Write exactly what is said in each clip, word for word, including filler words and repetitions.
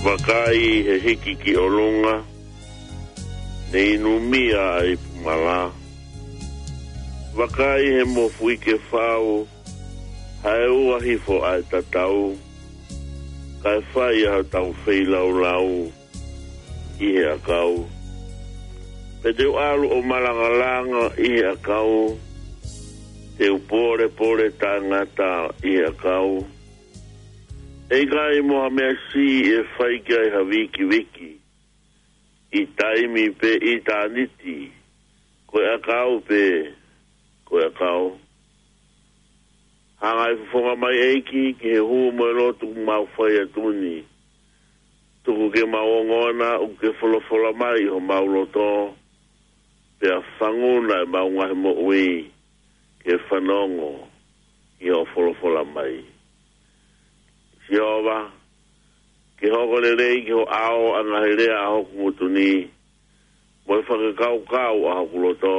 Vakai he hiki ki ʻolunga, ne inumia ʻa e ipu mala. Vakai he mofuike fau, hae ua hifo ʻa e tatau, kae fai ʻa hotau feilaulau ʻi he ʻakau. Pea te u ʻalu ʻo malangalanga ʻi he ʻakau, te u polepole taʻengata ʻi he ʻakau. ʻE ʻikai mo ha meʻa siʻi ʻe fai ki ai ha vikiviki, ʻi taimi pe ʻitāniti, ko e ʻakau pe ko e ʻakau. Hanga ʻe he fofonga mai ʻEiki ki he hū mo e lotu mau fai atu ni. Tuku ke mau ongona ʻoku ke folofola mai ʻi homau loto, pea fanguna ʻemau ngaahi moʻui ke fanongo ʻi hoʻo folofola mai. Sihova, ke hoko lelei ki ho ʻao ʻa e ngaahi lea ʻa hoku ngutu ni, mo e fakakaukau ʻa hoku loto,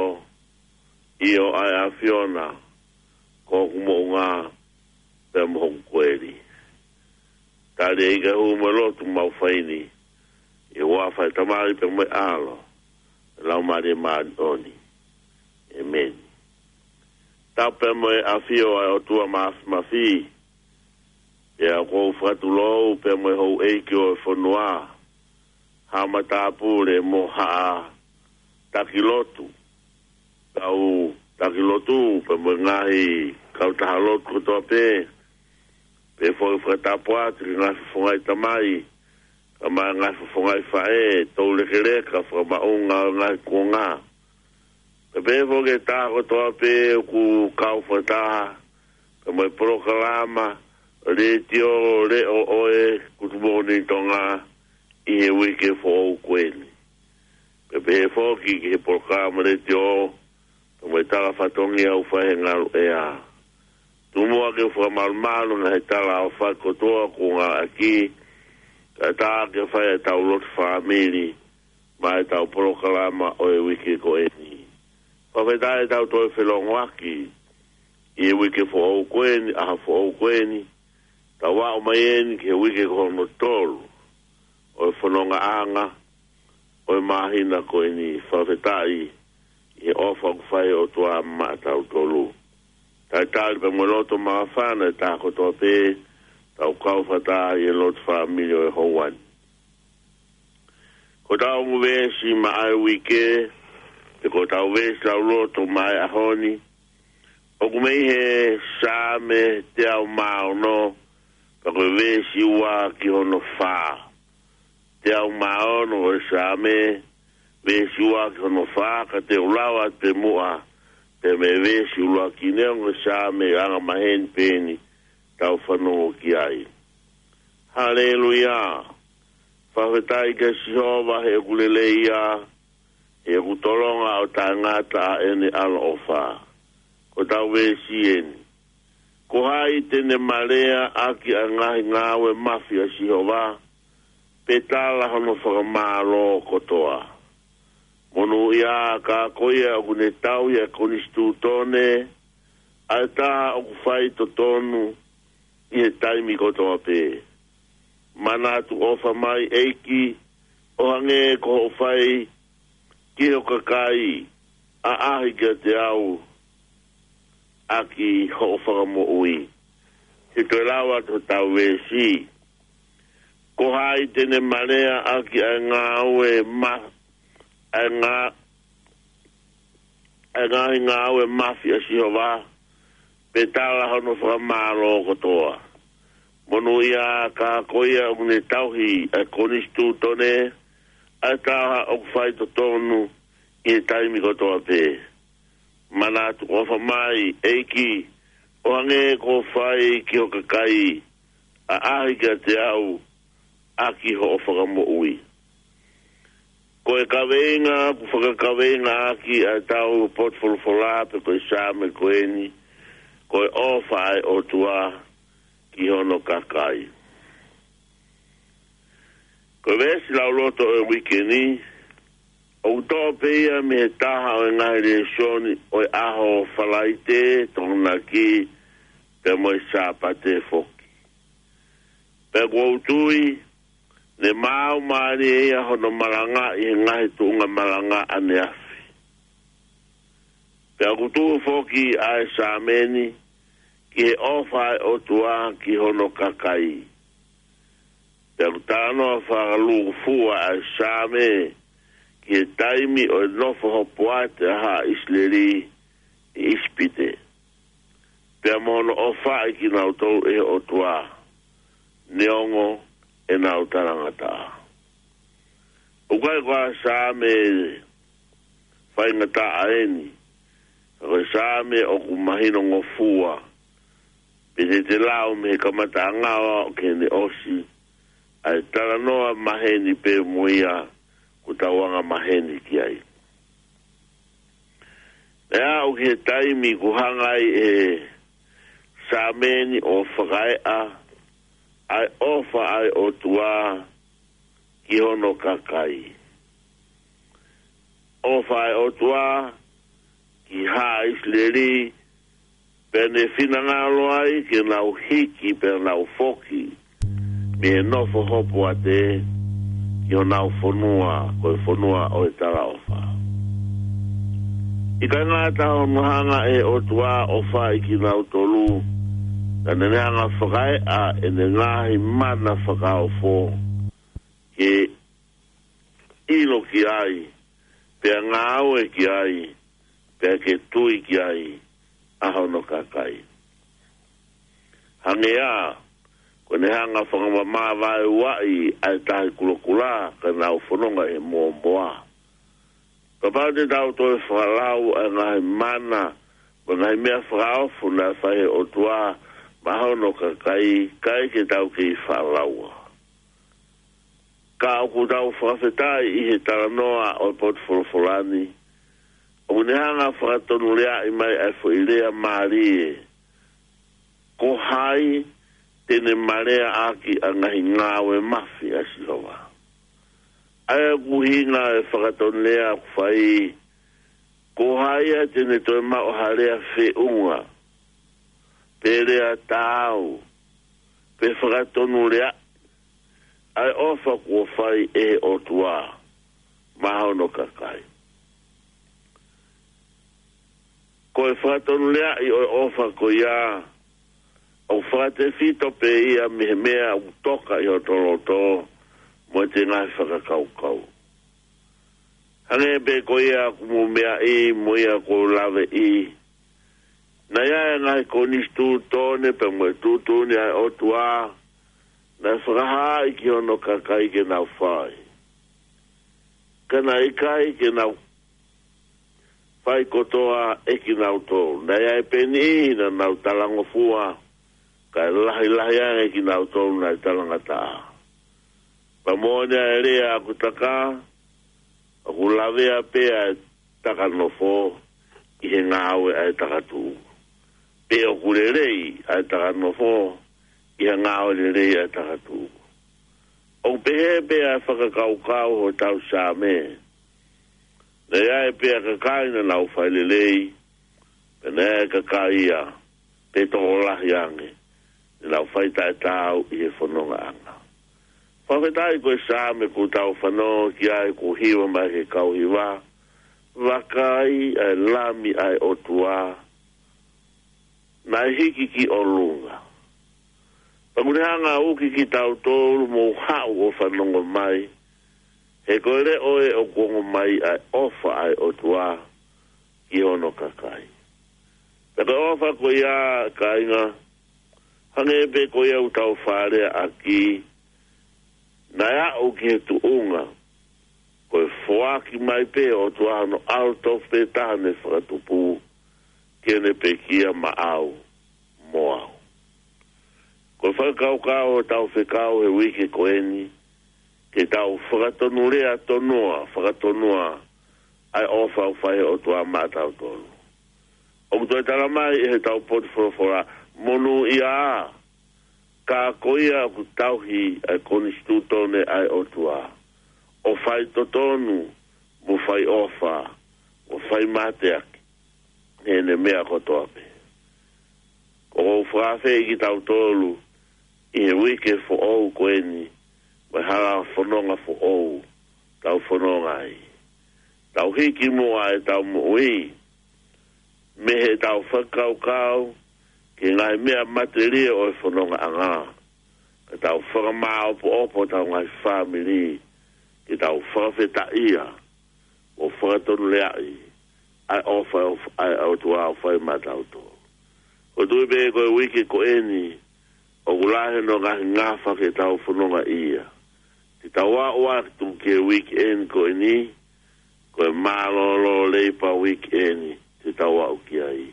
ʻio ʻa e ʻAfiona, ko hoku moʻunga, pea mo hoku koeli. Tali ʻEiki ʻa e hū mo e lotu mau fai ni, ʻi he huafa ʻo e Tamai pea mo e ʻAlo, Laumālie Māʻoniʻoni. ʻEmeni. Tapu pea mo e ʻafio ʻa e ʻOtua Mafimafi, pea ʻoku ou fakatulou pea mo e houʻeiki ʻo e fonua, haʻa matāpule mo haʻa taki lotu, kau taki lotu pea mo e ngaahi kautaha lotu kotoa pē, pea foki fakatapu atu ki he ngaahi fofonga ʻi tamai, kae ʻumaʻā e ngaahi fofonga ʻi faʻē, toulekeleka, fakamaʻunga ʻo e ngaahi kuonga. Pea pehē foki ki he taha kotoa pē ʻoku kau fakataha pea mo e polokalama letiō leʻo ʻo e Good Morning Tonga ʻi he uike foʻou ko eni. Pea pehē foki ki he polokalama letiō pea mo e tala fatongia ʻoku fai he ngalu ʻea. Tuku muʻa ke u fakamalumalu he tala ʻofa kotoa kuo ngāueʻaki, kae ʻatā ke fai ʻetau lotu fāmili maʻa ʻetau polokalama ʻo e uike ko eni. Fakafetaʻi ʻetau toe felongoaki ʻi he uike foʻou ko eni, ʻaho foʻou ko eni, tau aʻu mai eni ki he uike ko hono tolu ʻo e fonongaʻanga ʻo e māhina ko eni. Fakafetaʻi ʻi he ʻofa ʻoku fai ʻe he ʻOtua maʻatautolu. Talitali pea mo e loto māfana ʻa e taha kotoa pē, tau kau fakataha ʻi he lotu fāmili ʻo e houa ni. Ko ʻetau ongo veesi maʻa e uike, pe ko ʻetau veesi lauloto maʻa e ʻaho ni, ʻoku mei he Saame teau mā ono, pea ko e veesi ua ki hono fā. Teau mā ono ʻo e Saame, veesi ua ki hono fā, ka te u lau atu pē muʻa, pea mei he veesi ʻuluaki. Neongo e Saame ʻoku angamaheni pē eni, tau fanongo ki ai. Haleluia. Fakafetaʻi kia Sihova he ʻoku lelei ia, he ʻoku tolonga ʻo taʻengata ʻa ʻene ʻaloʻofa. Ko ʻetau veesi eni. Ko hai te ne maleaʻaki ʻa e ngaahi ngāue mafi ʻa Sihova, pe tala hono fakamālō kotoa? Monūʻia ā ka ko ia ʻoku ne tauhi ʻa e konisitūtone, ʻa e taha ʻoku fai totonu ʻi he taimi kotoa pē. Manatu ʻofa mai ʻEiki, ʻo hangē ko hoʻo fai ki ho kakai ʻaʻahi kiate au ʻaki hoʻo fakamoʻui. Te u toe lau atu hotau veesi. Ko hai te ne maleaʻaki ʻa e ngāue ma-, ʻa e ngā-, ʻa e ngaahi ngāue mafi ʻa Sihova, pe tala hono fakamālō kotoa? Monūʻia ā ka ko ia ʻoku ne tauhi ʻa e konisitūtone, ʻa e taha ʻoku fai totonu ʻi he taimi kotoa pē. Manatu ʻofa mai ʻEiki, ʻo hangē ko hoʻo fai ki ho kakai ʻaʻahi kiate au ʻaki hoʻo fakamoʻui. Ko e kaveinga ʻoku fakakaveingaʻaki ʻa ʻetau potu folofola pe ko e Saame ko eni, ko e ʻofa ʻa e ʻOtua ki hono kakai. Ko e veesi lauloto ʻo e uike ni, ʻoku toʻo pē ia mei he taha ʻo e ngaahi lēsoni ʻo e ʻaho Falaite, Tokonaki, pea mo e Sāpate foki. Pea ʻoku ou tui, Ne maau mālie ia hono malanga ʻi he ngaahi tuʻunga malanga ʻaneafi. Pea ʻoku tuʻu foki ʻa e Saame ni ki he ʻofa ʻa e ʻOtua ki hono kakai. Pea ʻoku talanoa fakalūkufua ʻa e Saame ki he taimi ʻo e nofo hopoate ʻa haʻa ʻIsileli ʻi ʻIsipite. Pea mo hono ʻofaʻi kinautolu ʻe he ʻOtua, neongo ʻenau talangataʻa. ʻOku ʻikai ko ha Saame faingataʻa eni, ka ko e Saame ʻoku mahinongofua, pea te te lau mei he kamataʻanga ʻo aʻu ki heʻene ʻosi, ʻa e talanoa maheni pē mo ia ʻoku tau anga maheni ki ai. Pea aʻu ki he taimi ʻoku hanga ai ʻe he Saame ni ʻo fakaeʻa ʻa e ʻofa ʻa e ʻOtua ki hono kakai. ʻOfa ʻa e ʻOtua ki haʻa ʻIsileli, pea ne finangalo ai ke nau hiki pea nau foki mei he nofo hopoate ki honau fonua, ko e fonua ʻo e talaʻofa. ʻIkai ngata hono hanga ʻe he ʻOtua ʻo ʻofaʻi kinautolu, ka ne ne hanga fakaeʻa ʻene ngaahi mana fakaofo ke ʻilo ki ai, pea ngāue ki ai, pea ke tui ki ai ʻa hono kakai. Hangē ia, ko ʻene hanga fakamamavaeuaʻi ʻa e Tahi Kulokula ka nau fononga ʻi he mōmoa. Kapau te tau toe fakalau ʻa e ngaahi mana, mo e ngaahi meʻa fakaofo naʻe fai ʻe he ʻOtua maʻa hono kakai, ʻikai ke tau kei fakalaua. Ka ʻoku tau fakafetaʻi ʻi he talanoa ʻo e potu folofola ni, ʻoku ne hanga fakatonuleaʻi mai ʻa e foʻi lea mālie, ko hai te ne maleaʻaki ʻa e ngaahi ngāue mafi ʻa Sihova. ʻA ia ʻoku ʻuhinga e fakatonulea ʻoku fai, ko hai ia te ne toe maʻu ha lea feʻunga, pe lea taau, pe fakatonulea ʻa e ʻofa kuo fai ʻe he ʻOtua maʻa hono kakai. Ko e fakatonuleaʻi ʻo e ʻofa ko ia, ʻoku fakatefito pē ia mei he meʻa ʻoku toka ʻi hoto loto mo ʻete ngaahi fakakaukau. Hangē pē ko ia ʻoku mou meaʻi mo ia ʻoku ou laveʻi, naʻe ʻi ai ʻa e ngaahi konisitūtone pea mo e tuʻutuʻuni ʻa e ʻOtua naʻe fakahaaʻi ki hono kakai ke nau fai. Ka naʻe ʻikai ke nau fai kotoa ʻe kinautolu. Naʻe ʻi ai pē niʻihi naʻa nau talangofua, kae lahilahi ange kinautolu naʻe talangataʻa. Pea moʻoni ʻa e lea ʻoku taka, ʻoku lavea pē ʻa e taka nofo ʻi he ngāue ʻa e taka tuʻu. Pe ʻoku lelei ʻa e taka nofo ʻi he ngāue lelei ʻa e taka tuʻu. ʻOku pehē pē ʻa e fakakaukau ʻo hotau Saame. Naʻe ʻi ai pē ʻa e kakai naʻa nau fai lelei, pea naʻe ʻi ai ʻa e kakai ia, pe tokolahi ange, naʻa nau fai taʻetaau ʻi he fonongaʻanga. Fakafetaʻi ko e Saame ʻoku tau fanongo ki ai ʻoku hiva mai ʻe he kau hiva, Vakai ʻa e Lami ʻa e ʻOtua, naʻe hiki ki ʻolunga. Pea ʻoku ne hanga ʻo uki kitautolu mou haʻu ʻo fanongo mai, he ko e leʻo ē ʻoku ongo mai ʻa e ʻofa ʻa e ʻOtua ki hono kakai. Pea ko e ʻofa ko ia, kāinga, hangē pē ko ia ʻoku tau faleʻi ʻaki, naʻe aʻu ki he tuʻunga, ko e foaki mai pē ʻe he ʻOtua hono ʻAlo tofu pē taha ne fakatupu, ke ne pekia maʻau mo au. Ko e fakakaukau ʻo hotau fekau he uike ko eni, ke tau fakatonulea tonua, fakatonua ʻa e ʻofa ʻoku fai ʻe he ʻOtua maʻatautolu. ʻOku toe tala mai ʻe hotau potu folofola, monūʻia ā, ka ko ia ʻoku tauhi ʻa e konisitūtone ʻa e ʻOtua, ʻo fai totonu, mo fai ʻofa, mo fai mateaki heʻene meʻa kotoa pē. ʻOku ou fakaafeʻi kitautolu ʻi he uike foʻou ko eni, mo e hala fononga foʻou tau fononga ai. Tau hiki muʻa ʻetau moʻui mei heʻetau fakakaukau ki he ngaahi meʻa matelie ʻo e fonongaʻanga. Ka tau fakamāopoopo hotau ngaahi fāmili, ke tau fakafetaʻia ʻo fakatonuleaʻi ʻa e ʻofa ʻa e ʻOtua ʻoku fai maʻatautolu. ʻOku ou tui pē ko e uike ko eni, ʻoku lahi hono ngaahi ngafa ke tau fonongaʻia. Te tau aʻu atu ki he uike eni ko eni, ko e mālōlō Leipa uike eni te tau aʻu ki ai.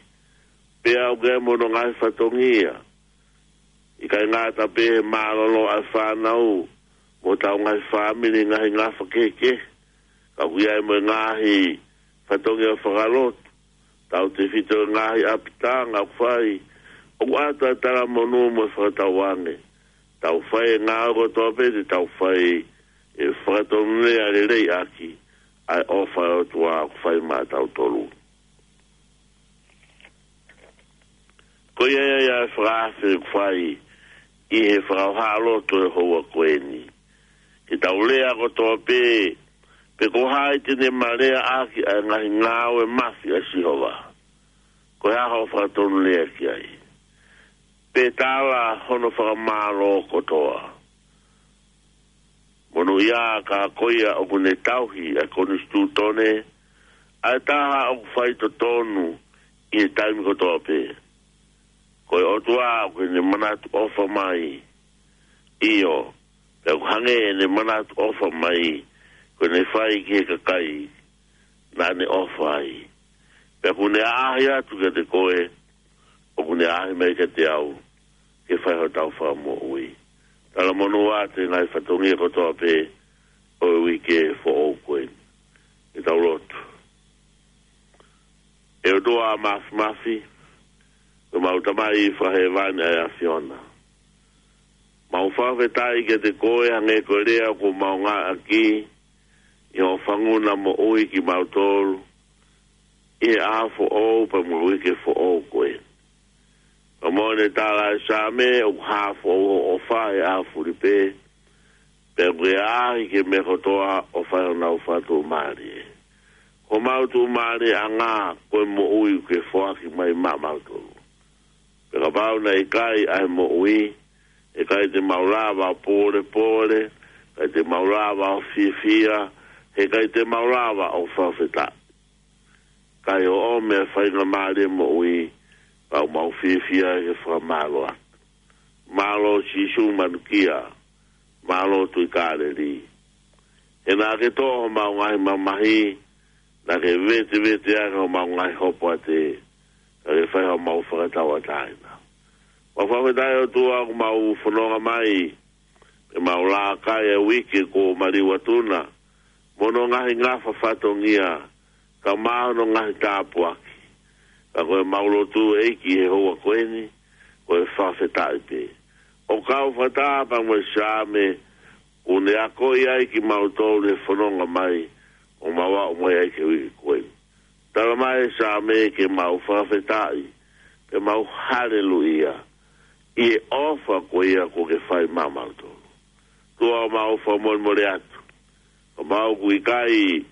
Pea ʻoku ʻi ai mo hono ngaahi fatongia. ʻIkai ngata pē he mālōlō ʻa e fānau, mo hotau ngaahi fāmili, ngaahi ngafa kehekehe. Ka ʻoku ʻi ai mo e ngaahi fatongia fakalotu. Tautefito e ngaahi ʻapitanga ʻoku fai, ʻoku ʻata e talamonū mo e fakatauange. Tau fai e ngāue kotoa pē te tau fai ʻe fakatonulea leleiʻaki ʻa e ʻofa ʻa e ʻOtua ʻoku fai maʻatautolu. Ko ia ia ʻa e fakaafe ʻoku fai ʻi he fakaʻohoʻa lotu ʻo e houa ko eni. Ke tau lea kotoa pē, pe ko hai te ne maleaʻaki ʻa e ngaahi ngāue mafi ʻa Sihova. Ko e hā hoʻo fakatonulea ki ai? Pe tala hono fakamālō kotoa. Monūʻia ka ko ia ʻoku ne tauhi ʻa e konisitūtone, ʻa e taha ʻoku fai totonu ʻi he taimi kotoa pē. Ko e ʻOtua ʻoku ne manatu ʻofa mai. ʻIo, pea ʻoku hangē ʻene manatu ʻofa mai, ko ʻene fai ki he kakai naʻa ne ʻofa ai. Pea ʻoku ne ʻaʻahi atu kiate koe, ʻoku ne ʻaʻahi mai kiate au, ke fai hotau fakamoʻui. Talamonū atu he ngaahi fatongia kotoa pē ʻo e uike foʻou ko eni. Ke tau lotu. ʻE ʻOtua Māfimafi, ko homau Tamai fakahēvani ʻa e ʻAfiona. Mau fakafetaʻi kiate koe hangē ko e lea kuo mau ngāueʻaki, ʻi hoʻo fanguna moʻui kimautolu, ʻi he ʻaho foʻou pea mo e uike foʻou ko ē. Pea mo ʻene tala ʻe Saame, ʻoku hā foʻou hoʻo ʻofa he ʻaho fuli pē, pea ʻoku ke ʻaʻahi ki he meʻa kotoa ʻo fai honau fakatuʻumālie. Ko homau tuʻumālieʻanga ko e moʻui ʻoku ke foaki mai maʻamautolu. Pea kapau naʻe ʻikai ʻa e moʻui, heʻikai te mau lava ʻo pōlepole, heʻikai te mau lava ʻo fiefia, heʻikai te mau lava ʻo fakafetaʻi. Ka ʻi hoʻo meʻa faingamālie moʻui, pea ʻoku mau fiefia he fakamālō atu. Mālō Sīsū manukia, mālō Tuʻi Kāleli. He naʻa ke toʻo homau ngaahi mamahi, naʻa ke vetevete ange homau ngaahi hopoate, ka ke fai homau fakatauʻatāina. Mau fakafetaʻi ʻOtua ʻoku mau fononga mai, pea mau laka ʻi he uike kuo maliu atu na, mo hono ngaahi ngafa fatongia, kae ʻumaʻā hono ngaahi tāpuaki. Ka ko ʻemau lotu ʻEiki he houa ko eni, ko e fakafetaʻi pē. ʻO kau fakataha pea mo e Saame, ʻoku ne akoʻi ai kimautolu he fononga mai, ʻo mau aʻu mai ai ki he uike ko eni. Tala mai ʻe Saame ke mau fakafetaʻi, pea mau haleluia, ʻi he ʻofa ko ia kuo ke fai maʻamautolu. ʻOtua ʻoku mau fakamolemole atu. Ka mau ʻoku ʻikai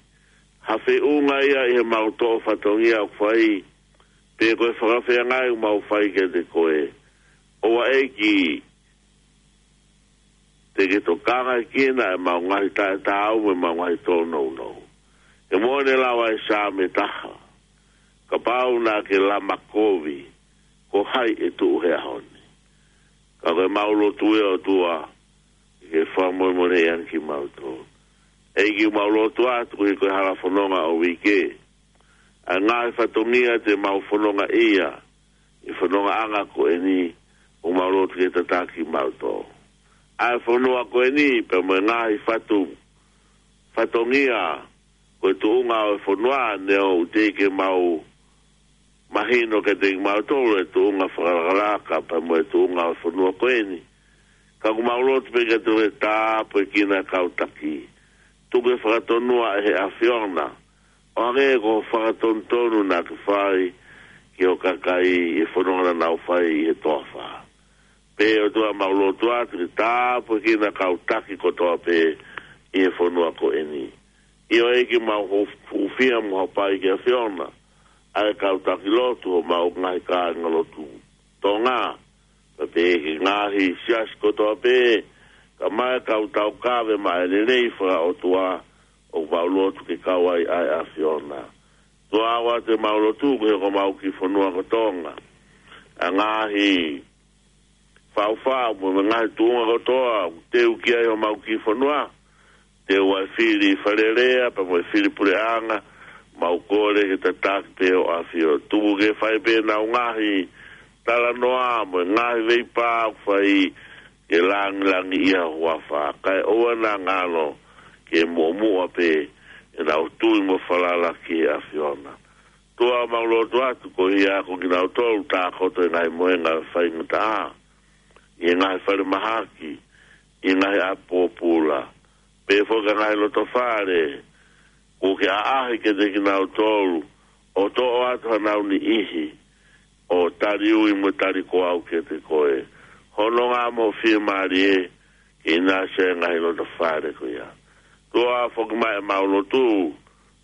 ha feʻunga ia ʻi heʻemau toʻo fatongia ʻoku fai, pe ko e fakafeangai ʻoku mau fai kiate koe. ʻOua ʻEiki, te ke tokangaʻi kinautolu ʻemau ngaahi taʻetaau mo ʻemau ngaahi tōnounou. He ʻoku ne lava ʻe Saame taha. Kapau naʻa ke lama kovi, ko hai ʻe tuʻu he ʻaho ni. Ka ko ʻemau lotu ʻe ʻOtua, ke fakamolemoleʻi ange kimautolu. ʻEiki ʻoku mau lotu atu koeʻuhi ko e hala fononga ʻo e uike. ʻA e ngaahi fatongia te mau fononga ia, ʻi he fonongaʻanga ko eni, ʻoku mau lotu ke tataki kimautolu. ʻA e fonua ko eni, pea mo e ngaahi fatu, fatongia, ko e tuʻunga ʻo e fonua, neongo ʻoku teʻeki ke mau mahino kiate kimautolu e tuʻunga fakalakalaka, pea mo e tuʻunga ʻo e fonua ko eni. Ka ʻoku mau lotu pē kiate koe ke tāpuekina e kau taki. Tuku ke fakatonua ʻe he ʻAfiona. ʻO hangē ko e fakatonutonu naʻa ke fai ki hoʻo kakai ʻi he fononga naʻa nau fai ʻi he toafa. Pea ʻOtua, mau lotu atu ke tāpuekina kau taki kotoa pē ʻi he fonua ko eni. ʻIo ʻEiki, mau hū-, hūfia mo hapai ki he ʻAfiona ʻa e kau taki lotu ʻo homau ngaahi kāingalotu Tonga, pea pehē ki he ngaahi siasi kotoa pē, kae ʻumaʻā e kau taukave maʻa e lelei fakaʻotua, ʻoku mau lotu ke kau ai ʻa e ʻAfiona. ʻOtua, ʻoatu ʻemau lotu koeʻuhi ko homau kiʻi fonua ko Tonga, ʻa e ngaahi faʻufaʻu mo e ngaahi tuʻunga kotoa ʻoku teu ki ai homau kiʻi fonua, teu ʻa e fili Fale Alea pea mo e fili puleʻanga, mau kole ke tataki pē ho ʻAfio. Tuku ke fai pē ʻenau ngaahi talanoa mo e ngaahi veipā ʻoku fai ke langilangiʻia ho huafa, kae ʻoua naʻa ngalo ke muʻomuʻa pē ʻenau tui mo falala ki he ʻAfiona. ʻOtua, mau lotu atu koeʻuhi ko kinautolu ʻoku tākoto ʻi he ngaahi mohenga faingataʻa, ʻi he ngaahi falemahaki, ʻi he ngaahi ʻapi pōpula, pehē foki ki he ngaahi lotofale, ʻoku ke ʻaʻahi kiate kinautolu ʻo toʻo atu hanau niʻihi ʻo tali ui mo tali koau kiate koe. Hononga mo ho fiemālie ke ʻinasi ʻa e ngaahi lotofale ko ia. ʻOtua, foki mai ʻemau lotu,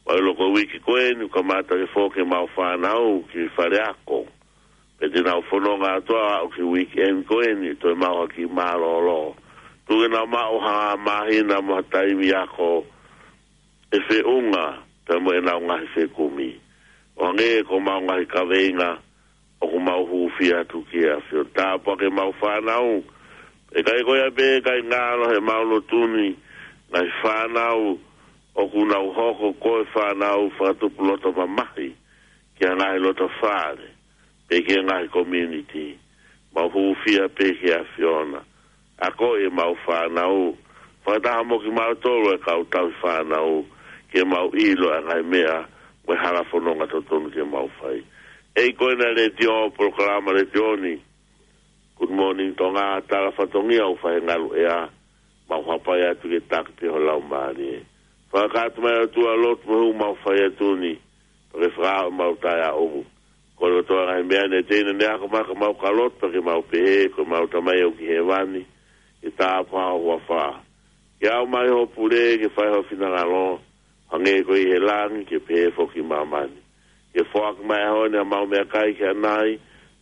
ʻo ʻilo ko e uike ko eni ʻoku kamata ke foki ʻemau fānau ki he fale ako, pea te nau fononga atu ʻo aʻu ki he uike eni ko eni, toe maʻu ha kiʻi mālōlō. Tuku ke nau maʻu ha māhina mo ha taimi ako ʻe feʻunga pea mo ʻenau ngaahi fekumi, ʻo hangē ko homau ngaahi kaveinga ʻoku mau hūfia atu ki he ʻAfio. Tāpuakiʻi ʻemau fānau. ʻIkai ko ia pē, kae ngalo heʻemau lotu ni, ngaahi fānau ʻoku nau hoko ko e fānau fakatupu loto mamahi ki he ngaahi lotofale, pe ki he ngaahi community, mau hūfia pē ki he ʻAfiona. Akoʻi ʻemau fānau, fakataha mo kimautolu e kau tauhi fānau, ke mau ʻilo ʻa e ngaahi meʻa mo e hala fononga totonu ke mau fai. ʻEiki, ko ena letiō, polokalama letiō ni, Good Morning Tonga, tala fatongia ʻoku fai he ngaluʻea, mau hapai atu ke taki pē ho Laumālie. Fakakakato mai ʻOtua e lotu mo e hū ʻoku mau fai atu ni, pea ke fakaaʻu ʻemau taʻeaʻu. Kole kotoa e ngaahi meʻa ni ʻe teina ne ako mai ka mau ka lotu pea ke mau pehē, ko homau Tamai ʻoku ʻi hēvani, ke tāpuhā ho huafa. Ke aʻu mai hoʻo pule, ke fai ho finangalo, hangē ko ia ʻi he langi, ke pehē foki ʻi māmani. Ke foaki mai he ʻaho ni haʻamau meʻakai ki ʻanai,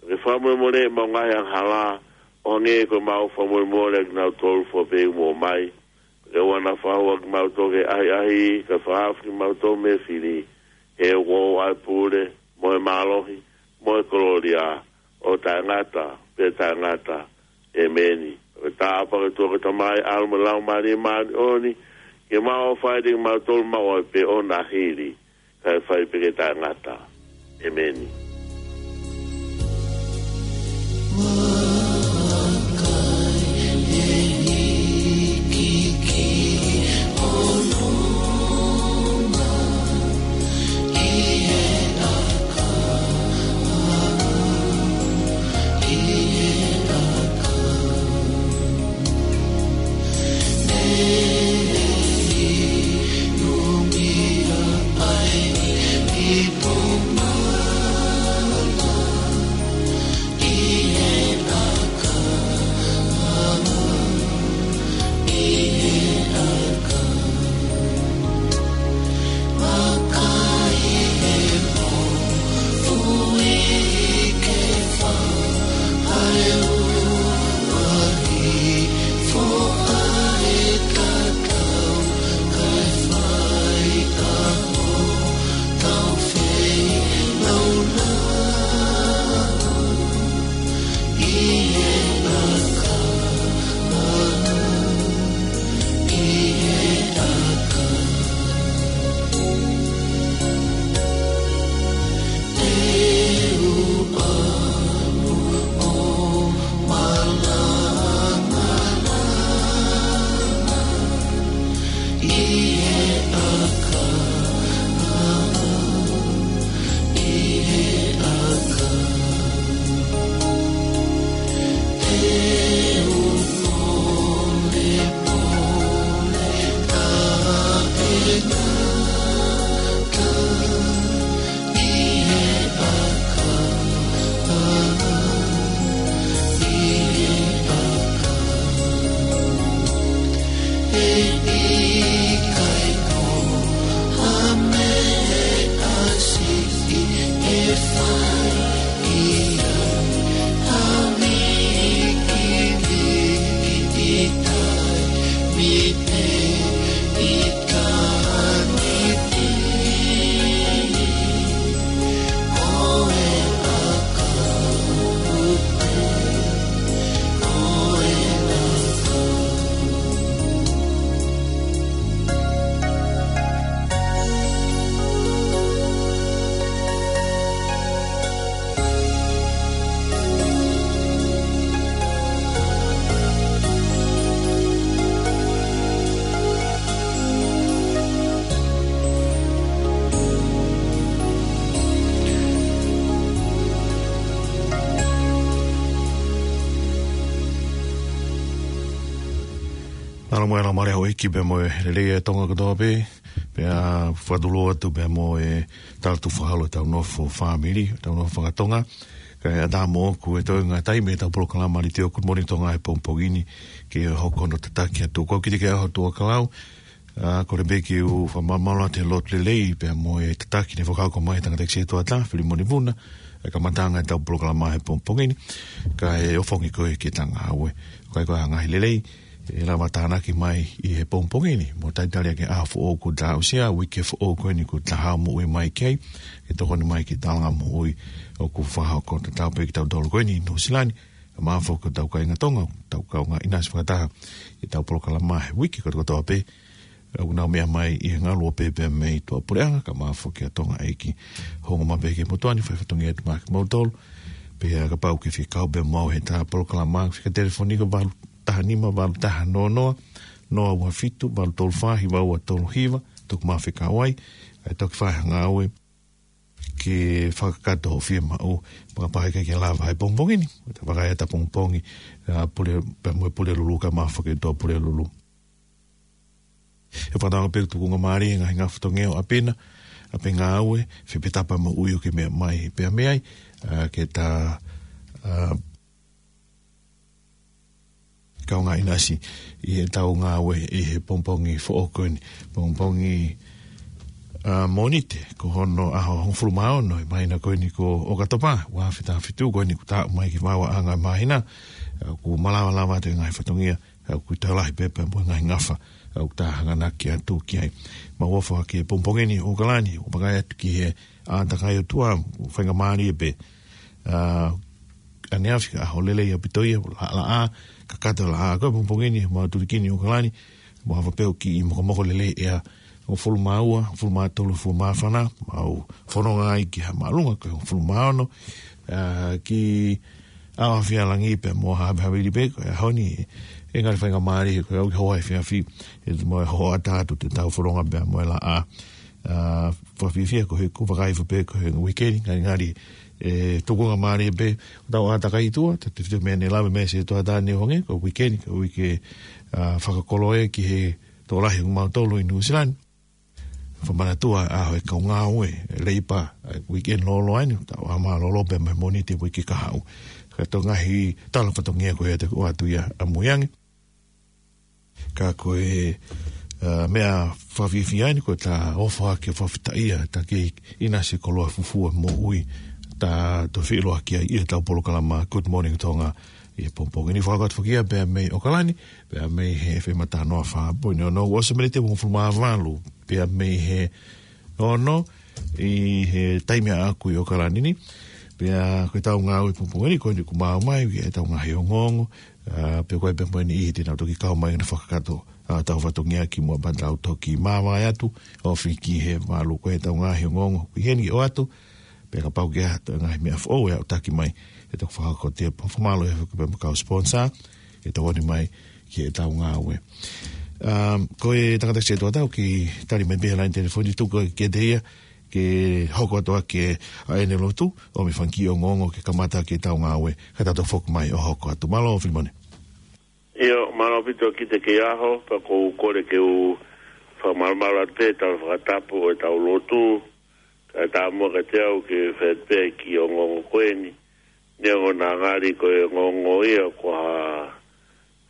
ke fakamolemoleʻi ʻemau ngaahi angahala, ʻo hangē ko ʻemau fakamolemole ʻa kinautolu fua pē ʻoku mou mai. Ke ʻoua naʻa fakahua kimautolu ki he ʻahiʻahi, kae fakahaofi kimautolu mei he fili, he ʻoku ʻoʻou ʻa e pule, mo e mālohi, mo e kolōlia, ʻo taʻengata pea taʻengata. ʻEmeni. Ko e tāpuaki ʻa e ʻOtua ko e Tamai, ʻAlo mo e Laumālie Māʻoniʻoni, ke maʻu ʻo fai ʻiate kimautolu maʻu ai pē ʻo na hili, kae fai pē ke taʻengata. ʻEmeni. Tala mo e ʻaloʻofa mo e houʻeiki pea mo e lelei ʻa Tonga kotoa pē, pea fakatulou atu pea mo e tala tuʻu fakaholo ʻetau nofo fāmili, ʻetau nofo fakatonga. Kae ʻatā moʻoku e toenga taimi ʻetau polokalama letiō Good Morning Tonga he pongipongi ni ke hoko hono tataki atu. Ko au Kitike ʻAho Tuʻakalau, ʻa, kole pē ke u fakamalumalu atu he lotu lelei pea mo e tataki ne fakahoko mai ʻe he tangataʻeiki sētuata, Filimoni Vuna, e kamataʻanga ʻetau polokalama he pongipongi ni, kae ʻofongi koe ki heʻeta ngāue. ʻOku ʻi ai koā ha ngaahi lelei ʻe lava tānaki mai ʻi he pongipongi ni, mo talitali ʻaki e ʻaho foʻou kuo ta aʻusia, uike foʻou ko eni kuo ta haʻu moʻui mai ki ai, ke tokoni mai ki he talanga moʻui ʻoku fakahoko tatau pē kitautolu ko eni ʻi Nuʻu Sila ni, kae ʻumaʻā foki hotau kāinga Tonga, ʻoku tau kaungā ʻinasi fakataha ʻi heʻetau polokalama he uike kotokotoa pē, ʻoku nau meʻa mai ʻi he ngaluope pea mei tuʻapuleʻanga, kae ʻumaʻā foki ʻa Tonga ʻEiki. Hounga mai pē ki he motuʻa ni, fai fatongia atu maʻa kimoutolu. Pea kapau ʻoku ke fie kau pē mo au heʻeta polokalama, fika telefoni ko valu taha nima, valu taha noa noa, noa ua fitu, valu tolu fā, hiva ua tolu hiva, toki maʻu fekau ai, ʻe toki fai ha ngāue ke fakakakato hoʻo fiemaʻu, pea kapau ʻe ʻikai ke lava he pongipongi ni, ʻo ta vakai atu pongipongi, ʻa, Pule, pea mo e Pulelulu kae ʻumaʻā foki ʻa Tuʻapulelulu. ʻE fakatauange pē ʻoku tukunga mālie e ngaahi ngafa fatongia ʻo ʻapi na, ʻapi ngāue, fepetapa moʻui ʻoku ke meʻa mai pea mei ai, ʻa, ke ta, ʻa, kaungā ʻinasi ʻi heʻetau ngāue ʻi he pongipongi foʻou ko eni, pongipongi, ʻa, Mōnite, ko hono ʻaho hongofulu mā ono ʻi he māhina ko eni ko ʻOkatopa, ua afe taha fitu ko eni kuo ta aʻu mai ki he vaoʻanga māhina, ʻa, kuo malava lava atu e ngaahi fatongia, ʻa, ʻoku toe lahi pē pea mo e ngaahi ngafa, ʻa, ʻoku ta hanganaki atu ki ai. Mau ʻofa ki he pongipongi ni ʻo ʻAokalani, ʻo vakai atu ki he ʻātakai ʻOtua, ʻoku faingamālie pē. ʻA, ʻaneafi ʻaho lelei ʻaupito ia, laʻalaʻā, kakato laʻā, ko e pongipongi ni, mau tulikini ʻo ʻAokalani, mau hava pē ʻo kiʻi mokomoko lelei ʻea, hongofulu mā ua, hongofulu mā tolu, hongofulu mā fā, mau fononga ai ki ha māʻolunga, ko e hongofulu mā ono, ʻa, ki ʻAoafialangi pea mo Havehavili pē, ko e ʻaho ni, ʻe ngali faingamālie, ko e ʻaho ki he hoa efiafi, ʻe mau hoʻata atu ʻetau fononga pea mo e laʻā, ʻa, fakafiefia ko e, ʻoku ou vakai hifo pē ko e uike ni, ngali ngali, ʻe tukunga mālie pē, ʻetau ʻātakai ʻi tuʻa, te te meʻa ne lave mai sētuata ni ʻo hangē, ko e uike ni, ko e uike, ʻa, fakakoloa ki he tokolahi ʻo mautolu ʻi Nuʻu Sila ni. Fakamanatua ʻa e ʻaho e kau ngāue, e leipa, ʻa e uike ni lōloa ni, tau ʻā mālōlō pē mei he Mōnite uike kahaʻu. Ka ko e ngaahi tala fatongia ko ia te u ʻoatu ia ʻamui ange. Ka ko e, ʻa, meʻa fakafiefia ni ko ʻeta ʻofa ke fakafetaʻia, ta kei ʻinasi koloa fufua moʻui, ta toe feʻiloaki ai ʻi heʻetau polokalama Good Morning Tonga ʻi he pongipongi ni. Fakakau atu foki ia pea mei ʻAokalani, pea mei he F M ʻa Tanoa fā poini ono, ʻosi e miniti ʻe hongofulu mā valu, pea mei he ono, ʻi he taimi ʻaʻaku ʻi ʻAokalani ni, pea ko ʻetau ngāue pongipongi ni, ko eni kuo mau ō mai, ʻi heʻetau ngaahi ongoongo, ʻa, pea ko e pea mo e niʻihi te nau toki kau mai ʻo fakakakato, ʻa, ʻetau fatongia kimuʻa pea tau toki māvae atu, ofi ki he valu ko ʻetau ngaahi ongoongo, ko eni ke ʻoatu, pea kapau ʻoku ʻi ai ha ngaahi meʻa foʻou ʻe aʻutaki mai, ʻe toki fakahoko atu ia pea fakamālō atu foki pea mo e kau sponsor, ʻe tokoni mai ki heʻetau ngāue. ʻA, ko e tangataʻeiki sētuata ʻoku tali mai pē he laine telefoni tuku kiate ia, ke hoko atu ʻaki ʻa ʻene lotu, ʻo mei fanga kiʻi ongoongo ke kamata ʻaki ʻetau ngāue, ka tau toe foki mai ʻo hoko atu. Mālō, Filimoni. ʻIo, mālō ʻaupito Kitike ʻAho, pea ʻoku ou kole ke u fakamalumalu atu pē ʻetau fakatapu ʻo ʻetau lotu, kae ʻatā muʻa kiate au ke fai pē e kiʻi ongoongo ko eni, neongo naʻa ngali ko e ongoongo ia ko ha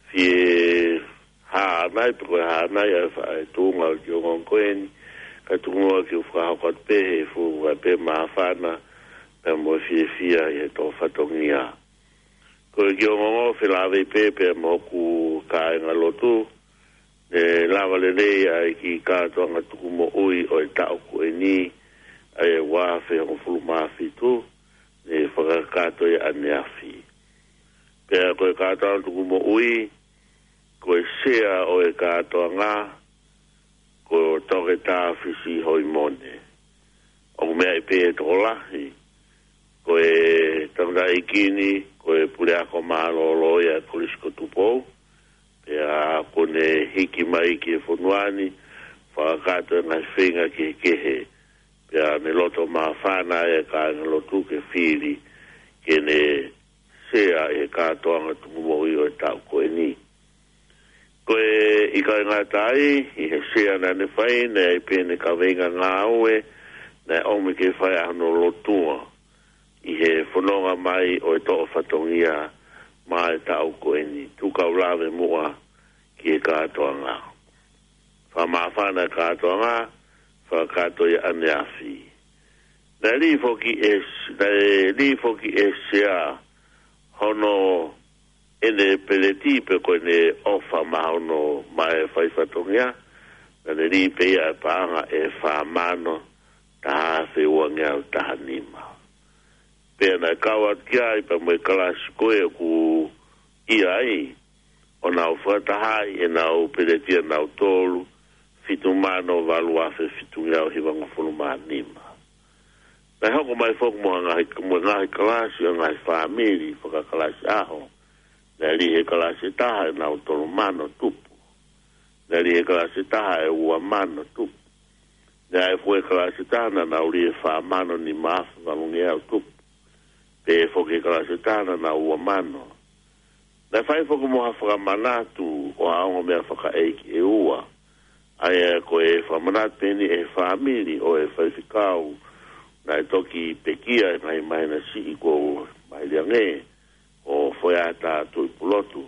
fie hānai, pe ko e hānai ʻa e fa-, ʻa e tuʻunga ʻo e kiʻi ongoongo ko eni, ka tuku muʻa ke u fakahoko atu pē he fuʻu kae pē māfana, pea mo e fiefia ʻi heʻetau fatongia. Ko e kiʻi ongoongo felāveʻi pē pea mo hoku kāinga lotu, ne lava lelei ʻa e kiʻi kātoanga tukumoʻui ʻo e taʻu ko eni, ʻa e ua afe hongofulu mā fitu, ne fakakakato ia ʻaneafi. Pea ko e kātoanga tukumoʻui, ko e sea ʻo e kātoanga, ko Toketā Fisi Hoimone. ʻOku meaʻi pē ʻe he tokolahi, ko e tangataʻeiki ni, ko e puleako mālōlō ia ʻa e Kolisi ko Tupou, pea kuo ne hiki mai ki he fonua ni, fakakakato e ngaahi feinga kehekehe, pea ne loto māfana e kāinga lotu ke fili, ke ne sea ʻi he kātoanga tukumoʻui ʻo e taʻu ko eni. Ko e ʻIkai ngata ai, ʻi he sea naʻa ne fai, naʻe ʻi ai pē ʻene kaveinga ngāue naʻe ʻomi ke fai ʻa hono lotua ʻi he fononga mai ʻo e toʻo fatongia maʻa e taʻu ko eni. Tuku ke u lave muʻa ki he kātoanga. Fakamāfana e kātoanga, fakakātoa ia ʻaneafi. Naʻe lī foki ʻe, naʻe lī foki ʻe Sea hono ʻene peleti pe ko ʻene ʻofa maʻa hono maʻa e fai fatongia, naʻa ne lī pē ia e paʻanga ʻe fā mano taha afe uangeau taha nima. Pea naʻe kau atu ki ai pea mo e kalasi ko ē ʻoku ʻi ai, ʻo nau fakatahaʻi ʻenau peleti ʻanautolu, fitu mano valu afe fitungeau hivangofulu mā nima. Naʻe hoko mai foki mo e ngaahi, mo e ngaahi kalasi ʻo e ngaahi fāmili fakakalasi ʻaho. Naʻe lī he kalasi ʻe taha ʻenau tolu mano tupu. Naʻe lī he kalasi ʻe taha e ua mano tupu. Naʻe ʻi ai foki e kalasi ʻe taha naʻa nau lī e fā mano nima afe valungeau tupu. Pea foki e kalasi ʻe taha naʻa nau ua mano. Naʻe fai foki mo ha fakamanatu ʻo ha ongo meʻa fakaʻeiki ʻe ua. ʻA ia ko e fakamanatu pē eni ʻe he fāmili ʻo e faifekau naʻe toki pekia ʻi he ngaahi māhina siʻi kuo maliu ange, ko Foeata Tuʻipulotu.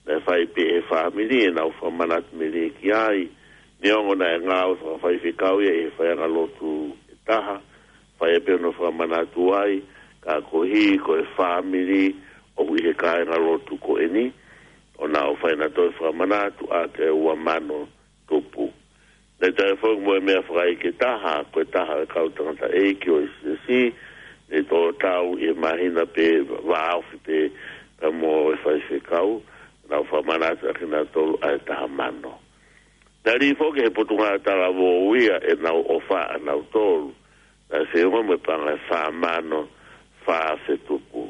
Naʻe fai pē ʻe he fāmili ʻenau fakamanatu melie ki ai, neongo naʻe ngāue fakafaifekau ia ʻi he faiʻanga lotu ʻe taha, fai pē hono fakamanatu ai, ka koeʻuhi ko e fāmili ʻoku ʻi he kāinga lotu ko eni, ʻo nau fai ʻenautolu e fakamanatu ʻaki e ua mano tupu. Naʻe toe foki mo e meʻa fakaʻeiki ʻe taha, ko e taha e kau tangataʻeiki ʻo e siasi, naʻe tō tau ʻi he māhina pē vāofi pē pea mo e faifekau, nau fakamanatu ʻaki ʻenautolu ʻa e taha mano. Naʻe lī foki he Potungāue Talavou ia ʻenau ʻofa ʻanautolu, naʻe feʻunga mo e paʻanga ʻe fā mano fā afe tupu.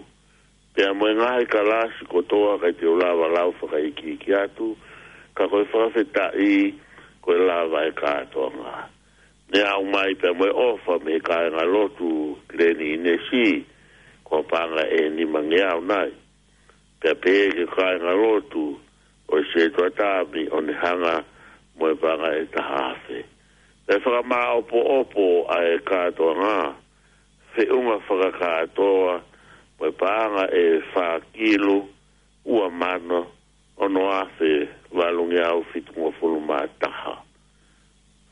Pea mo e ngaahi kalasi kotoa ʻikai te u lava lau fakaikiiki atu, ka ko e fakafetaʻi ko e lava e kātoanga. Naʻe aʻu mai pea mo e ʻofa mei he kāinga lotu Kileni ʻInesi, ko e paʻanga ʻe nimangeau nai. Pea pehē ki he kāinga lotu ʻo e Setuata ʻo ne hanga mo e paʻanga ʻe taha afe. Naʻe fakamāʻopoʻopo ʻa e kātoanga, feʻunga fakakātoa mo e paʻanga ʻe fā kilu ua mano ono afe valungeau fitungofulu mā taha.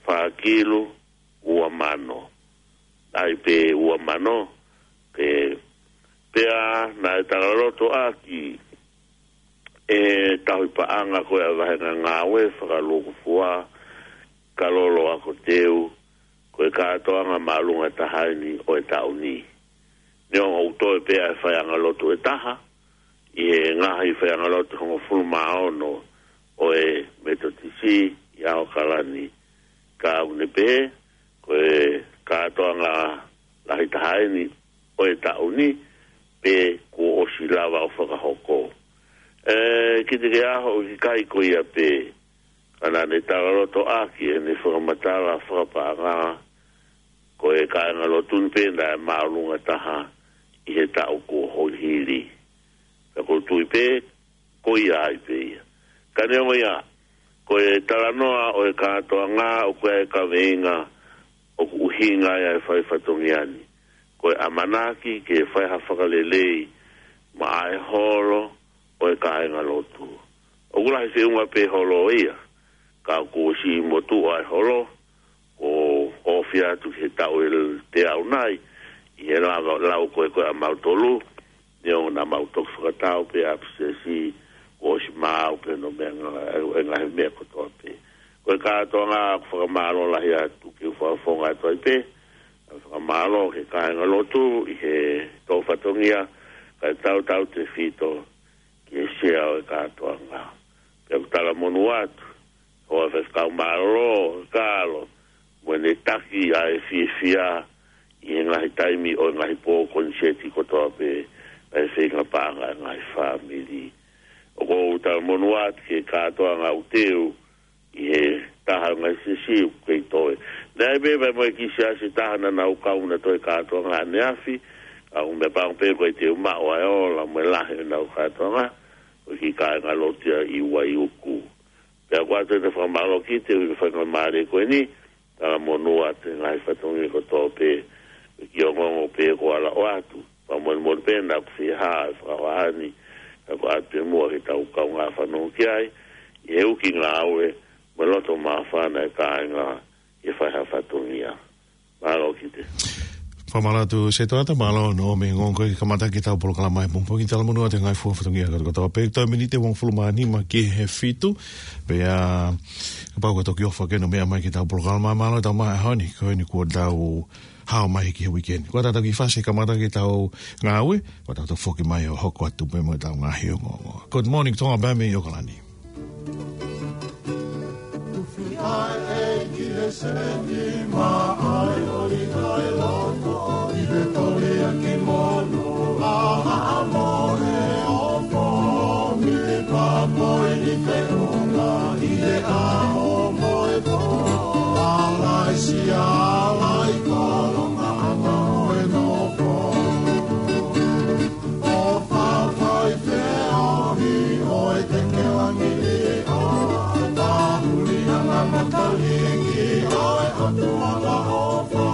Fā kilu ua mano. ʻAi pē ua mano, ke pea naʻe talaloto ʻaki ʻe he tauhi paʻanga ko ē ʻa e vahenga ngāue fakalūkufua, Kalolo Akoteu, ko e kātoanga māʻolunga taha eni ʻo e taʻu ni. Neongo ʻoku toe pē ʻa e faiʻanga lotu ʻe taha ʻi he ngaahi faiʻanga lotu hongofulu mā ono ʻo e Metotisi ʻi ʻAokalani, ka ʻoku ne pehē ko e kātoanga lahi taha eni ʻo e taʻu ni, pe kuo ʻosi lava ʻo fakahoko. ʻE, kiate au ʻoku ʻikai ko ia pē, ka naʻa ne talaloto ʻaki ʻene fakamatala fakapaʻanga, ko e kāinga lotu ni pē naʻe māʻolunga taha ʻi he taʻu kuo hili. Ka ʻoku ou tui pē, ko ia ai pē ia. Ka neongo ia, ko e talanoa ʻo e kātoanga ʻoku ʻi ai e kaveinga ʻoku ʻuhinga ai ʻa e fai fatongia ni. Ko e ʻamanaki ke fai ha fakalelei maʻa e holo ʻo e kāinga lotu. ʻOku lahi feʻunga pē holo ia, ka kuo ʻosi motuʻa e holo, ʻo ofi atu ki he taʻu ʻe teau nai, ʻi he lava lau ko ē ko ē ʻa mautolu, neongo naʻa mau toki fakatau pē ʻa e siasi, kuo ʻosi maau pē hono meʻa nga-, e ngaahi meʻa kotoa pē. Ko e kātoanga ʻoku fakamālō lahi atu ke u fakafofonga atu ai pē, fakamālō ki he kāinga lotu ʻi he toʻo fatongia, kae tautautefito ki he sea ʻo e kātoanga. Pea ʻoku talamonū atu, ʻa e faifekau mālōlō, Kalo, mo ʻene taki ʻa e fiefia ʻi he ngaahi taimi ʻo e ngaahi pō koniseti kotoa pē, ʻa e feinga paʻanga ʻa e ngaahi fāmili. ʻOku ou talamonū atu ki he kātoanga ʻoku teu ʻi he taha ʻo e ngaahi siasi ʻoku kei toe. Naʻe ʻi ai pē mo e kiʻi siasi taha naʻa nau kau nautolu he kātoanga ʻaneafi, ka ʻoku ou meʻapango pē ʻoku ʻikai te u maʻu ʻa e ola mo e lahi ʻenau kātoanga, ko e kiʻi kāinga lotu ia ʻi Vaiuku. Pea ʻoku ʻoatu ʻa e fakamālō ki he ʻEiki ʻi he faingamālie ko eni, talamonū atu he ngaahi fatongia kotoa pē, ki he ongoongo pē ko ala o atu. Fakamolemole pē naʻa ku fie hā e fakahohaʻa ni, ka ko e ʻatu pē muʻa ke tau kaungā fanongo ki ai, ʻi he uki ngāue, mo e loto māfana e kāinga, ʻi he fai ha fatongia. Mālō Kite. Fakamālō atu Sētuata, mālō hoʻo ʻomi e ongoongo ko ē ke kamata ʻetau polokalama he pongipongi, talamonū atu he ngaahi fua fatongia kotoa pē, toe miniti ʻe uofulu mā nima ki he fitu, pea kapau ko e toki ʻofa ke nau meʻa mai ki heʻetau polokalama, mālō e tau maʻu he ʻaho ni, ko eni kuo tau hao mai ki he weekend. Ko ʻetau kiʻi fasi kamata ʻetau ngāue, ko ʻetau foki mai ʻo hoko atu pē mo ʻetau ngaahi ongoongo. Good morning, Tonga, pea mei ʻOkalani. ʻO fafai feohi ʻo e tekelangi ʻi ʻOa, pahuli anga mataliki ʻo e ʻOtua ʻofa,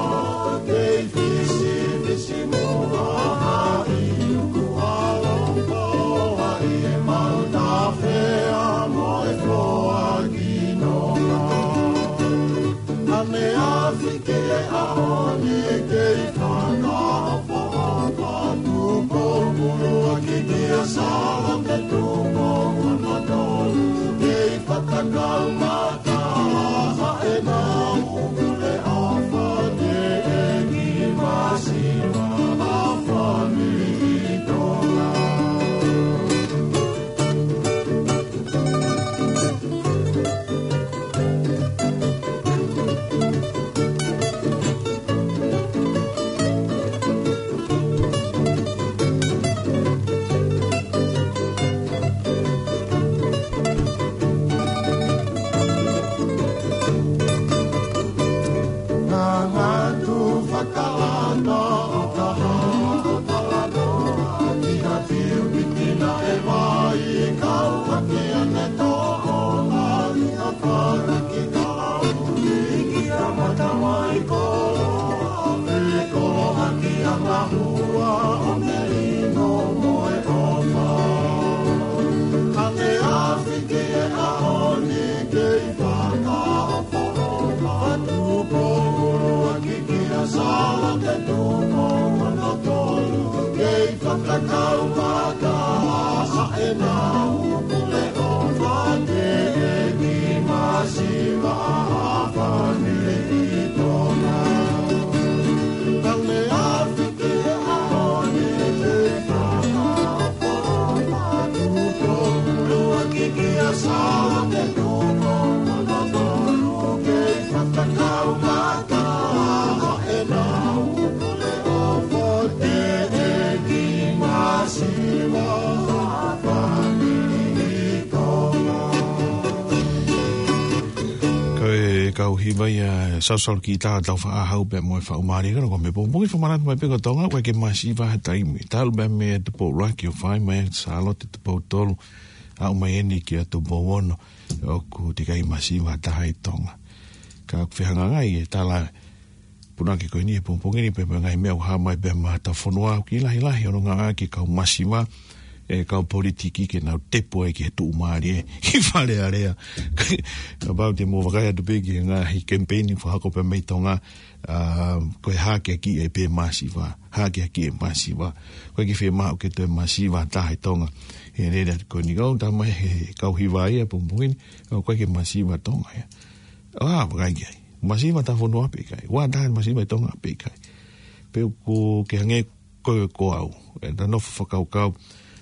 kei fisifisi muʻa ʻi uku ʻaloʻofa, ʻi he mau tafea mo e foaki nonga. Ane afi ki he ʻaho ni kei fakaʻofoʻofa, Tupou ʻuluaki kia Sālote Tupou hono tolu, kei fakakaumata ʻa ʻenau pule ʻofa, teʻeki masiva ʻa e fāmili ʻi Tonga. Ngangatu fakalata ʻo ka hā ʻo talanoa ki ha fiu piti naʻe vai, kau hake ʻa e toʻonga ʻi ha pānaki kalauni ki ha mata mai koloa, ʻe koloa ki ha ngahua ʻo melino mo e ʻofa. Ane afi ki he ʻaho ni kei fakaʻofoʻofa, Tupou ʻuluaki kia Sālote Tupou hono tolu, kei fakakaumata ʻa ʻenau pule ʻofa, teʻeki masiva ʻa e fāmili ʻi Tonga. Ane afi ki he ʻaho ni kei fakaʻofoʻofa, Tupou ʻuluaki kia Sālote Tupou hono tolu, kei fakakaumata ʻa ʻenau pule ʻofa, teʻeki masiva ʻa e fāmili ʻi Tonga. Ko e kau hiva ia, Sausalu ki tā tau faʻahau pea mo e faʻu mālie, ka ko e meʻa pongipongi fakamanatu mai pē ko Tonga, ʻoku ʻikai ke masiva ha taimi. Talu pē mei he Tupou ʻuluaki ʻo fai mai Sālote Tupou tolu, aʻu mai eni kia Tupou ono, ʻoku teʻeki ai masiva ha taha ʻi Tonga. Ka ʻoku fehangahangai e tala punake ko eni he pongipongi ni pea mo e ngaahi meʻa ʻoku hā mai pea mei hotau fonua, ʻoku lahilahi hono ngāueʻaki e kau masiva ʻe he kau politiki ke nau tepu ai ki he tuʻumālie ʻi Fale Alea. Kapau te mou vakai atu pē ki he ngaahi kemipeini fakahoko pea mei Tonga, ā, ko e hakeakiʻi pē masiva, hakeakiʻi e masiva. ʻOku ʻikai ke fiemaʻu ke toe masiva ha taha ʻi Tonga. He lele atu ko eni kau tā mai he kau hiva ia he pongipongi ni, ʻoku ʻikai ke masiva Tonga ia. ʻA, vakai ki ai. Masiva ta fonua pe ʻikai. ʻOku ʻi ai ha taha masiva ʻi Tonga pe ʻikai. Pe ʻoku ke hangē ko, ko au. ʻE ta nofo fakakaukau,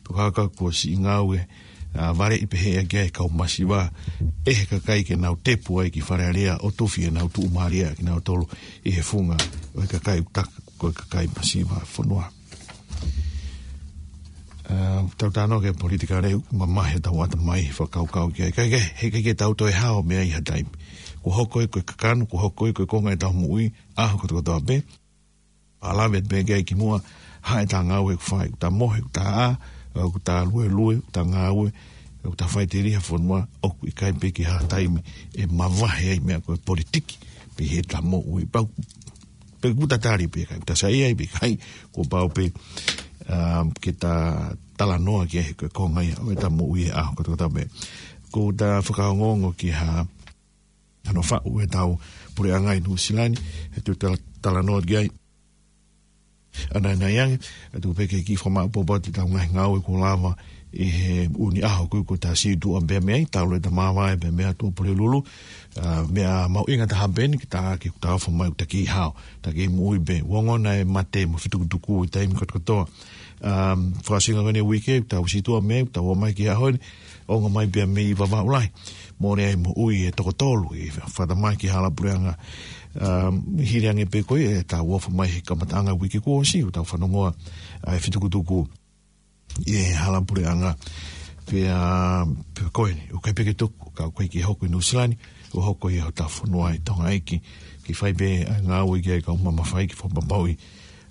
tokaka kuo siʻi ngāue, ā, valeʻi pehē ʻaki ʻe he kau masiva, ʻe he kakai ke nau tepu ai ki Fale Alea ʻo tufi ʻenau tuʻumālie kinautolu ʻi he funga ʻo e kakai ʻoku taka ko e kakai masiva fonua. Ā, tau talanoa ki he politikale, mamahi ʻetau ʻatamai he fakakaukau ki ai. Ka, ka, heʻikai ke tau toe hao mei ai ha taimi. Kuo hoko ia ko e kakano, kuo hoko ia ko e konga ʻetau moʻui, ʻaho kotokotoa pē. ʻA lave pē ki ai kimuʻa, haʻu ʻetau ngāue ʻoku fai, ʻoku ta mohe, ʻoku ta ʻā, ʻoku ta luelue, ʻoku ta ngāue, ʻOku ta faʻiteliha fonua, ʻoku ʻikai pē ke ha taimi ʻe mavahe ai meʻa ko e politiki, pe he ta moʻui pau, pe kuo ta tali pe ʻikai, ta saiʻia ai pe ʻikai, kuo pau pē, um, ke ta talanoa ki he ko e konga ia ʻo e ta moʻui ʻa e ʻaho kotoa pē. Ko ta fakaongoongo ki ha, hano faʻu e tau puleʻanga ʻi Nuʻusila ni, he tu tala-, talanoa ki ai. ʻAnaʻanai ange, ʻe tuku pē ke kiʻi fakamaʻopoʻopo atu ʻetau ngaahi ngāue kuo lava ʻi he ʻū ʻaho ko ē kuo ta situʻa pē mei ai, talu ʻeta māvae pē mei Tuʻapulelulu, ā, meʻa mahuʻinga taha pē eni, ke ta ke ta ofo mai ʻo ta kei hao, ta kei moʻui pē, ongona e mate mo e fetukutuku ʻi he taimi kotokotoa. Ā, fakaʻosinga ko eni e uike, tau situʻa mei ai, tau ō mai ki he ʻaho ni, ongo mai pē mei Vavaʻu lahi. Mole ai moʻui ʻe toko tolu ʻi he fakatamaki hala puleʻanga. Um, hili ange pē ko ia ʻetau ofo mai he kamataʻanga uike kuo ʻosi, ʻo tau fanongoa ʻa e fetukutuku ʻi he hala puleʻanga. Pea, pea ko eni, ʻoku ʻikai pē ke tuku, ka ʻoku ʻikai ke hoko ʻi Nuʻusila ni, ʻo hoko ʻi hotau fonua ʻi Tonga ʻEiki. Ke fai pē ʻa e ngāue ki ai kau mamafa ʻi he fakapapauʻi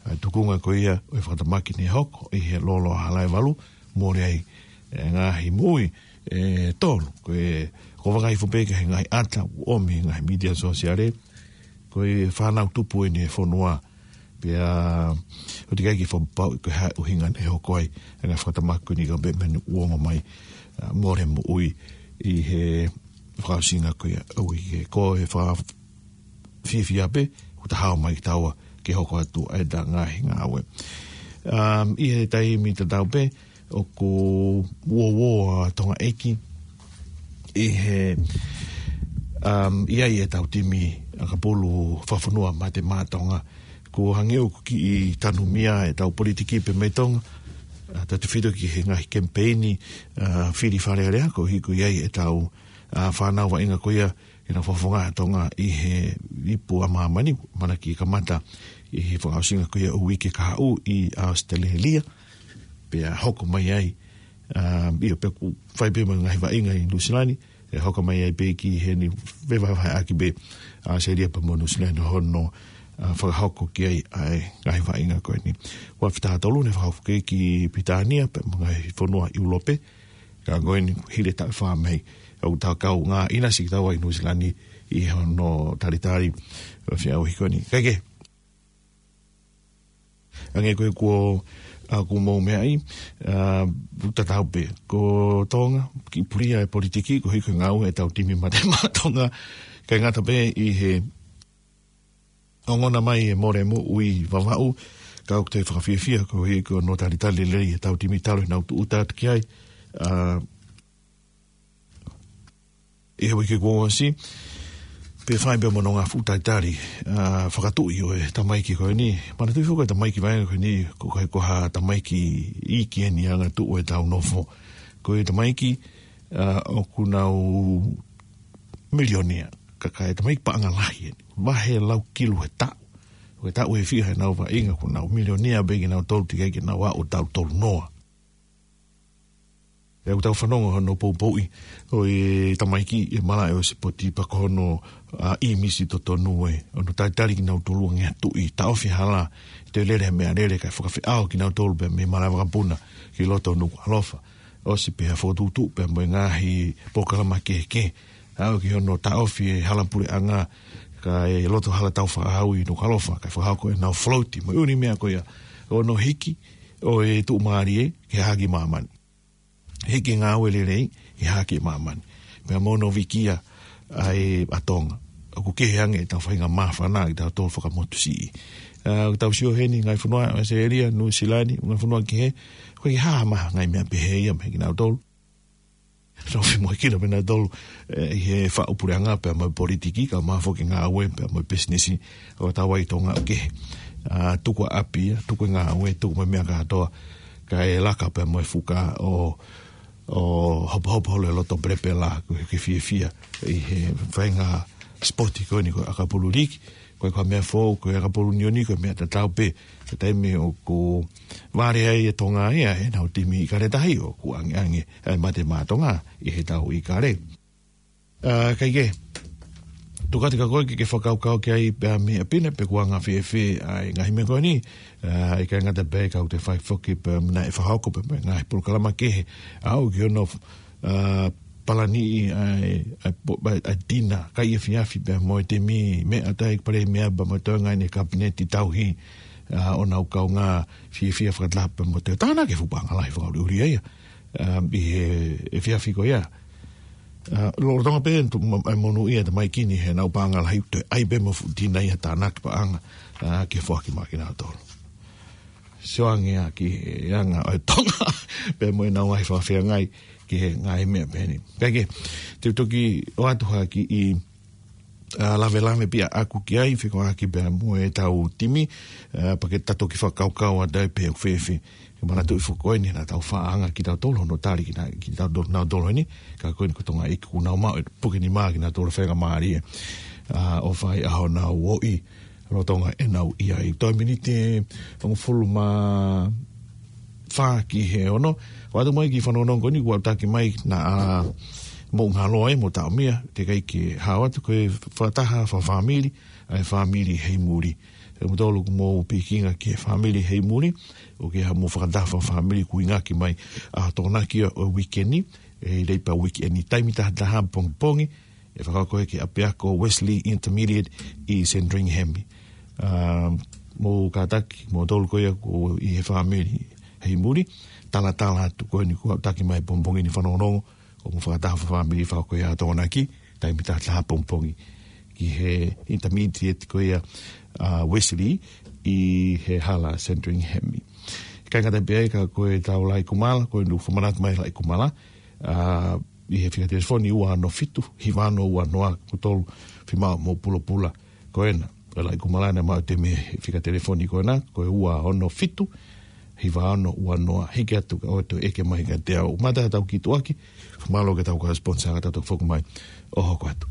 ʻa e tukunga ko ia ʻo e fakatamaki ne hoko ʻi he lolo hala ʻe valu, mole ai e ngaahi moʻui ʻe tolu. Ko e, ko e vakai fo pē ki he ngaahi ʻata ʻoku ʻomi he ngaahi mītia sōsiale, ko e fānau tupu eni e fonua, pea ʻoku teʻeki ai ke fakapapauʻi ko e hā e ʻuhinga ne hoko ai e ngaahi fakatamaki ko eni ka pē mei he ongo mai, ā, mole moʻui ʻi he fakaʻosinga ko ia ʻo e uike. Ko e fakafiefia pē, ʻoku ta hao mai kitaua ke hoko atu ʻa ʻeta ngaahi ngāue. Um, ʻi he taimi tatau pē, ʻoku uouo ʻa Tonga ʻEiki ʻi he, um, ʻi ai ʻetau timi ʻakapulu fakafonua Mate Maʻa Tonga. Ko e hangē ʻoku kiʻi tanumia ʻetau politiki pē mei Tonga, ā, tautefito ki he ngaahi kemipeini, ā, fili Fale Alea, koeʻuhi ko e ʻi ai ʻetau, ā, fānau vaʻinga ko ia ke nau fakafofonga ʻa Tonga ʻi he ipu ʻa māmani, ʻamanaki ke kamata ʻi he fakaʻosinga ko ia ʻo e uike kahaʻu ʻi ʻAositelēlia. Pea hoko mai ai, ā, ʻio, pea ʻoku fai pē mo e ngaahi vaʻinga ʻi Nuʻusila ni, ʻe hoko mai ai pē ki heni, vevahevaheʻaki pē ʻAositelēlia pea mo Nuʻusila ni hono, ā, fakahoko ki ai ʻa e ngaahi vaʻinga ko eni. Ua fita tolu ne fakahoko ki ai ki Pilitānia, pea mo e ngaahi fonua ʻIulope, ka ko eni hili e taʻu ʻe fā mei ai, ʻoku ta kau ngā ʻinasi kitaua ʻi Nuʻusila ni ʻi hono talitali ʻo e feʻauhi ko eni. Kae kehe, hangē ko e kuo, ā, kuo mou meaʻi, ā, ʻoku tatau pē. Ko Tonga, kiʻi pulia e politiki, koeʻuhi ko e ngāue ʻetau timi Mate Maʻa Tonga, ʻikai ngata pē ʻi he ongona mai e mole moʻui ʻi Vavaʻu, ka ʻoku te fakafiefia koeʻuhi ko hono talitali lelei ʻetau timi talu ʻenau tūʻuta atu ki ai, ā, ʻi he uike kuo ʻosi, pea fai pē mo hono ngaahi fuʻu talitali, ā, fakatuʻi ʻo e tamaiki ko eni. Manatuʻi foki ko e tamaiki vaʻinga ko eni, ʻoku ʻikai ko ha tamaiki iiki eni ʻa e angatuʻu ʻetau nofo. Ko e tamaiki, ā, ʻoku nau milionea, ka, ka ko e tamaiki paʻanga lahi eni. Vahe lau kilu he taʻu. Ko e taʻu ʻe fiha ʻenau vaʻinga, ʻoku nau milionea pē kinautolu, teʻeki ai ke nau aʻu ʻo taʻu tolu noa. ʻOku tau fanongo hono poupouʻi ʻo e tamaiki ʻe malaʻe ʻo e sipoti pea ko hono, ā, ʻīmisi totonu ē. Hono talitali kinautolu ange atu ʻi taʻofi hala, toe lele meʻalele kae fakafeʻao kinautolu pea mei he malaʻe vakapuna ki loto Nukuʻalofa. ʻOsi pē ha fokotuʻutuʻu pea mo e ngaahi polokalama kehekehe. Aʻu ki hono taʻofi e hala puleʻanga kae loto hala tau fakahaui Nukuʻalofa, kae fakahoko ʻenau float mo e ʻū meʻa ko ia. Hono hiki ʻo e tuʻumālie ki he hahake māmani. Hiki e ngāue lelei ki he hahake māmani. Pea mo hono vikia ʻa e ʻa Tonga. ʻOku kehe ange ʻetau faʻahinga māfana ʻi he tau tō fakamotu siʻi. Ā, ʻoku tau sio heni ngaahi fonua, ʻAositelēlia, Nuʻusila ni, ngaahi fonua kehe, ʻoku ʻikai ke hā ha ngaahi meʻa pehē ia mei kinautolu. Nau fie mohe kina pē nautolu, ē, ʻi he faʻu puleʻanga pea mo e politiki, ka ʻoku mafola ke ngāue pea mo e pisinisi ʻo tau ʻi Tonga ʻoku kehe. Ā, tuku ʻa ʻapi ia, tuku e ngāue, tuku mo e meʻa kātoa, kae laka pea mo e fuka ʻo, ʻo hopohopo holo e loto pelepela, ko e ke fiefia ʻi he faʻahinga sipoti ko eni ko e ʻakapulu liiki, ko e ko e meʻa foʻou, ko e ʻakapulu ʻunioni, ko e meʻa tatau pē. Ko e taimi ʻoku vale ai e Tonga ia ʻenau timi ʻIkale Tahi, ʻoku angeange ʻa e Mate Maʻa Tonga ʻi he tau ʻIkale. Ā, kae kehe, tuku atu kia koe ke ke fakakaukau ki ai pea mei ʻapi ni pe kuo anga fēfē ʻa e ngaahi meʻa ko eni. Ā, ʻikai ngata pē ka ʻoku te fai foki pea mei he fakahoko pea mei he ngaahi polokalama kehe. Aʻu ki hono ʻa, palaniʻi ʻa e, ʻa e po-, ʻa e, ʻa e tina, kai efiafi pea mo e temi, meʻa ʻa e Palēmia pea mo e toenga ʻene kapineti tauhi, ʻa, ʻo nau kaungā fiefia fakataha pea mo e tānaki e fuʻu paʻanga lahi fakaʻuliʻuli ia, ʻa, ʻi he efiafi ko ia. ʻA, lolotonga pē ʻenau tu-, ma-, ʻa e monūʻia ʻa e tamaiki ni heʻenau paʻanga lahi, toe ʻai pē mo e fuʻu tina ia ʻo tānaki paʻanga, ʻa, ke foaki maʻa kinautolu. Sio ange ā ki he anga ʻo e Tonga, pea mo ʻenau ngaahi fakafeangai ki he ngaahi meʻa pehē ni. Kae kehe, te u toki ʻoatu ha kiʻi, ʻa, lavelave pē ʻaʻaku ki ai, fekauʻaki pea mo ʻetau timi, ʻa, pea ke ta toki fakakaukau atu ai pē ʻoku fēfē. Ke manatuʻi foki ko eni naʻa tau faʻa hanga kitautolu hono tali kina, kitautolu nautolu eni, ka ko eni ko Tonga ʻEiki kuo nau maʻu e puke nima kinautolu feinga mālie, ʻa, ʻo fai ʻa honau ʻoi, lolotonga ʻenau ʻi ai. Toe miniti ʻe hongofulu mā fā ki he ono. ʻOatu mai ki he fanongonongo ko eni kuo aʻutaki mai naʻa mou ngalo ai mo taʻomia, teʻeki ai ke hao atu, ko e fakataha fakafāmili ʻa e fāmili Heimuli. ʻE mou tolu ʻoku mou pikinga ki he fāmili Heimuli, ʻoku ʻi ai haʻamou fakataha fakafāmili ʻoku ʻuhinga ki ai ʻa e Tokonaki ʻo e uike ni, ʻe lei pē uike ni, taimi taha taha pongipongi, ʻe fakahoko ia ki he ʻapiako Wesley Intermediate ʻi Sandringham. ʻA, mou kātaki, mou tolu ko ia ʻoku ʻi he fāmili Heimuli, talatala atu ko eni kuo aʻutaki mai pongipongi ni fanongonongo, ko hoʻomou fakataha fakafāmili fakahoko ia ʻa e Tokonaki, taimi taha taha pongipongi ki he Intermediate ko ia, ʻa, Wesley ʻi he hala Sandringham. Kāinga, taimi pē ia ka ko ʻetau Laʻi Kumala, ko eni ʻoku fakamanatu mai Laʻi Kumala, ʻa, ʻi he fika telefoni ua ono fitu, hiva ono ua noa, ko e tolu, fiemaʻu mo pulopula. Ko ena, ko e Laʻi Kumala naʻe maʻu e temi he fika telefoni ko ena, ko e ua ono fitu, hiva ono ua noa, hiki atu ka ʻoua toe ʻeke mai kiate au. Mata tau kiʻi tuʻuaki, mālō ki heʻetau kau sponsor ka tau toki foki mai ʻo hoko atu.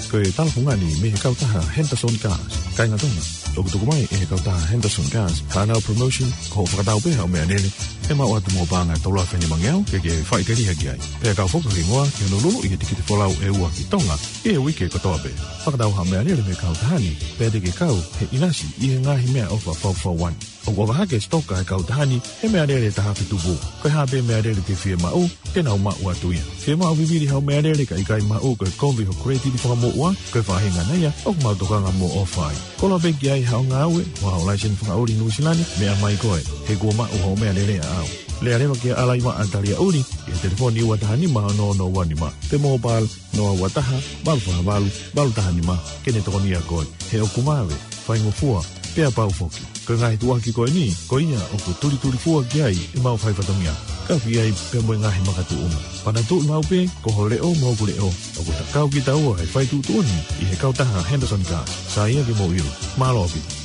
Ko e tala fungani mei he kautaha Henderson Cars. Kāinga Tonga, ʻoku tuku mai ʻe he kautaha Henderson Cars haʻanau promotion, ko hoʻo fakatau pē haʻo meʻalele, ʻe maʻu atu mo e paʻanga ʻe tolu afe nimangeau ke ke faʻiteliha ki ai. Pea kau foki ho hingoa ki hono luluʻi e tikite folau ʻe ua ki Tonga ʻi he uike kotoa pē. Fakatau haʻo meʻalele mei he kautaha ni, pea te ke kau he ʻinasi ʻi he ngaahi meʻaʻofa fakafaifekau. ʻOku ʻofa hake e sitoka ʻa e kautaha ni he meʻalele ʻe taha afe tupu. Ko e hā pē meʻalele te ke fiemaʻu, te nau maʻu atu ia. Fiemaʻu vivili haʻo meʻalele kae ʻikai maʻu, ko e kovi hoʻo credit fakamuʻa, ko e faʻahinga ia ʻoku mau tokanga mo ʻofa ai. Koloa pē ki ai haʻo ngāue, mo haʻo laiseni fakaʻuli ʻi Nuʻusila ni, meʻa mai koe, he kuo maʻu hoʻo meʻalele ʻaʻau. Lea leva kia Alaiva ʻa Taliaʻuli, ʻi he telefoni ua taha nima ono ono ua nima, pe mobile, noa ua taha, valu fā valu, valu taha nima, ke ne tokonia koe. He ʻoku mave, faingofua, pea pau foki. Ko e ngaahi tuʻuaki ko eni, ko ia ʻoku tulitulifua ki ai ʻemau faifatongia. Ka fai ai pē mo e ngaahi makatuʻunga. Manatuʻi maʻu pē, ko ho leʻo mo hoku leʻo, ʻoku ta kau kitaua he fai tuʻutuʻuni ʻi he kautaha Henderson Cars. Sai ia ke mou ʻilo. Mālō ʻaupito.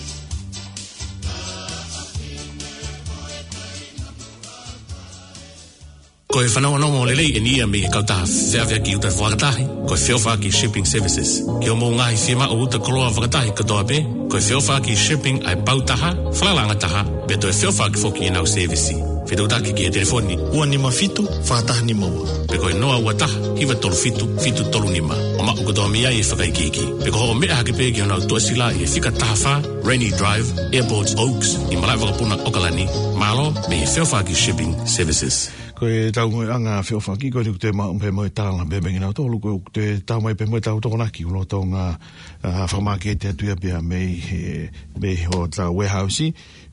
Ko e fanongonongo lelei eni ia mei he kautaha feʻaveʻaki ʻuta fakatahi, ko e Feʻofaʻaki Shipping Services. Ki hoʻomou ngaahi fiemaʻu ʻuta koloa fakatahi kotoa pē, ko e Feʻofaʻaki Shipping ʻa e pau taha, falalaʻanga taha, pea toe feʻofaʻaki foki ʻenau sēvisi. Fetuʻutaki ki he telefoni ua nima fitu, fā taha nima ua, pe ko e noa ua taha, hiva tolu fitu, fitu tolu nima, ʻo maʻu kotoa mei ai e fakaikiiki. Pe ko hoʻo meʻa hake pē ki honau tuʻasila ʻi he fika taha fā, Rainy Drive, Airport Oaks, ʻi Malaʻevakapuna, ʻAokalani. Mālō mei he Feʻofaʻaki Shipping Services. Ko ʻetau ngaahi anga feʻofaʻaki ko eni ʻoku toe maʻu pē mo e tala pē mei kinautolu, ko ʻoku toe tau mai pē mo ʻetau Tokonaki lolotonga, ʻa, fakamāketi atu ia pea mei he, mei hotau warehouse,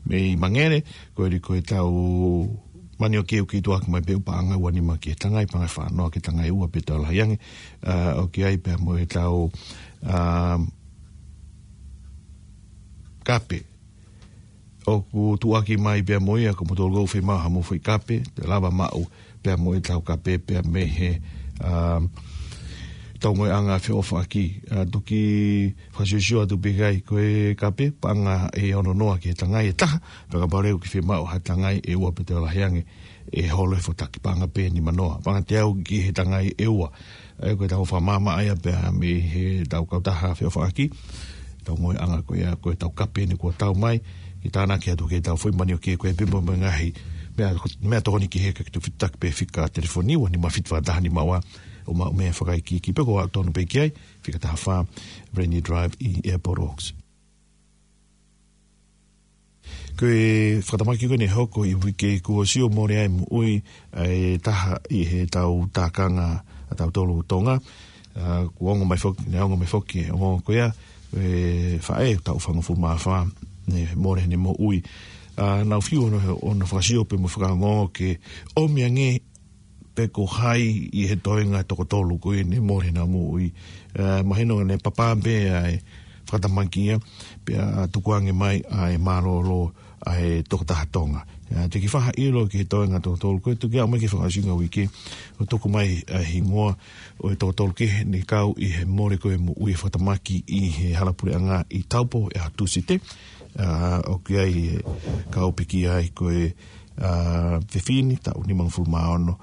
mei Mangere, ko eni ko ʻetau manioke ʻoku kei tuʻuaki mai pē ʻū paʻanga ua nima ki he tangai, paʻanga ʻe fā noa ki he tangai ʻe ua pe toe lahi ange, ʻa, ʻoku ʻi ai pea mo ʻetau, ʻa, kape. ʻOku tuʻuaki mai pea mo ia, ko moutolu ʻoku fiemaʻu haʻamou foʻi kape, te lava maʻu pea mo ʻetau kape pea mei he, ʻa, ʻetau ngaahi anga feʻofaʻaki, ʻa, toki fakasiosio atu pē ki ai, ko e kape, paʻanga ʻe ono noa ki he tangai ʻe taha, pea kapau leva ʻoku ke fiemaʻu ha tangai ʻe ua pe toe lahi ange, ʻe holo e fotaki, paʻanga pē nima noa. Paʻanga teau ki he tangai ʻe ua. ʻA ia ko ʻetau fakamaʻamaʻa ia pea mei heʻetau kautaha feʻofaʻaki. ʻEtau ngaahi anga ko ia, ko ʻetau kape eni kuo tau mai, ke tānaki atu ki heʻetau foʻi manioke ko ia pea mo e ngaahi meʻa, meʻatokoni kehe, ka ke toe fetuʻutaki pē fika telefoni ua nima fitu fā taha nima ua, ʻo maʻu meʻa fakaikiiki pe ko e aʻu tonu pē ki ai, fika taha fā, Rainy Drive ʻi Airport Oaks. Ko e fakatamaki ko eni ʻe hoko ʻi he uike kuo ʻosi ʻo mole ai moʻui ʻa e taha ʻi he tau tākanga ʻa tautolu Tonga. ʻA, kuo ongo mai foki, ne ongo mai foki, ʻe ongo ko ia, e faʻē taʻu fāngofulu mā fā, ne mole ʻene moʻui. ʻA, nau fiu ʻo nau, ʻo nau fakasio pē mo fakaongo ke ʻomi ange pe ko hai ʻi he toenga toko tolu ko eni mole ʻenau moʻui. ʻA, mahino ne papa pē ʻa e fakatamaki ia, pea tukuange mai ʻa e mālōlō ʻa e tokotaha Tonga. ʻA, te ke faʻa ʻilo ki he toenga toko tolu ko ē, tuku ia mai ki he fakaʻosinga uike, ʻo tuku mai ʻa e hingoa ʻo e toko tolu kehe ne kau ʻi he mole ko ē moʻui fakatamaki ʻi he hala puleʻanga ʻi Taupo ʻi he Tūsite. ʻA, ʻoku ʻi ai e kau pekia ai ko e, ʻa, fefine, taʻu nimangofulu mā ono,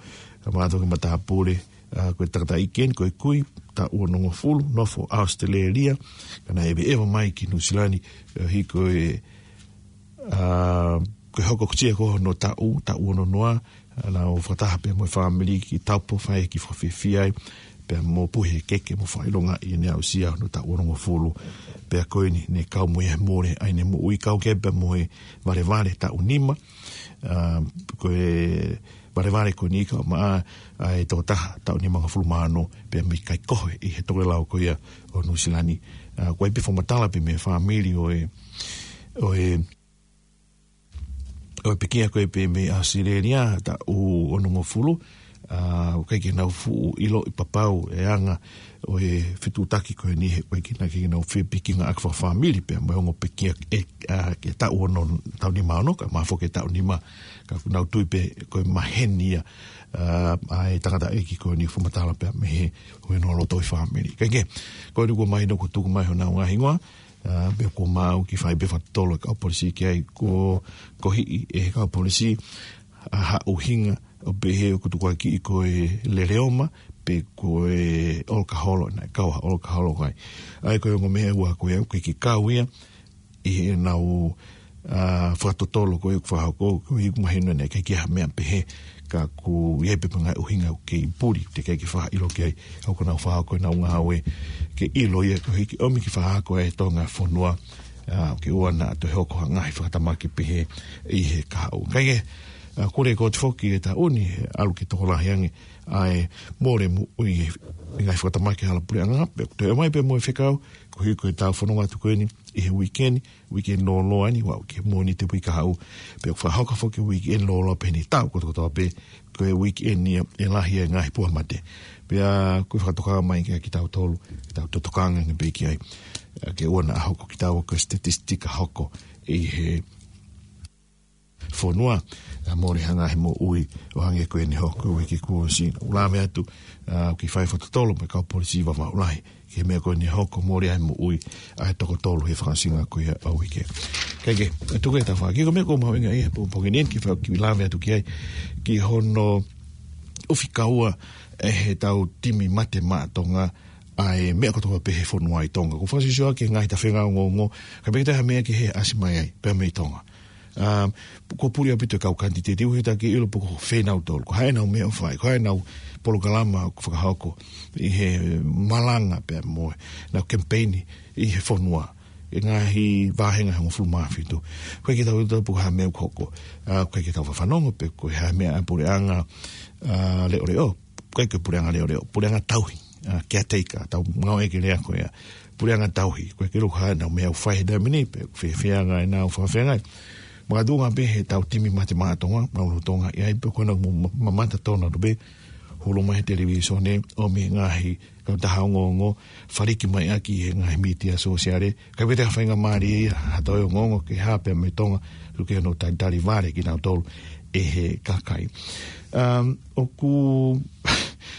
ʻa, mātuʻa ki matāpule, ʻa, ko e tangataʻeiki eni, ko e kui, taʻu onongofulu, nofo ʻAositelēlia, ka naʻe ʻeveʻeva mai ki Nuʻusila ni, ʻa, ʻi he ko e, ʻa, ko e hoko kutia ko hono taʻu, taʻu ono noa, ʻa, nau fakataha pē mo e fāmili ki Taupo, fai ki fakafiefia ai, pea mo puhe keke mo fakaʻilonga ʻi heʻene aʻusia hono taʻu onongofulu, pea ko eni ne kau mo ia he mole ʻa ʻene moʻui, kau ki ai pea mo e valevale taʻu nima, ʻa, ko e valevale ko eni kau maʻa ʻa e tokotaha taʻu nimangofulu mā ono, pea mei kai kohe ʻi he tokelau ko ia ʻo Nuʻusila ni. ʻA, ko e pē fakamatala pē mei he fāmili ʻo e, ʻo e, ʻo e pekia ko ē pē mei ʻAositelēlia, taʻu onongofulu, ʻa, ʻoku ʻikai ke nau fuʻu ʻiloʻi papau e anga ʻo e fetuʻutaki ko eni he ʻoku ʻikai ke nau fepikingāʻaki fakafāmili pea mo e ongo pekia ʻe, ʻa, ki he taʻu ono, taʻu nima ono, kae ʻumaʻā foki e taʻu nima, ka ʻoku nau tui pē ko e maheni ia, ʻa, ʻa e tangataʻeiki ko eni fakamatala pea mei he ʻo e nō loto ʻi fāmili. Kae kehe, ko eni kuo mahino kuo tuku mai honau ngaahi hingoa, ʻa, pea kuo mau kiʻi fai pē fakatotolo e kau polisi ki ai, kuo kohiʻi ʻe he kau polisi ʻa ha ʻuhinga ʻo pehē ʻoku tukuakiʻi ko e leleoma, pe ko e ʻolokaholo, naʻe kau ha ʻolokaholo ai. ʻA ia ko e ongo meʻa ua ko ia, ʻoku ʻikai ke kau ia ʻi heʻenau, ʻa, fakatotolo ko ē ʻoku fakahoko, ko e ʻuhi ʻoku mahino naʻe ʻikai ke ʻi ai ha meʻa pehē, ka ʻoku ʻi ai pē ngaahi ʻuhinga ʻoku kei puli, teʻeki ai ke faʻa ʻilo ki ai, ʻa ia ko ʻenau fakahoko ʻenau ngāue, ke ʻilo ia koeʻuhi ke ʻomi ke fakahoko ʻe he Tonga fonua, ʻa, ke ʻoua naʻa toe hoko ha ngaahi fakatamaki pehē ʻi he kahaʻu. Kae kehe, ʻa, kole ʻe he kōti foki ʻi he taʻu ni, ʻalu ke tokolahi ange ʻa e mole moʻui ʻi he ngaahi fakatamaki hala puleʻanga, pea toe ʻomai pē mo e fekau, koeʻuhi ko e tau fononga atu ko eni ʻi he uike ni, uike ni lōloa ni, ʻo aʻu ki he Mōnite uike kahaʻu, pea ʻoku fakahoko foki e uike ni lōloa pē ʻi he taʻu kotokotoa pē, ko e uike ni ia ʻe lahi ai e ngaahi puha mate. Pea ʻoku fakatokanga mai kia kitautolu, ke tau tokanga ange pē ki ai, ʻa, ke ʻoua naʻa hoko kitaua ko e statistika hoko ʻi he fonua, ʻa, mole ha ngaahi moʻui ʻo hangē ko eni hoko uike kuo ʻosi. ʻOku lave atu, ʻa, ke fai fakatotolo mo e kau polisi Vavaʻu Lahi ki he meʻa ko eni hoko, mole ai moʻui ʻa e toko tolu he fakaʻosinga ko ia ʻo e uike. Kae kehe, ʻe tuku ē tau fakakiko meʻa ʻoku mahuʻinga ʻi he pongipongi ni ke fai kiʻi lave atu ki ai, ki hono ʻufi kaua ʻe he tau timi mate maʻa Tonga ʻa e meʻa kotoa pē he fonua ʻi Tonga. ʻOku fakasiosio ʻaki e ngaahi tafenga ongoongo, kae ʻikai toe ha meʻa kehe ʻasi mai ai pea mei Tonga. ʻA, kuo puli ʻaupito e kau kanititeiti, ʻuhi ʻoku ʻikai ke ʻilo pe ko fē nautolu, ko e hā ʻenau meʻa ʻoku fai, ko e hā ʻenau polokalama ʻoku fakahoko ʻi he malanga pea mo ʻenau kemipeini ʻi he fonua ʻi he ngaahi vāhenga ʻe hongofulu mā fitu. ʻOku ʻikai ke tau ʻilo pe ko e hā e meʻa ʻoku hoko. ʻA, ʻoku ʻikai ke tau fafanongo pe ko e hā e meʻa ʻa e puleʻanga, ʻa, leʻoleʻo, ʻikai ko e puleʻanga leʻoleʻo, puleʻanga tauhi, ʻa, caretaker, tau ngāueʻaki e lea ko ia, puleʻanga tauhi, ʻoku ʻikai ke ʻilo pe ko e hā ʻenau meʻa ʻoku fai he taimi ni, pe ʻoku fēfē ʻa ʻenau fakafeangai. Makatuʻunga pē he tau timi mate maʻa Tonga, nau lolotonga ʻi ai, pea ko ʻenau mo-, ma-, mamata tonu atu pē, hulu mai he televīsone, ʻomi e ngaahi kautaha ongoongo, faliki mai ʻaki he ngaahi mītia sōsiale, kae ʻikai toe ha faingamālie ia ha toe ongoongo ke hā pea mei Tonga, ʻoku ʻikai ke nau talitali vale kinautolu ʻe he kakai. Um, ʻoku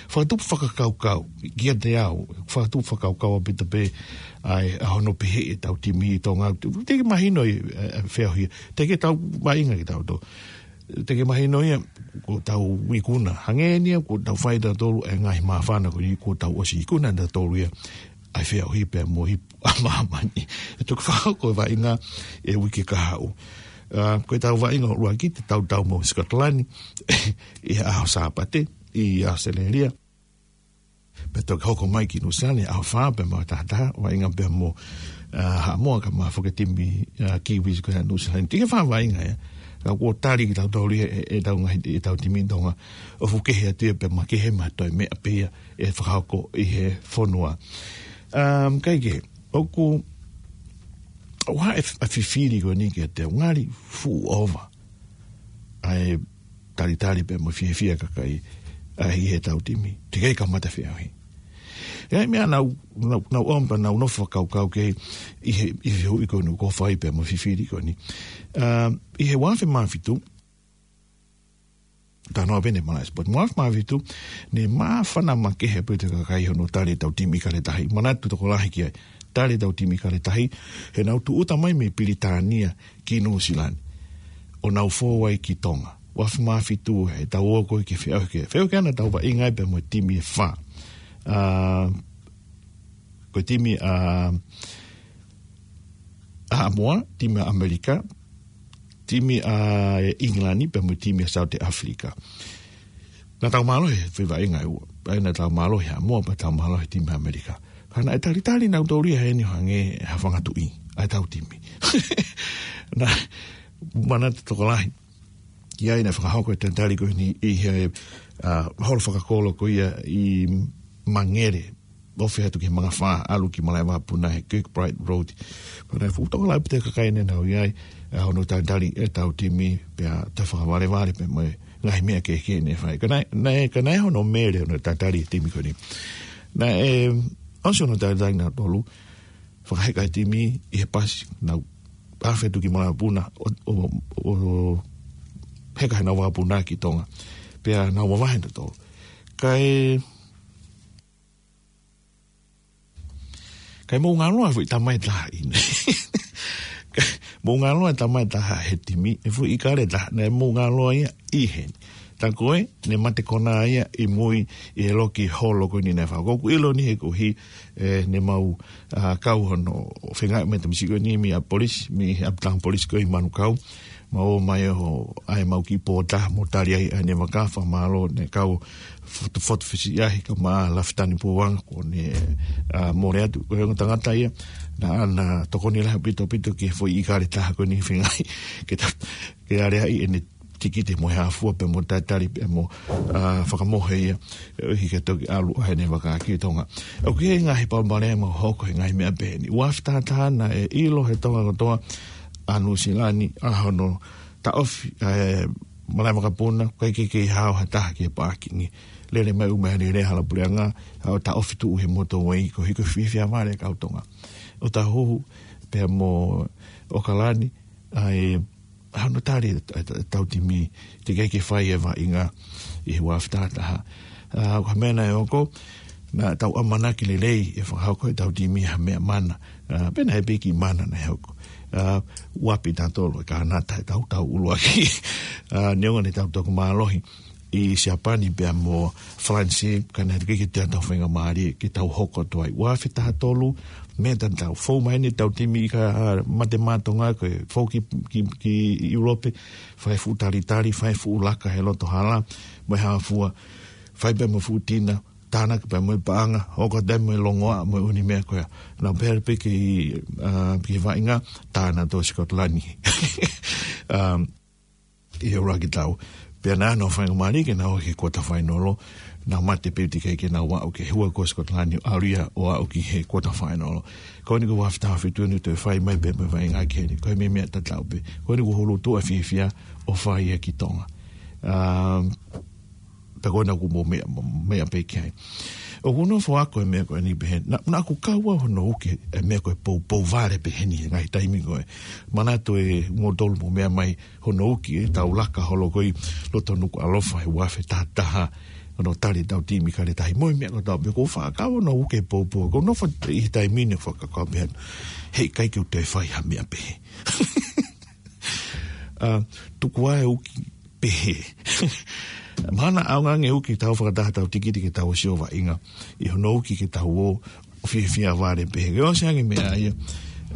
fakatupu fakakaukau, kiate au, fakatupu fakakaukau ʻaupito pē ʻa e, ʻa hono pehē ʻe he tau timi ʻi Tonga, teʻeki mahino ʻi, ʻa, ʻa, feohi, teʻeki ke tau vaʻinga kitautolu. Teʻeki mahino ia, kuo tau ikuna. Hangē ni ia, kuo tau fai tautolu e ngaahi māfana, ko ia kuo tau ʻosi ikuna tautolu ia ʻa e feohi pea mo e ipu ʻa māmani. ʻE toki fakahoko e vaʻinga he uike kahaʻu. ʻA, ko e tau vaʻinga ʻuluaki te tau tau mo Scotland ʻi he ʻaho Sāpate ʻi ʻAositelēlia. Pea toki hoko mai ki Nuʻusila ni, ʻaho fā pea mo e taha taha, vaʻinga pea mo, ʻa, Haʻamoa kae ʻumaʻā foki e timi, ʻa, Kiwis ko ia ʻa Nuʻusila ni. Tiki fā vaʻinga ia. Ka kuo tali kitautolu ia ʻe, ʻetau ngaahi, ʻetau timi Tonga. ʻO fuʻu kehe atu ia pea makehe mo e toe meʻa pē ia ʻe fakahoko ʻi he fonua. Um, kae kehe, ʻoku, ʻoku hā e f-, ʻa e fifili ko eni kiate au, ngali fuʻu ʻova ʻa e talitali pea mo e fiefia ʻa e kakai ʻi heʻetau timi. Teʻeki ai kamata feʻauhi. ʻI ai e meʻa naʻá ku, naʻá ku, naʻá ku ʻomai pea naʻá ku nofo fakakaukau ki ai ʻi he, ʻi he hui ko eni kuo fai pea mo e fifili ko eni. Um, ʻi he ua afe mā fitu, tanoa pē ʻeni ʻa e malaʻe sipoti. Ua afe mā fitu, ne māfana makehe pē ʻetau kakai hono tali ʻetau timi ʻIkale Tahi. Manatu tokolahi ki ai. Tali ʻetau timi ʻIkale Tahi, he naʻa nau tūʻuta mai mei Pilitānia ki Nuʻusila ni. ʻO nau fou ai ki Tonga. Ua afe mā fitu, heʻetau ō ko ē ki he feʻauhi ko ē. Feʻauhi ko ena ʻoku tau vaʻinga ai pea mo e timi ʻe fā. ʻA, ko e timi ʻa, ʻa Haʻamoa, timi ʻa ʻAmelika, timi ʻa ʻIngilani pea mo e timi ʻa South Africa. Naʻa tau mālohi he foʻi vaʻinga ʻe ua. ʻA ia naʻa tau mālohi Haʻamoa pea tau mālohi timi ʻa ʻAmelika. Ka naʻe talitali nautolu ia heni ʻo hangē ha fanga tuʻi ʻa ʻetau timi. Naʻá ku manatu tokolahi ki ai naʻe fakahoko e talitali ko eni ʻi he, ʻa, holo fakakolo ko ia ʻi Mangere, ofi atu ki he Mangafā, ʻalu ki Malaʻevakapuna he Kirkbride Road. Pea naʻe fuʻu tokolahi pē ʻetau kakai ne nau ʻi ai, ʻa, hono talitali ʻetau timi, pea toe fakavalevale pē mo e ngaahi meʻa kehekehe ne fai. Ka naʻe, naʻe, ka naʻe hono mele hono talitali e timi ko eni. Naʻe ʻosi hono talitali nautolu, fakaheka e timi ʻi he pasi, nau afe atu ki Malaʻevakapuna, ʻo, ʻo, ʻo heka heʻenau vakapuna ki Tonga. Pea nau mavahe nautolu. Kae, kae mou ngalo ʻa e foʻi tamai ʻe taha ʻi heni. Kae mou ngalo ʻa e tamai ʻe taha he timi, e foʻi ʻIkale Taha, naʻe mou ngalo ia ʻi heni. Tā ko ē, ne mate kona ia ʻi mui ʻi he loki holo ko eni naʻe fai. ʻOku ou ʻilo ni he ko ē, ʻe, ne mau, ʻa, kau hono fenga me tamisi ko eni mei ʻapi polisi, mei he ʻapitanga polisi ko ē ʻi Manukau. Mau ō mai ʻo ʻai ʻemau kiʻi pō ʻe taha mo tali ai ʻa ʻene vaka, fakamālō, ne kau fotu, fotu fisi ai, kaeʻumaʻā Lafitani Puanga, ko ʻene, ʻa, mole atu, ko e ongo tangata ia naʻá na tokoni lahi ʻaupito ʻaupito ki he foʻi ʻIkale Taha ko eni fengaʻi ke ta, ke aleaʻi ʻene tikite mo e hā fua pea mo talitali pea mo, ʻa, fakamohe ia, ʻo hiki toki ʻalu ʻa ʻene vaka ki Tonga. ʻOku ʻi ai e ngaahi palopalema ʻoku hoko he ngaahi meʻa pehē ni. Ua afe taha taha naʻe ʻilo he Tonga kotoa ʻa Nuʻusila ni ʻa hono taʻofi, ʻa e Malaʻevakapuna, ʻikai ke kei hao ha taha ki he pākingi. Lele mai ʻū meʻa lele hala puleʻanga, ʻo taʻofi tuʻu he motorway, ko e hiko fiefia vale kau Tonga. ʻO tahuhu pea mo ʻAokalani, ʻa e, ʻa hono tali e, e, ʻetau timi, teʻeki ai ke fai e vaʻinga ʻi he ua afe taha taha. ʻA, ko e meʻa naʻe hoko, naʻa tau ʻamanaki lelei ʻe fakahoko ʻetau timi ha meʻa mana. ʻA, pe naʻe pē kiʻi mana naʻe hoko. ʻA, ʻoku ʻapi tautolu ʻe Kānata ʻetau tau ʻuluaki. ʻA, neongo ne tau toki mālohi ʻi Siapani pea mo Falanisi, ka naʻe teʻeki ke toe tau faingamālie ke tau hoko atu ai. Ua afe taha tolu, meʻa tatau. Fou mai ʻeni ʻetau timi ʻIka, ʻa, Mate Maʻa Tonga, ko e fou ki, ki, ki ʻIulope, fai fuʻu talitali, fai fuʻu laka he loto hala, mo e hā fua, fai pē mo e fuʻu tina, tānaki pē mo e paʻanga, hoko atu mo e longoaʻa, mo e ʻū meʻa ko ia. Naʻa pehē pē ki, ʻa, ki he vaʻinga, tā nautolu ʻo Sikotilani. Um, ʻi he ʻuluaki tau. Pea naʻa nau faingamālie ke nau ō ki he quarter final, nau mate pē teʻeki ai ke nau aʻu ki he hua ko Sikotilani ʻo ʻalu ia ʻo aʻu ki he quarter final. Ko eni ko e ua afe taha fitu ʻeni toe fai mai pē mo e vaʻinga ki heni. Ko e meʻa tatau pē. Ko eni ko e hulu tuʻa fiefia ʻo fai ia ki Tonga. Um, Pea ko ena ʻoku mou meʻa, meʻa pē ki ai. ʻOku ou nofo ʻo ako e meʻa ko eni pehē ni. Naʻa, naʻá ku kau au hono uki e meʻa ko e poupou vale pehē ni he ngaahi taimi ko ē. Manatu ʻe moutolu mou meʻa mai hono uki ʻetau laka holo ko ē ʻi loto Nukuʻalofa he ua afe taha taha. Hono tali ʻetau timi ʻIkale Tahi mo e meʻa kotoa pē, ʻoku ou faʻa kau hono uki e poupou. ʻOku ou nofo ʻi he taimi ni ʻo fakakaukau pehē ni. Heʻikai ke u toe fai ha meʻa pehē. ʻA, tuku ā e uki pehē. Mahalo ʻaonga ange e uki tau fakataha ʻetau tikite ke tau ʻosi ʻo vaʻinga. ʻI hono uki ke tau ō ʻo fiefia vale pehē. Ke ʻosi ange meʻa ia,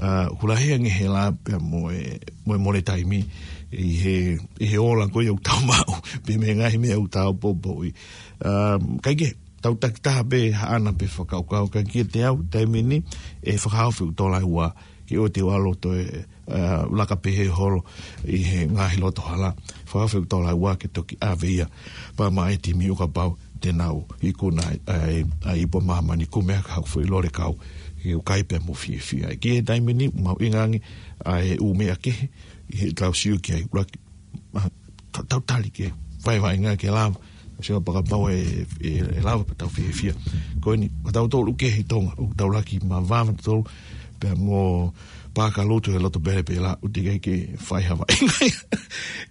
ʻa, ʻoku lahi ange e hela pea mo e, mo e mole taimi ʻi he, ʻi he ola ko ia ʻoku tau maʻu. Pea mo e ngaahi meʻa ʻoku tau poupouʻi. ʻA, kae kehe, tau takitaha pē haʻana pē fakakaukau, ka kiate au, taimi ni, ʻe fakahaofi ʻeku tola ʻe ua, ke ʻoua te u ʻalu ʻo toe, ē, laka pehē holo ʻi he ngaahi loto hala. Fakahaofi ʻeku tola ʻe ua ke toki ʻave ia pea maʻa e timi ʻo kapau te nau ikuna ai, ai, ai ipu ʻa māmani, kumi ʻaki haku foʻi lole kau, ke u kai pea mo fiefia. Ki he taimi ni, mahuʻinga ange ʻa e ʻū meʻa kehe, ʻi heʻetau sio ki ai, ʻuluaki, ʻa, ta-, tau tali ke vaevaenga ke lava. Sio pea kapau ʻe, ʻe, ʻe lava pea tau fiefia. Ko eni, ko tautolu kehe ʻi Tonga, ʻoku tau laki mavava tautolu, pea mo Pākalutu he loto pele pela, ʻoku teʻeki ke fai ha vaevaenga.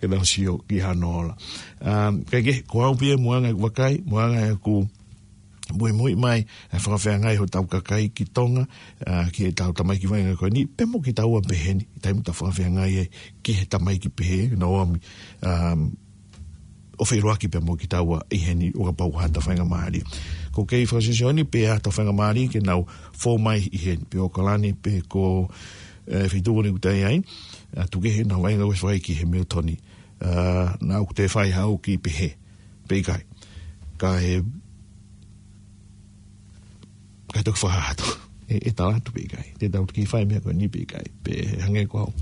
Ke tau sio ki hano ola. Um, kae kehe, ko au pē ia mo e anga ʻeku vakai, mo e anga ʻeku muimui mai, ʻa e fakafeangai hotau kakai ki Tonga, ʻa, ki heʻetau tamaiki vaevae ko eni, pea mo kitaua pehē ni, taimi ʻoku tau fakafeangai ai ki he tamaiki pehē, naʻa ʻomi, um, ʻo feʻiloaki pea mo kitaua ʻi heni ʻo kapau ʻoku ʻi ai haʻatau faingamālie. Ko e kei fakasesioni pē ʻa haʻatau faingamālie ke nau fou mai ʻi heni, pe ʻOkalani, pe ko, ē, feituʻu ni ʻoku tau ʻi ai, ʻa, tuku kehe ʻenau vaʻinga ʻo fai ki Hamilton. Ā, naʻa ʻoku toe fai haʻu ki pehē, pe ʻikai. Ka ʻe, ka ʻe toki fakahā atu. ʻE, ʻe tala atu pe ʻikai. Te tau toki fai e meʻa ko eni pe ʻikai. Pe hangē ko au.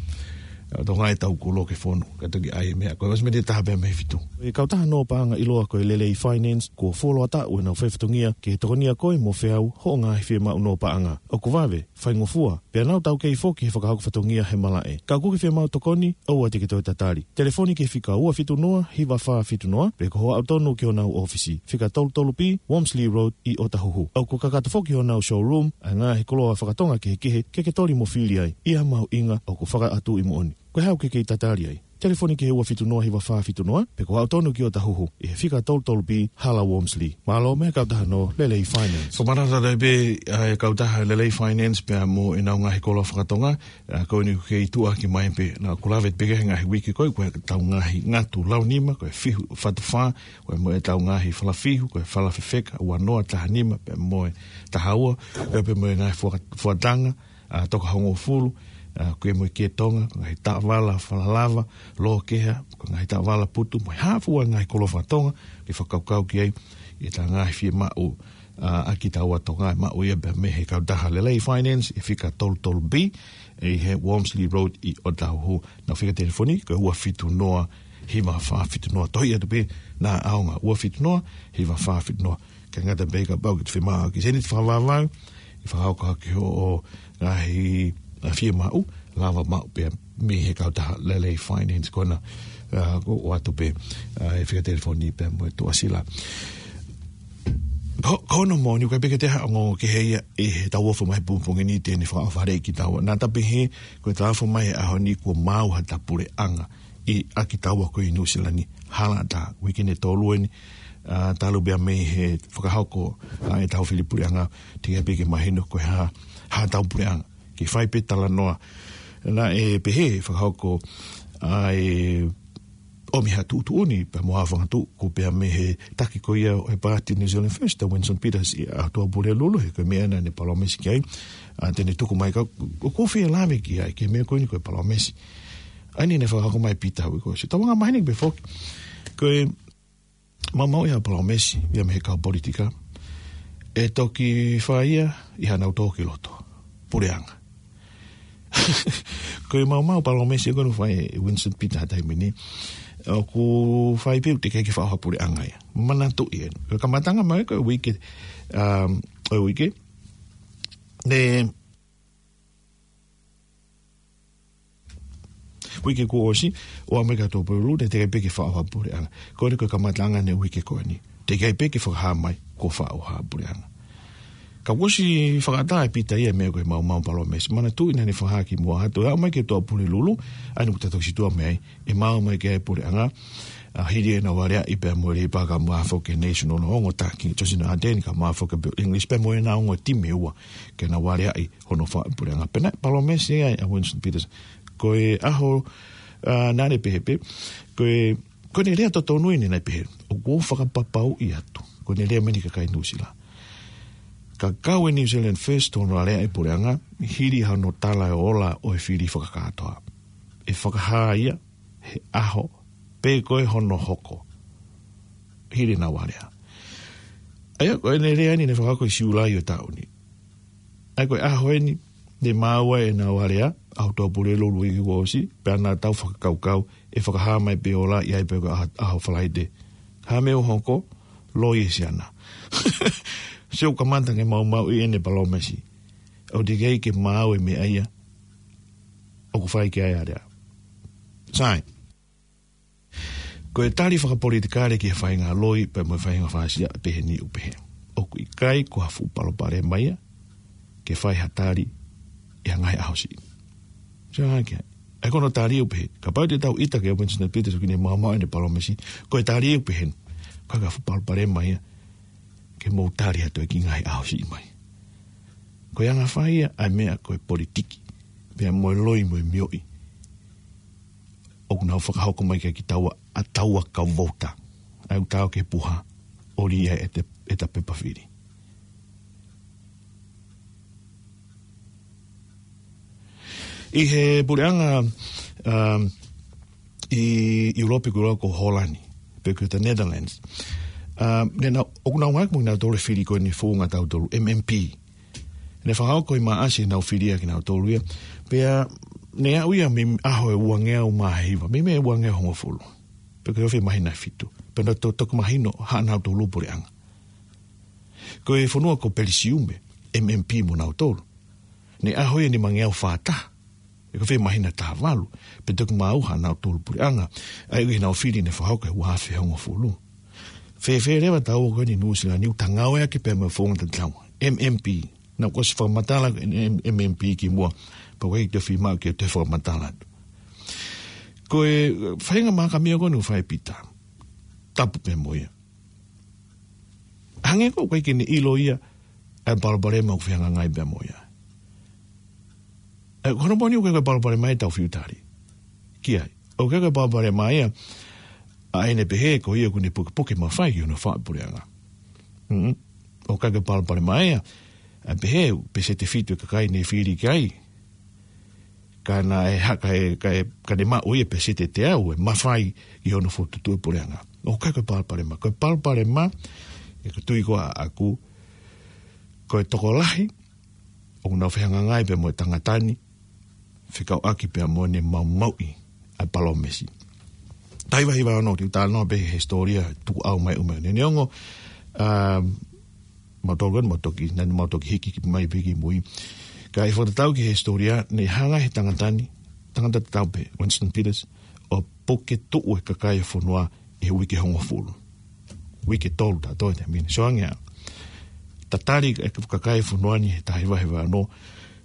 ʻA, Tonga ʻe tau kulo ke fonu. Ka toki ʻai e meʻa. Ko e ʻosi mei he taha pea mei he fitu. ʻE kautaha nō paʻanga ʻiloa ko e Lelei Finance, kuo fuoloa taʻu ʻenau fai fatongia ke tokonia koe mo feau hoʻo ngaahi fiemaʻu nō paʻanga. ʻOku vave, faingofua, pea nau taukei foki he fakahoko fatongia he malaʻe. Ka ʻoku ke fiemaʻu tokoni, ʻoua te ke toe tatali. Telefoni ki he fika ua fitu noa, hiva fā fitu noa, pe ko hoʻo aʻu tonu ki honau ʻōfisi, fika tolu tolu B, Wormsley Road, ʻi ʻOtahuhu. ʻOku kakato foki honau showroom ʻa e ngaahi koloa fakatonga kehekehe ke ke toli mo fili ai, ʻi ha mahuʻinga ʻoku fakaʻatuʻi moʻoni. Ko e hā ʻoku ke kei tatali ai? Telefoni ki he ua fitu noa, hiva fā fitu noa, pe ko hoʻo aʻu tonu ki ʻOtahuhu, ʻi he fika tolu tolu B, Hala Wormsley. Mālō mei he kautaha nō Lelei Finance. Fakamanatu atu pē, ʻa e kautaha Lelei Finance pea mo ʻenau ngaahi koloa fakatonga, ʻa, ko eni ʻoku kei tuʻuaki mai pē, naʻa ku lave pē ki he ngaahi uike ko ē, ko ʻetau ngaahi ngatu lau nima, ko e fihu fatu fā, ko e mo ʻetau ngaahi fala fihu, ko e fala fefeka, ua noa, taha nima, pea mo e taha ua, pea pē mo e ngaahi fua-, fuatanga, ʻa, toka hongofulu, ʻa, ko e mo e kē Tonga, ko e ngaahi taʻovala fala lava, lō keha, ko e ngaahi taʻovala putu, mo e hā fua ngaahi koloa fakatonga, ke fakakaukau ki ai, ʻi heʻetau ngaahi fiemaʻu, ʻa, ʻa kitaua Tonga, ʻe maʻu ia pē mei he kautaha Lelei Finance, ʻi he fika tolu tolu B, ʻi he Wormsley Road ʻi ʻOtahuhu. Nau fika telefoni, ko e ua fitu noa, hiva fā fitu noa. Tohi atu pē, naʻa ʻaonga, ua fitu noa, hiva fā fitu noa. Kae ngata pē kapau ʻoku ke fiemaʻu ha kiʻi sēniti fakavavau, ʻi he fakahoko ʻaki hoʻo ngaahi, ʻa, fiemaʻu, lava maʻu pē mei he kautaha Lelei Finance ko ena, ʻa, ko e ʻoatu pē, ʻa, e fika telefoni pea mo e tuʻasila. Ko, ko hono moʻoni ʻoku ʻikai pē ke toe ʻi ai ha ongoongo kehe ia ʻi heʻetau ʻofa mai he pongipongi ni te ne fakaʻofa lelei kitaua. Naʻa ta pehē, ko ʻetau ʻofa mai he ʻaho ni kuo maau haʻata puleʻanga ʻi, ʻa kitaua ko ē ʻi Nuʻusila ni. Hala ʻatā, uike ʻe tolu eni, ʻa, talu pē ia mei he fakahoko, ʻa, ʻetau fili puleʻanga, teʻeki ai pē ke mahino ko e hā, haʻatau puleʻanga. Ke fai pē talanoa. Naʻe pehē fakahoko ʻa e ʻomi ha tuʻutuʻuni pea mo ha fanga tuʻu, ko e pea mei he taki ko ia ʻo e Paati New Zealand First, ʻa Winston Peters ʻi he ʻaho Tuʻapulelulu, he ko e meʻa naʻa ne palōmesi ki ai, ʻa, te ne tuku mai ka, ʻoku ou fie lave ki ai, ki he meʻa ko eni ko e palōmesi. ʻA eni naʻe fakahoko mai Pita ʻi he uike kuo ʻosi. Tau anga maheni pē foki. Ko e maumauʻi ʻa e palōmesi ia mei he kau politika, ʻe toki fai ia ʻi haʻanau tō ki loto puleʻanga. Ko e maumau palōmesi ko ē naʻe fai ʻe Winston Peters he taimi ni, ʻoku fai pē ʻoku teʻeki ai ke fakaʻofa puleʻanga ia. Manatuʻi eni. Ko e kamataʻanga mai ko e uike, um, ʻo e uike, ne uike kuo ʻosi, ʻo aʻu mai ki he ʻaho Tuʻapulelulu, teʻeki ai pē ke fakaʻofa puleʻanga. Ko eni ko e kamataʻanga eni e uike ko eni. Teʻeki ai pē ke fakahā mai kuo fakaʻofa puleʻanga. Ka kuo ʻosi fakaʻatā ʻe Pita ia e meʻa ko e maumau palōmesi. Manatuʻi naʻa ne fakahā kimuʻa atu, ʻe aʻu mai ki he ʻaho Tuʻapulelulu, ʻa eni ʻoku ta toki situʻa mei ai, ʻe maau mai ki ai e puleʻanga, ʻa, hili ʻenau aleaʻi pea mo e Leipa kae ʻumaʻā foki e National, ongo taki, Johnson Ardern kae ʻumaʻā foki e Bill English pea mo ʻenau ongo timi ʻe ua, ke nau aleaʻi hono fakapuleʻanga. Pea naʻe palōmesi ai ʻa Winston Peters. Ko e ʻaho, ʻa, naʻa ne pehē pē, ko e, ko ʻene lea totonu eni naʻe pehē, ʻoku ou fakapapauʻi atu. Ko ʻene lea mei he kakai Nuʻusila. Ka kau e New Zealand First ʻi hono aleaʻi puleʻanga, hili hano tala e ola ʻo e fili fakakātoa. ʻE fakahā ia, he ʻaho, pe ko e hono hoko. Hili ʻenau alea. ʻA ia, ko ʻene lea ni naʻe fakahoko ʻi Siulai ʻo e taʻu ni. ʻA ia, ko e ʻaho eni, ne maau ai ʻenau alea, ʻaho Tuʻapulelulu ʻo e uike kuo ʻosi, pea naʻa tau fakakaukau, ʻe fakahā mai pē ʻe Ola ia pe ko e ʻaho, ʻaho Falaite. Hā e meʻa ʻoku hoko, loi ʻe Siana. Sio, kamata ke maumauʻi ʻene palōmesi. ʻOku teʻeki ai ke maau e meʻa ia ʻoku fai ki ai e alea. Sai. Ko e tali fakapolitikale ki he faʻahinga loi, pea mo e faʻahinga fāsia, pehē ni ʻoku pehē. ʻOku ʻikai ko ha fuʻu palopalema ia, ke fai ha tali ʻi ha ngaahi ʻaho siʻi. Sio ange ki ai. ʻA ia ko hono tali ʻoku pehē. Kapau te tau ʻita kia Winston Peters ʻoku ne maumauʻi ʻene palōmesi. Ko e tali ʻoku pehē. ʻIkai ko ha fuʻu palopalema ia, ke mou tali atu ki he ngaahi ʻaho siʻi mai. Ko e anga fai ia, ʻa e meʻa ko e politiki. Pea mo e loi mo e mioʻi. ʻOku nau fakahoko mai kia kitaua, ʻa taua kau vouti. ʻA ia ʻoku tau ke puha, ʻo lī ai ʻeta, ʻeta pepa fili. ʻI he puleʻanga, um, ʻi ʻIulope ʻoku lau ko Holani, pe ko e Netherlands. Um, ne nau, ʻoku nau ngāueʻaki mo kinautolu e fili ko eni founga tautolu, M M P. Ne fakahoko ʻi Maʻasi ʻenau fili ʻa kinautolu ia. Pea ne aʻu ia mei he ʻaho ʻe uangeau mā hiva, mei he uangeau hongofulu. Pe ko e ofi māhina ʻe fitu. Pea naʻe to-, toki mahino haʻanautolu puleʻanga. Ko e fonua ko Pelisiume, M M P mo nautolu. Ne ʻaho ia nimangeau fā taha. Pe ko e ofi māhina ʻe taha valu. Pea toki maau haʻanautolu puleʻanga. ʻA ia ʻoku ʻi ai ʻenau fili ne fakahoko he ua afe hongofulu. Fēfē leva taua ko eni Nuʻusila ni, ʻoku ta ngāueʻaki pē mo e founga tatau. M M P. Naʻa ku ʻosi fakamatala M-, M-, M M P kimuʻa. Pea ko e ʻikai te u fiemaʻu ke u toe fakamatala atu. Ko e, uh, faʻahinga mahaki meʻa ko eni ʻoku fai ʻe Pita. Tapu pē mo ia. Hangē ko ē ʻoku ʻikai ke ne ʻilo ia ʻa e palopalema ʻoku fehangahangai pea mo ia. ʻE, ko hono moʻoni ʻoku ʻikai ko e palopalema ia ʻetau fiu tali ki ai. ʻOku ʻikai ko e palopalema ia ʻa ʻene pehē ko ia ʻoku ne pukepuke mafai ki hono faʻu puleʻanga. Mm. ʻOku ʻikai ko e palopalema ia ʻa e pehē ʻoku peseti ʻe fitu e kakai ne fili ki ai. Ka naʻe hā, ka ʻe, ka ʻe, ka ne maʻu ia peseti ʻe teau e mafai ki hono fokotuʻutuʻu e puleʻanga. ʻOku ʻikai ko e palopalema. Ko e palopalema, ʻe, ko e tui ko ē ʻaʻaku, ko e tokolahi ʻoku nau fehangahangai pea mo e tangata ni, fekauʻaki pea mo ʻene maumauʻi ʻa e palōmesi. Taha hiva hiva ono, te u talanoa pē he hisitōlia tukuʻau mai ʻo e meʻa ni. Neongo, um, mau tolu eni, mau toki, naʻa mau toki hiki ki mai pē ki mui. Ka ʻi he fakatatau ki he hisitōlia, ne hanga ʻe he tangata ni, tangata tatau pē, Winston Peters, ʻo puketuʻu e kakai e fonua ʻi he uike hongofulu. Uike ʻe tolu taʻu toe te mine. Sio ange ā. Tatali e kakai e fonua ni he taha hiva hiva ono,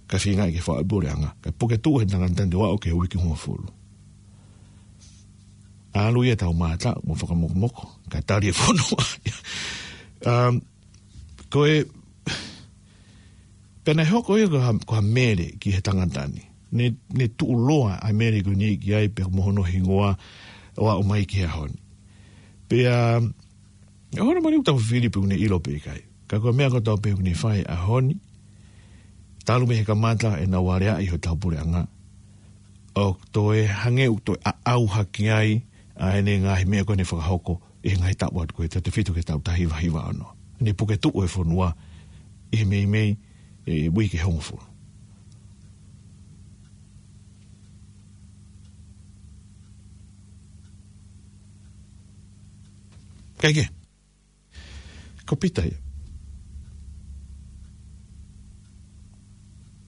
kae feinga ke faʻu e puleʻanga. Kae puketuʻu ʻe he tangata ni ʻo aʻu ki he uike hongofulu. ʻAlu ia taumātaʻu mo fakamokomoko, kae tali e fonua. Um, ko e, pea naʻe hoko ia ko ha, ko ha mele ki he tangata ni. Ne, ne tuʻuloa ʻa e mele ko eni ki ai pea mo hono hingoa ʻo aʻu mai ki he ʻaho ni. Pea, ʻa hono moʻoni ʻoku tau fili pe ʻoku ne ʻilo pe ʻikai. Ka ko e meʻa kotoa pē ʻoku ne fai he ʻaho ni, talu mei he kamata ʻenau aleaʻi hotau puleʻanga, ʻoku toe hangē ʻoku toe ʻaʻau hake ai ʻa ʻene ngaahi meʻa ko ē ne fakahoko ʻi he ngaahi taʻu atu ko ē, tautefito ki he taʻu taha hiva hiva ono. Ne puketuʻu e fonua ʻi he meimei, ʻe, uike hongofulu. Kae kehe, ko Pita ia.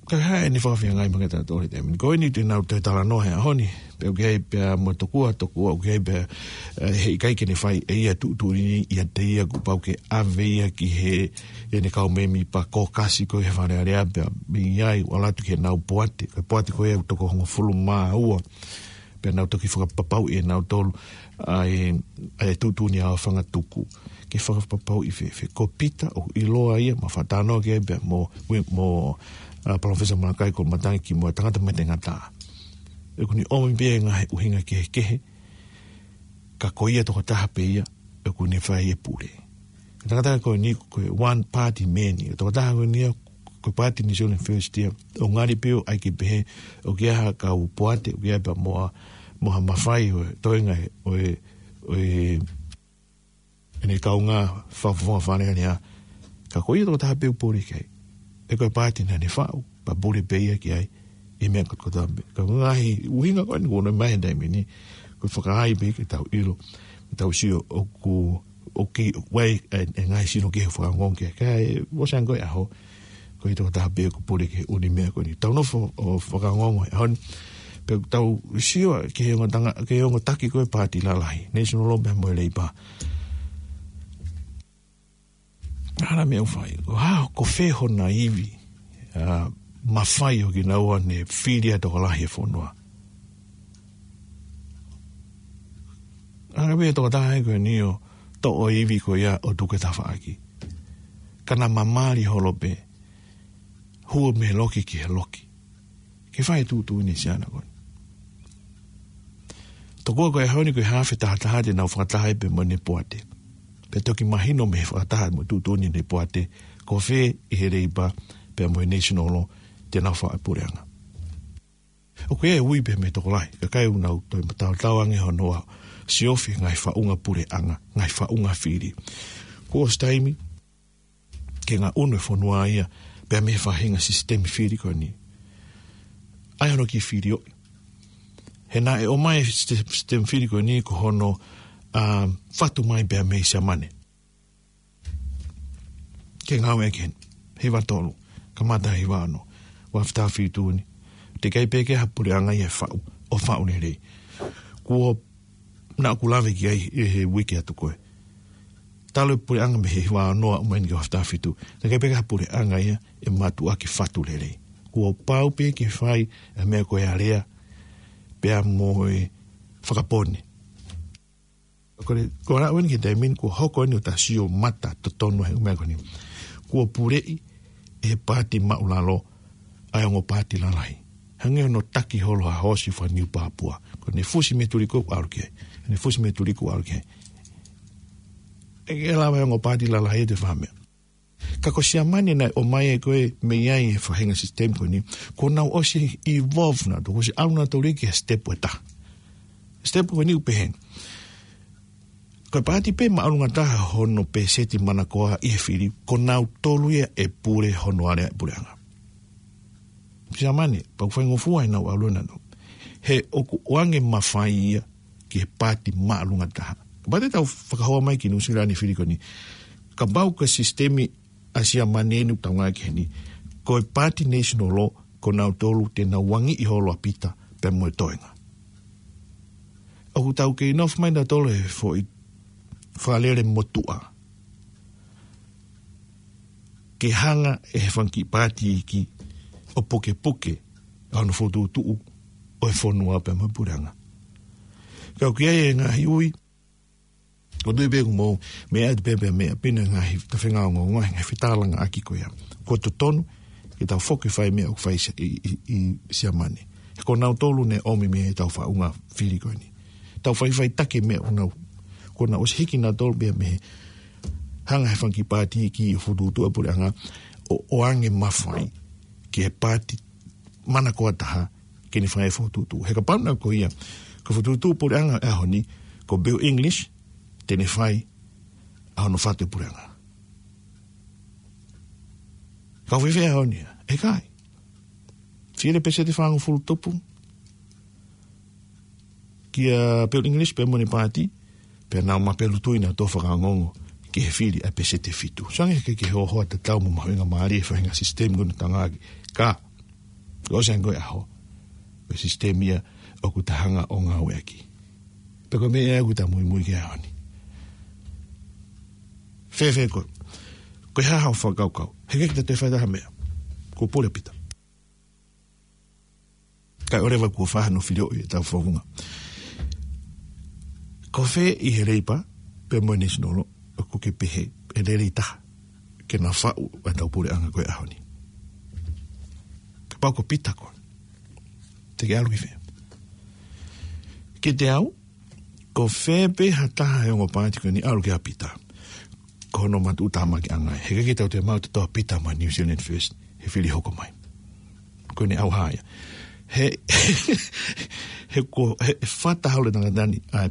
Ka hā ʻene fakafeangai mo kitautolu he taimi ni. Ko eni te nau toe talanoa he ʻaho ni. Pea ʻoku ʻi ai pea mo tokua, tokua ʻoku ʻi ai pea, ʻe, heʻikai ke ne fai ʻe ia e tuʻutuʻuni ni ʻiate ia, kuo pau ke ʻave ia ki he, ʻene kau mēmipa kōkasi ko ē he Fale Alea pea mei ai ʻo ʻalu atu ki heʻenau poate. Ko e poate ko ē ʻoku toko hongofulu mā ua. Pea nau toki fakapapauʻi ʻe nautolu ʻa e, ʻa e tuʻutuʻuni ʻa Fangatuku. Ke fakapapauʻi fēfē. Ko Pita ʻoku ʻiloa ia, mau fakatalanoa ki ai pea mo, mo, ʻa, Palōfesa Malakai Koloamatangi kimuʻa, tangata makehe ngata. ʻOku ne ʻomi pē ia e ngaahi ʻuhinga kehekehe. Ka ko ia tokotaha pē ia ʻoku ne fai e pule. Tangata ko eni ko e one party man ia. Tokotaha ko eni ia ko e Paati New Zealand First ia. ʻO ngali pē ʻoku ʻai ke pehē ʻoku ʻi ai ha kau poate, ʻoku ʻi ai pē mo ha, mo ha mafai ʻo e toenga ʻo e, ʻo e, ʻene kaungā fakafofonga Fale Alea Ka ko ia tokotaha pē ʻoku pule ki ai, ʻe ko e paati naʻa ne faʻu, pea pule pē ia ki ai ʻi he meʻa kotoa pē. Ka ko e ngaahi ʻuhinga ko eni kuo ʻomai he taimi ni, ko e fakaai pē ke tau ʻilo, ke tau sio ʻoku, ʻoku ʻi ai e, e ngaahi sino kehe ʻoku fakaongoongo ki ai. Ka ʻoku ʻosi ange ko e ʻaho, ko ia tokotaha pē ʻoku pule ki he ʻū meʻa ko eni. Tau nofo ʻo fakaongoongo he ʻaho ni, pea tau sio ki he ongo tanga, ki he ongo taki ko e paati lalahi, National Law pea mo e Labour. Hā e meʻa ʻoku fai, ko e hā, ko fē hona ivi, ʻa, mafai ʻo kinaua ne fili ʻa e tokolahi e fonua. Hanga pē ʻe he tokotaha ko eni ʻo toʻo e ivi ko ia ʻo tuku he tafaʻaki, ka na mamali holo pē, hū mei he loki ki he loki, ke fai e tuʻutuʻuni ʻa Siaina ko eni. Tokua ko e ʻaho ni ko e hafe tahataha te nau fakataha ai pea mo Nepoate, pea toki mahino mei he fakataha mo e tuʻutuʻuni ʻa Nepoate, ko fē ʻi he Labour pea mo e National Law te nau faʻu e puleʻanga. ʻOku ʻi ai e ui pē mei he tokolahi, kakai ʻoku nau toe mataotao ange hono ʻā ʻo siofi e ngaahi faʻunga puleʻanga, ngaahi faʻunga fili. Kuo ʻosi taimi ke ngaʻunu e fonua ia pea mei he faʻahinga sisitemi fili ko eni. ʻAi hono kiʻi filioʻi. He naʻe ʻomai e sisite-, sisitemi fili ko eni ko hono, ʻa, fatu mai pea mei Siamane. Ke ngāueʻaki heni, hiva tolu, kamata hiva ono, ua afe taha fitu ni. Teʻeki ai pē ke ʻi ai ha puleʻanga ia ʻe faʻu, ʻo faʻu lelei. Kuo, naʻa ku lave ki ai ʻi he uike atu ko ē. Talu e puleʻanga mei he hiva ono ʻo aʻu mai eni ki he ua afe taha fitu. Teʻeki ai pē ke ʻi ai ha puleʻanga ia ʻe mātuʻaki fatu lelei. Kuo pau pē ke fai e meʻa ko e alea pea mo e fakapō ni. Ko e, ko e lau eni ki he taimi ni, kuo hoko eni ʻo ta sio mata totonu he ʻū meʻa ko eni. Kuo puleʻi ʻe he paati māʻulalo ʻa e ongo paati lalahi. Hangē hono taki holo ha hoosi faka-Niu Pāpua. Ko ʻene fusi mei he tulikō ʻalu ki ai. ʻEne fusi mei he tulikō ʻalu ki ai. ʻE ʻikai lava e ongo paati lalahi ʻo toe fai ha meʻa. Ka ko Siamane naʻe ʻomai ai ko ē mei ai e faʻahinga sisitemi ko eni, kuo nau ʻosi evolve nautolu, kuo ʻosi ʻalu nautolu ki he sitepu ʻe taha. Sitepu ko eni ʻoku pehē ni. Ko e paati pē māʻolunga taha hono pēseti manakoa ʻi he fili, ko nautolu ia ʻe pule hono alea e puleʻanga. Siamane, pea ʻoku faingofua ʻenau ʻalu ʻanautolu. He ʻoku ʻoange mafai ia ki he paati māʻolunga taha. Kapau te tau fakahoa mai ki Nuʻusila ni e fili ko eni, kapau ko e sisitemi ʻa Siamane eni ʻoku tau ngāueʻaki heni, ko e paati National Law, ko nautolu te nau uangiʻi holo ʻa Pita pea mo e toenga. ʻOku tau kei nofo mai nautolu he foʻi fakalele motuʻa ke hanga ʻe he fanga kiʻi paati iiki ʻo pukepuke ʻa hono fokotuʻutuʻu ʻo e fonua pea mo e puleʻanga. Ka ʻoku ʻi ai e ngaahi ui, ʻoku ou tui pē ʻoku mou meʻa atu pē pea meʻa pē ʻa e ngaahi tafenga ongoongo, ngaahi fetalanoaʻaki ko ia. Kuo totonu ke tau foki fai meʻa ʻoku fai ʻi, ʻi, ʻi Siamane. He ko nautolu naʻe ʻomi mei ai ʻetau faʻunga fili ko eni. Tau faʻifaʻitaki e meʻa ʻoku nau, kuo nau ʻosi hiki nautolu pea mei he hanga ʻe he fanga kiʻi paati iiki ʻo fokotuʻutuʻu e puleʻanga ʻo, ʻoange mafai ki he paati manakoa taha ke ne fai e fokotuʻutuʻu. He kapau naʻe ko ia, ko e fokotuʻutuʻu puleʻanga e ʻaho ni, ko Bill English te ne fai ʻa hono fatu e puleʻanga. Ka ʻoku fēfē e ʻaho ni? ʻE ʻikai. Fili e pēseti fāngofulu tupu kia Bill English pea mo ʻene paati, pea nau mapelu tui nautolu ʻo fakaongoongo ki he fili ʻa e pēseti ʻe fitu. Sio ange ki he hoahoa tatau mo e mahuʻinga mālie e faʻahinga sisitemi ko eni ʻoku ta ngāueʻaki. Ka, kuo ʻosi ange ko e ʻaho, ko e sisitemi ia ʻoku ta hanga ʻo ngāueʻaki. Pea ko e meʻa ia ʻoku ta muimui ki ai he ʻaho ni. Fēfē koe? Ko e hā haʻo fakakaukau? He ʻikai ke ta toe fai ha meʻa. Kuo pule ʻa Pita. Kae ʻoua leva kuo fai hano filioʻi ʻetau founga. Ko fē ʻi he Labour pea mo e National Law ʻoku ke pehē ʻe lelei taha ke na faʻu ʻetau puleʻanga ko e ʻaho ni? Kapau ko Pita koe, te ke ʻalu ki fē? Kiate au, ko fē pē ha taha he ongo paati ko eni, ʻalu ki ai ʻa Pita, ko hono matuʻutāmakiʻanga ia. He ʻikai ke tau toe maʻu ʻa e toʻa ʻa Pita maʻa New Zealand First he fili hoko mai. Ko ʻene ʻauha ia. He, he ko, he, he fata holo e tangata ni ʻa e,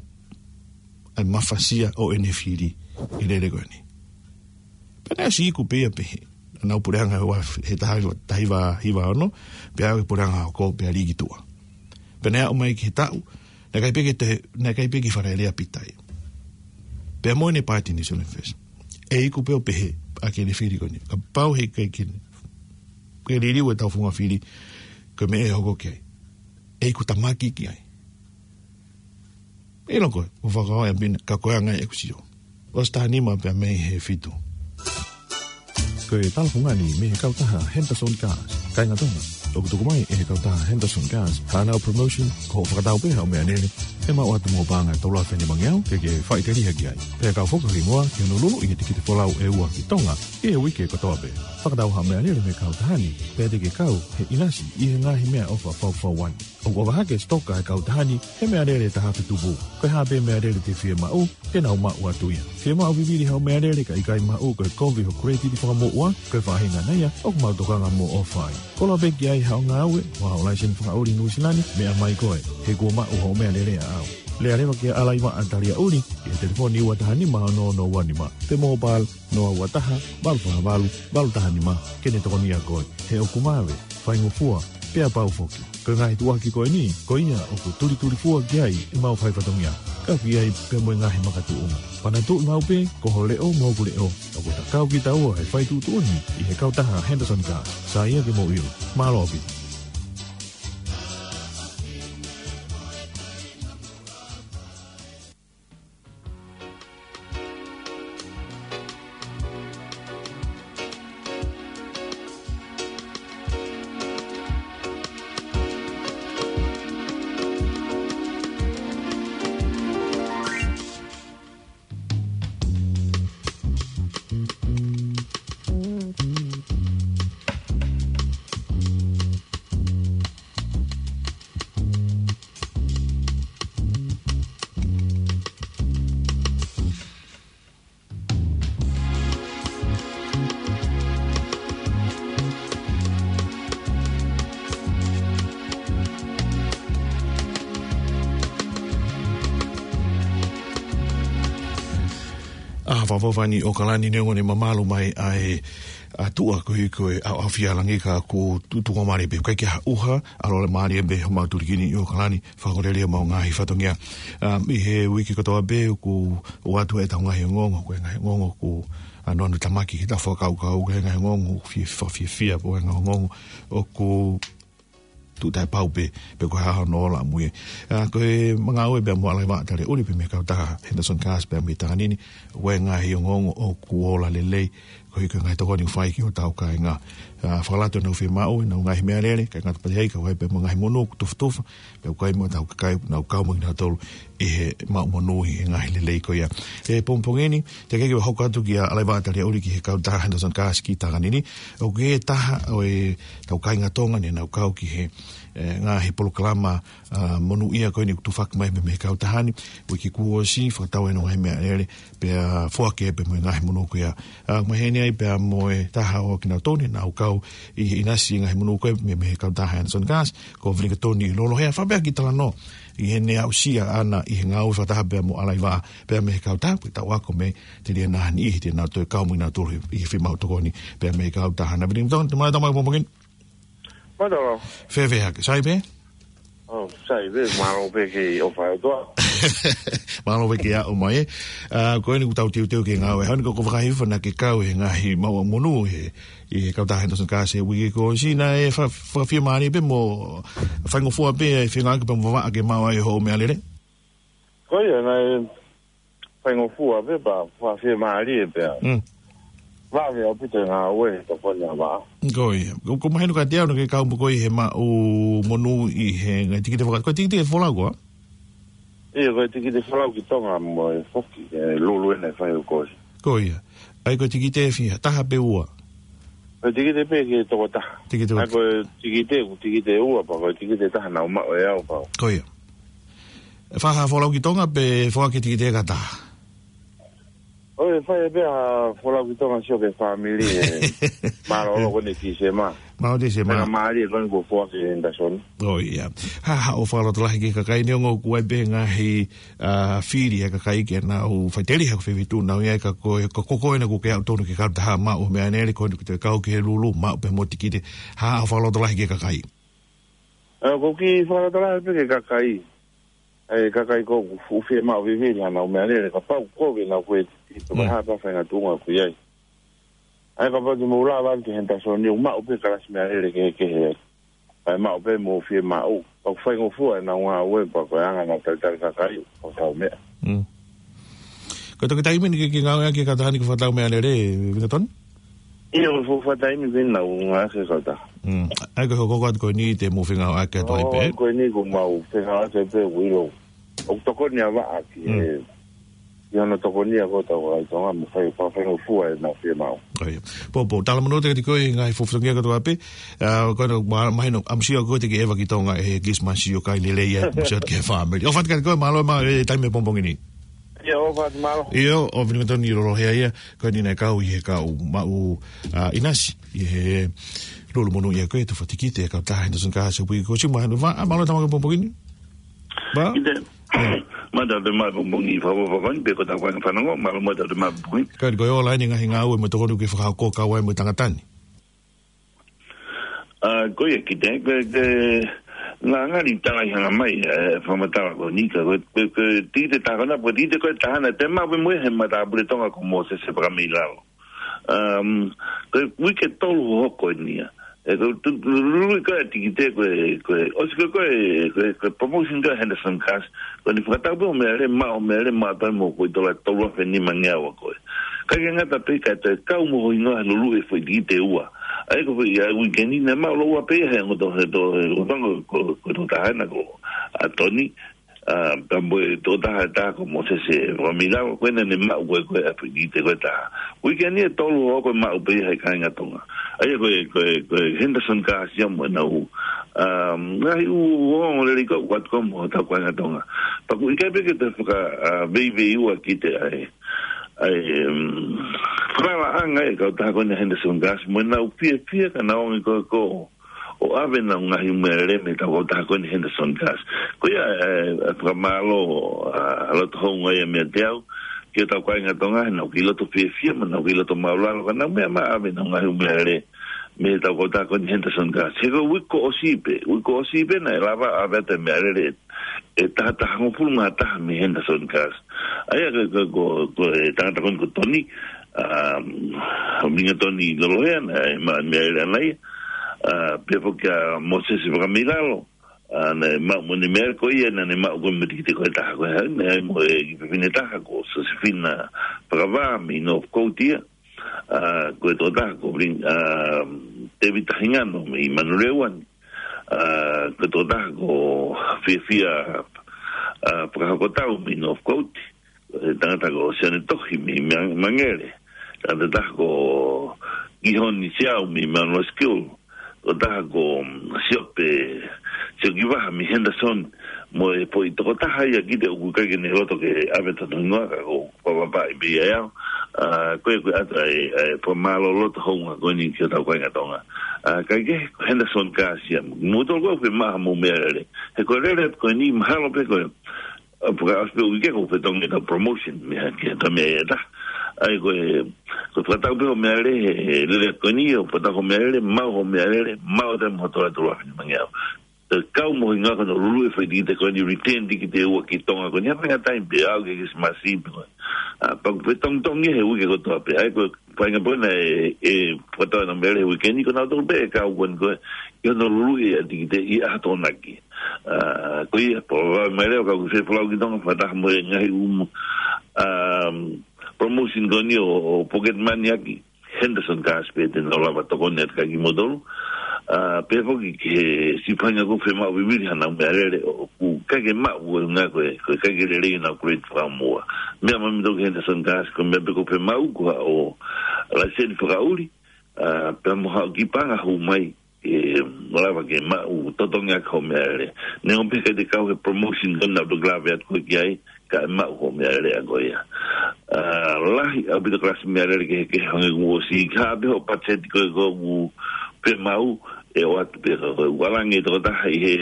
ʻa e mafasia ʻo ʻene fili ʻi he lele ko eni. Pea naʻe ʻosi iku pē ia pehē. Naʻa nau puleʻanga ua he taha hiva, taha hiva hiva ono, pea aʻu ki he puleʻanga hoko pea lī ki tuʻa. Pea naʻe aʻu mai ki he taʻu, naʻe ʻikai pē ke te, naʻe ʻikai pē ke fale lea pita ia. Pea mo ʻene paati New Zealand First. ʻE iku pē ʻo pehē, ʻa ʻene fili ko eni. Kapau he ʻikai ke, ke liliu ʻetau founga fili, ko e meʻa ʻe hoko ki ai. ʻE iku tamaki ki ai. ʻIlo koe, ʻo fakahā ʻe Pina, ka ko e anga ia ʻeku sio. ʻOsi taha nima pea mei he fitu. Ko e talafungani mei he kautaha Henderson Cars. Kāinga Tonga, ʻoku tuku mai ʻe he kautaha Henderson Cars haʻanau promotion, ko hoʻo fakatau pē haʻo meʻalele, ʻe maʻu atu mo e paʻanga ʻe tolu afe nimangeau, ke ke faʻiteliha ki ai. Pea kau foki ki muʻa, ki hono luluʻi e tikite folau ʻe ua ki Tonga, ʻi he uike kotoa pē. Fakatau haʻo meʻalele mei he kautaha ni, pea te ke kau he ʻinasi ʻi he ngaahi meʻaʻofa faufaua. ʻOku ʻofa hake e sitoka ʻa e kautaha ni he meʻalele taha afe tupu. Ko e hā pē meʻalele te ke fiemaʻu, te nau maʻu atu ia. Fiemaʻu vivili haʻo meʻalele ka ʻikai maʻu, ko e kovi hoʻo credit fakamoʻua, ko e faʻahinga ia ʻoku mau tokanga mo ʻofa ai. Koloa pē ki ai haʻo ngāue, ʻo haʻo laiseni fakaʻuli Nuʻu Sila ni, meʻa mai koe, he kuo maʻu hoʻo meʻalele ʻaʻau. Lea leva kia Alaivaʻa Taliaʻuli, ʻi he telefoni ua taha nima ono ono ua nima, pe mobile, noa ua taha, valu fā valu, valu taha nima, ke ne tokonia koe, he ʻoku mave, faingofua, pea pau foki. Ko e ngaahi tuʻuaki ko eni, ko ia ʻoku tulitulifua ki ai ʻemau faifatongia. Kau ki ai pea mo e ngaahi makatuʻunga. Panatuʻi maʻu pē, ko ho leʻo mo hoku leʻo, ʻoku ta kau kitaua he fai tuʻutuʻuni ʻi he kautaha Henderson Cars. Sai ia ke mou ʻilo. Mālō ʻaupito. ʻA, fafofani ʻo kalani neongo ʻene mamalu mai ʻa e ʻa tuʻa ko ē ko e ʻaoʻaofia langi ka ko tuʻutuʻu mālie pē. ʻIkai ke ha ʻuha, ʻalu mālie pē homau tulikini ʻi ʻOkalani, fakalelei homau ngaahi fatongia. ʻA, ʻi he uike kotoa pē, ʻoku ʻoatu ʻetau ngaahi ongoongo, ko e ngaahi ongoongo ʻoku ʻanoʻano tamaki ki heʻetau fakakaukau, ko e ngaahi ongoongo ʻoku fie, fakafiefia, ko e ngaahi ongoongo ʻoku tuʻu taʻepau pē, pe ko e hā hono ola ʻamui. ʻA, ko e ngāue pea mo Alaivaʻa Taliaʻuli pea mei he kautaha Henderson Cars pea mei Takanini, ko e ngaahi ongoongo ʻoku ola lelei, koeʻuhi ko e ngaahi tokoni ʻoku fai ki hotau kāinga. ʻA, fakalato ʻenau fiemaʻu, ʻenau ngaahi meʻalele, kae ngata pē ai, kae ʻumaʻā pē mo e ngaahi monū kuo tufatufa, pea ʻoku ʻi ai mo ʻetau kakai, nau kau mo kinautolu ʻi he maʻu monū ʻi he ngaahi lelei ko ia. ʻI he pongipongi ni, teʻeki ke u hoko atu kia Alaivaʻa Taliaʻuli ki he kautaha Henderson Cars ki Takanini, ʻoku ʻi ai e taha ʻo ʻetau kāinga Tonga ne nau kau ki he, ʻe, ngaahi polokalama, ʻa, monūʻia ko eni ʻoku tufaki mai mei, mei he kautaha ni, uike kuo ʻosi, fakatau ʻenau ngaahi meʻalele, pea foaki pē mo e ngaahi monū ko ia. ʻA, maheni ai pea mo e taha ʻo kinautolu ne nau kau ʻi he ʻinasi ngaahi monū ko ia mei, mei he kautaha Henderson Cars, ko Vilikatoni Lolohea, fakaʻapaʻapa ki he talanoa ʻi heʻene aʻusia ʻaʻana ʻi he ngāue fakataha pea mo Alaivaʻa, pea mei he kautaha, pea tau ako mei he teliana ni ʻi he te nau toe kau mo kinautolu ʻi he fiemaʻu tokoni, pea mei he kautaha. Naʻa Vilikatoni, te mau tama pongipongi ni. Mālō. Fēfē hake, sai pē? ʻO, sai pē, mālō pē ki he ʻofa ʻa e ʻOtua. Mālō pē ki he ʻomai, ē. ʻA, ko eni ʻoku tau teuteu ki he ngāue. Hau ni ko e fakahifo naʻa ke kau he ngaahi maʻu monū he, ʻi he kautaha Henderson Cars he uike kuo ʻosi, naʻe fa-, fakafiemālie pē mo faingofua pē ʻa e feinga ke pea mo Vavaʻa ke maʻu ai hoʻo meʻalele. Ko ia, naʻe faingofua pē pea fakafiemālie pē. Mm. Vave ʻaupito e ngāue he tokoni ʻa Vavaʻa. Ko ia. Ko, ko mahino kiate au naʻa ke kau mo koe he maʻu monū ʻi he ngaahi tikite faka-, ko e tikite folau koā? ʻIo, ko e tikite folau ki Tonga mo e foki, ʻe lulu ena ʻe fai ʻo kosi. Ko ia. ʻAi ko e tikite fiha, taha pe ua? Ko e tikite pē ki he tokotaha. Tikite ʻAi ko e tikite, ko e tikite ua pea ko e tikite taha naʻa ku maʻu ʻe au pea. Ko ia. Fakafolau ki Tonga pe foaki e tikite ka taha? ʻOi, fai pē ha folau ki Tonga sio ki he fāmili ē. Mālōlō ko eni Tīsema. Mālō Tīsema. Pea mālie ko eni kuo foaki ʻe Henderson. ʻOi, ia. Ha, ha, ʻoku ou fakalotolahi ki he kakai ni, ongo kuo ʻi ai pē ngaahi, ʻa, fili ʻa e kakai ke nau faʻiteliha ko e fefetuʻu nau ʻi ai, ka ko e, ka ko koe naʻa ke aʻu tonu ki he kautaha maʻu meʻalele ko eni, ko e kau ki he lulu, maʻu pē mo e tikite. Ha, ha, ʻoku ou fakalotolahi ki he kakai. ʻE, ʻoku ou kiʻi fakalotolahi pē ki he kakai. ʻE, kakai ko ē ʻoku fiemaʻu vivili haʻanau meʻalele, kapau ko ē naʻa ke tito, mm, ha pē faʻahinga tuʻunga ʻoku ʻi ai. ʻE, kapau te mou lava atu ki Henderson ni, ʻoku maʻu pē kalasi meʻalele kehekehe. ʻE, maʻu pē mo fiemaʻu. Pea ʻoku faingofua ʻenau ngāue pea ko e anga ʻenau talitali kakai, ʻoku tau meʻa. Mm. Ko e toki taimi eni ke, ke ngāueʻaki e kautaha ni ke fakatau meʻalele, Vingatoni? ʻIo, ko e fuʻu fakataimi pē naʻa ku ngāueʻaki e kautaha. Mm. ʻA ia ko e hoko atu ko eni te mou fengāueʻaki atu ai pē? ʻO, ko eni kuo mau fengāueʻaki pē, ʻoku ʻilo. ʻOku tokoni ʻa e vaʻa ki he, mm, ʻi hono tokoni ʻa e kautaha ʻa Tonga mo fai, fai, faingofua ʻenau fiemaʻu. ʻOi. Pō, pō, talamonū atu kiate koe ʻi he ngaahi fuofua fatongia kotoa pē. ʻA, ko ena, ma-, mahino, ʻamusia koe te ke ʻeva ki Tonga ʻi he Kilisimasi ʻo kai lelei ai, ʻamusia atu ki he fāmili. ʻOfa atu kiate koe, mālō e maʻu e taimi he pongipongi ni. ʻIo, ʻofa atu, mālō. ʻIo, ʻo Vingatoni Lolohea ia, ko eni naʻe kau ʻi he kau maʻu, ʻa, ʻinasi, ʻi he lulu monū ia ko e tufa tikite, kautaha Henderson Cars, ʻoku ʻi ai ko Sima, ʻa, mālō e tama he pongipongi ni. Ba? ʻIo. Mālō e maʻu e pongipongi ni, fakafofonga, pea ko e tau kau fanongo, mālō e maʻu e pongipongi ni. Ka ko e ola eni e ngaahi ngāue mo e tokoni ʻoku ke fakahoko kau ai mo e tangata ni. ʻA, ko ia kiate, ko e, ko e, naʻa ngali tala ʻi hanga mai, ʻe, fakamatala ko eni ka, ko e, ko e, ko e tikite taha ko ena, ko e tikite ko e taha naʻe maʻu pē mo ia he matāpule Tonga ko Mōsese Fakameilalo. Um, ko e uike tolu hohoko eni ia. ʻE, ko e tu-, lului ko e tikite ko e, ko e, ʻosi ko e, ko e, ko e, ko e promotion ko e Henderson Cars, ko eni fakatau pē hoʻo meʻalele, maʻu hoʻo meʻalele, maʻu pē mo ko e tola tolu afe nimangeau ʻa koe. Ka ke ngata pē ka te kau mo ho hingoa he lului e foʻi tikite ʻe ua. ʻA ia ko e foʻi, ʻa, uike ni naʻe maʻu lōua pē ia he ongo to-, he to-, he ongo to-, ko, ko e tokotaha ena ko, ʻa, Tony, ʻa, pea mo e tokotaha ʻe taha ko Mōsese Fakameilalo, ko ena naʻe maʻu ko ē, ko ē ʻa e foʻi tikite ko e taha. Uike ni ʻe tolu hohoko ʻe maʻu pē ia he kāinga Tonga. ʻA ia ko e, ko e, ko e Henderson Cars ia mo ʻenau, um, ngaahi ʻū ongoongolelei ko ē ʻoku ʻatu ko ē mo hotau kāinga Tonga. Pea ʻoku ʻikai pē ke te faka, ʻa, veiveiua kiate ai. ʻA e, um, falalaʻanga e kautaha ko eni Henderson Cars, mo ʻenau fiefia ka nau ongoʻi ko ē ko ē ʻo ʻave ʻenau ngaahi meʻalele mei he kautaha ko eni Henderson Cars. Ko ia, ʻe, ʻe fakamālō, ʻa, loto houngaʻia meiate au, ki hotau kāinga Tonga, he naʻa nau kei loto fiefia, mo nau kei loto māʻulalo, ka nau meʻa mai ʻave ʻenau ngaahi meʻalele mei he kautaha ko eni Henderson Cars. He ko e uike kuo ʻosi pē, uike kuo ʻosi pē naʻe lava ʻave atu e meʻalele ʻe taha taha hongofulu mā taha mei Henderson Cars. ʻA ia ko, ko, ko, ko e tangata ko eni ko Tony, um, Vingatoni Lolohea, naʻe maʻu e meʻalele ʻana ia, ʻa, pea foki ʻa Mōsese Fakameilalo, ʻa, naʻe maʻu mo ʻene meʻalele ko ia, naʻa ne maʻu ko ē mo e tikite ko e taha ko ē, naʻe ʻi ai mo e kiʻi fefine ʻe taha ko Sosefina Fakavā mei Northcote ia, ʻa, ko e tokotaha ko Vin-, ʻa, Tēvita Hingano mei Manuleuani, ʻa, ko e tokotaha ko Fiafia, ʻa, Fakahokotau mei Northcote, ko e tangata ko Sione Tohi mei Mang-, Mangere, tangata ʻe taha ko Kihoni Siau mei Manoa School, ko e taha ko, mm, Siope, Siokivaha mei Henderson, mo e foʻi tokotaha ia kiate au ʻoku ʻikai ke ne loto ke ʻave hono hingoa ka ko, ko e papa i pē ia au. ʻA, ko e, ko e ʻatu ai, ʻa e fakamālō loto houngaʻia ko eni ki hotau kāinga Tonga. ʻA, kae kehe, ko Henderson Cars ia. Mou tolu ko ē ʻoku fiemaʻu haʻamou meʻalele. He ko e lele ko eni mahalo pē ko e, ʻa, pea ʻosi pē uike ko e fetongi ʻetau promotion, mei he, ki he tau meʻa ʻe taha. ʻA ia ko e, ko e fakatau pē hoʻo meʻalele, he, he lele ko eni, ʻo fakatau hoʻo meʻalele, maʻu hoʻo meʻalele, maʻu ʻe taha mo e tola tolu afe nimangeau. ʻE kau mo e hingoa ko hono lului e foʻi tikite ko eni, return tikite ʻe ua ki Tonga ko eni, ha faʻahinga taimi pē ʻo aʻu ki he Kilisimasi pē ko ē. ʻA, pea ʻoku fetongitongi he uike kotoa pē, ʻa ia ko e faʻahinga pē ʻena ʻe, ʻe fakatau ʻenau meʻalele he uike ni, ko nautolu pē ʻe kau ko eni ko ē, ʻi hono lului e tikite ʻi he ʻaho Tokonaki. ʻA, ko ia, pea ʻoku ou ʻai mai leva ka ʻoku ke fie folau ki Tonga, fakataha mo e ngaahi ʻū, um, promotion ko eni ʻo, ʻo pocket money ʻaki. Henderson Cars pē te nau lava tokoni atu kiate kimoutolu. ʻA, pea foki ki he siʻi faʻahinga ʻoku fiemaʻu vivili haʻanau meʻalele ʻoku ʻikai ke maʻu ko e ʻuhinga ko e, ko e ʻikai ke lelei ʻenau grade fakamuʻa. Meʻa mai kimoutolu ki Henderson Cars, ko e meʻa pē ʻoku fiemaʻu ko haʻo laiseni fakaʻuli, ʻa, pea mo haʻo kiʻi paʻanga hū mai, ʻe lava ke maʻu totongi ʻaki hoʻo meʻalele. Neongo pē ʻikai te kau he promotion ko ena ʻoku lave atu koe ki ai, kae maʻu hoʻo meʻalele ʻa koe ia. ʻa, lahi ʻaupito kalasi meʻalele kehekehe hangē ko ʻosi. Ka pē hoʻo patiseti ko ē ʻoku pē maʻu, ʻe ʻoatu pē ka ko e ʻalu ange tokotaha ʻi he,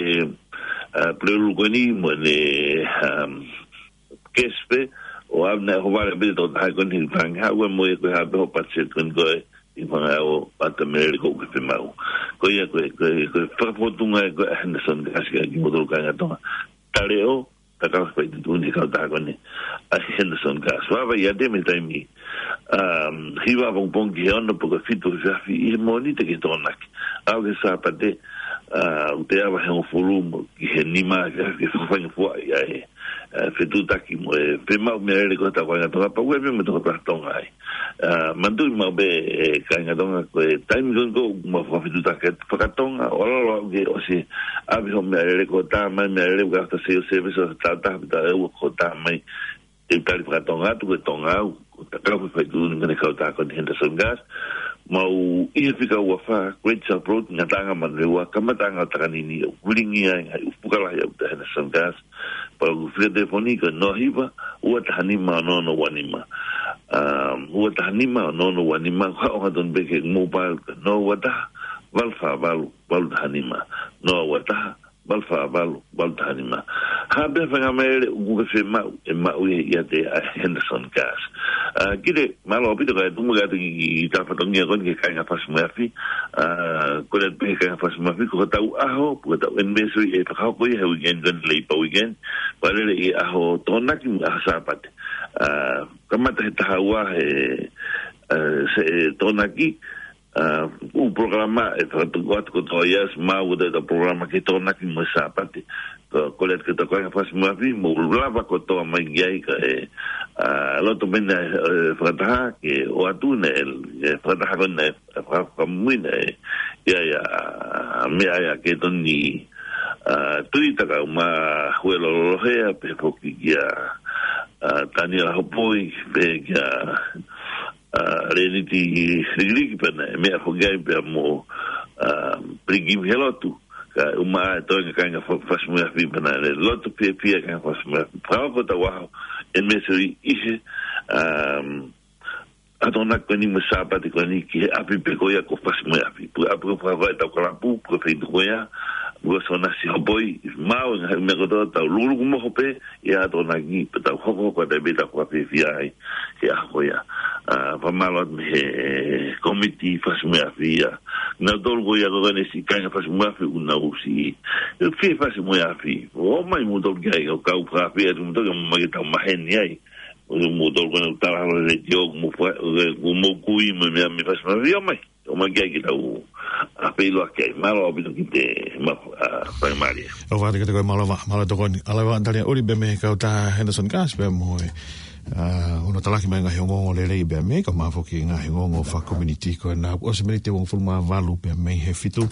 ʻa, Pulelulu ko eni mo ʻene, um, cash pē, ʻo ʻave naʻe ʻohovale pē tokotaha ko eni he tangi haʻu mo e ko e hā pē hoʻo patiseti ko eni ko e ʻi fanga ʻo ʻata meʻalele ko ē pē maʻu. Ko ia ko e, ko e, ko e fakafotunga ē ko ē ʻa Henderson Gas kia kimoutolu kāinga Tonga. Taleʻo, ta kau fai tuʻutuʻuni kautaha ko eni ʻa Henderson Gas. Vava ia te me taimi, um, hiva pongipongi ki he ono pe ko e fitu efiafi ʻi he Mōnite ki he Tokonaki. ʻAlu ki he Sāpate, uh, ʻoku te ava he hongofulu mo ki he nima efiafi ke fakafainga fua ia e, uh, fetuʻutaki mo e pē maʻu meʻalele ko ē ʻa e kāinga Tonga, pau ē pē mo e tokotaha Tonga ai. Uh, manatuʻi maʻu pē, e, kāinga Tonga ko e taimi ko ē ʻoku mau fakafetuʻutaki fakatonga, ʻo lalo aʻu ke ʻosi ʻave hoʻo meʻalele ko e tā mai meʻalele ka ta sale service ʻo tā taha pita e ua ko e tā mai. Te u tali fakatonga atu ko e Tonga au, ko e ta kau fai tuʻutuʻuni ko eni kautaha ko eni Henderson Gas, mau ʻi he fika ua fā, Great South Road, Ngataʻanga Manurewa, kamataʻanga ʻo Takanini, ʻoku lilingi ai ngaahi ʻufu lahi ʻaupito ʻa Henderson Gas, pea ko e fika telefoni ko e noa hiva, ua taha nima, ono ono ua nima. Um, ua taha nima, ono ono ua nima, ko e haʻu ʻo tonu pē ki he mobile ko e noa ua taha, valu fā valu, valu taha nima. Noa ua taha, valu fā valu, valu taha nima. Hā pē ha faingamālie ʻoku ke fiemaʻu, ʻe maʻu ia ʻiate ʻa Henderson Gas. Uh, Kite, mālō ʻaupito kae tuku muʻa atu ki, ki he fatongia ko eni ki he kāinga Fasi mo e Afi. Uh, kole atu pē ki he kāinga Fasi mo e Afi, ko hotau ʻaho, ko hotau anniversary ʻe fakahoko ia he weekend ko eni, Labour Weekend. Pea lele ʻi he ʻaho Tokonaki mo e ʻaho Sāpate. Uh, kamata he taha ua he, uh, se, e, Tokonaki, uh, ʻū polokalama ʻe fakatuku atu kotoa ia, ʻosi maʻu ʻetau polokalama ki he Tokonaki mo e Sāpate. Ko, kole atu ki hotau kāinga Fasi mo e Afi, mou lava kotoa mai ki ai kae, uh, loto mai naʻe, e, fakataha ke ʻoatu naʻe, e, fakataha ko eni naʻe, e, fakamuimui naʻe, ia, ia, meʻa ia ke tonu ni, uh, tui takau ma hue lololohea, pea foki kia, uh, Taniela Hopoi, pea kia, uh, Leniti Likiliki pea naʻe meʻa foki ai pea mo, uh, Pilikimi he lotu. Kae ʻumaʻā e toenga kāinga Fa-, Fasi mo e Afi pea naʻe lotu fiefia kāinga Fasi mo e Afi. Fakahoko ʻetau ʻaho anniversary ʻi he, um, ʻaho Tokonaki ko eni mo e Sāpate ko eni ki he ʻapi pē ko ia ko Fasi mo e Afi. Pea ʻapi ko e fakahoko ʻetau kalapu, ko e feituʻu ko ia, ko Sona Sihopoi, maʻu e ngaahi meʻa kotoa, tau lukuluku moho pē, ʻi he ʻaho Tokonaki, pea tau hokohoko atu pē ʻetau fakafiefia ai he ʻaho ko ia. Ah, fakamālō atu mei he kōmiti Fasi mo e Afi ia. Nautolu ko ia ko eni siʻi kāinga Fasi mo e Afi ʻoku nau ʻosi fie Fasi mo e Afi. ʻOmai moutolu ki ai, ʻo kau fakafiefia atu moutolu ke ʻomai ke tau maheni ai. ʻO moutolu ko eni ʻoku tala holo he letiō, ʻoku mou fa-, ʻoku mou kui mo e meʻa mei Fasi mo e Afi, ʻomai. ʻOmai ki ai ke tau, ah, pē ʻilo ki ai. Mālō ʻaupito Kite, ma-, ah, faingamālie. ʻOfa atu kiate koe, mālō ʻaupito, mālō tokoni. ʻAlu ʻa Talia ʻuli pē mei he kautaha Henderson Gas pea mo e, ah, hono talaki mai ngaahi ongoongo lelei pea mei he kae ʻumaʻā foki ngaahi ongoongo fakakomiunitī ko ena. ʻOsi miniti ʻe hongofulu mā valu pea mei he fitu.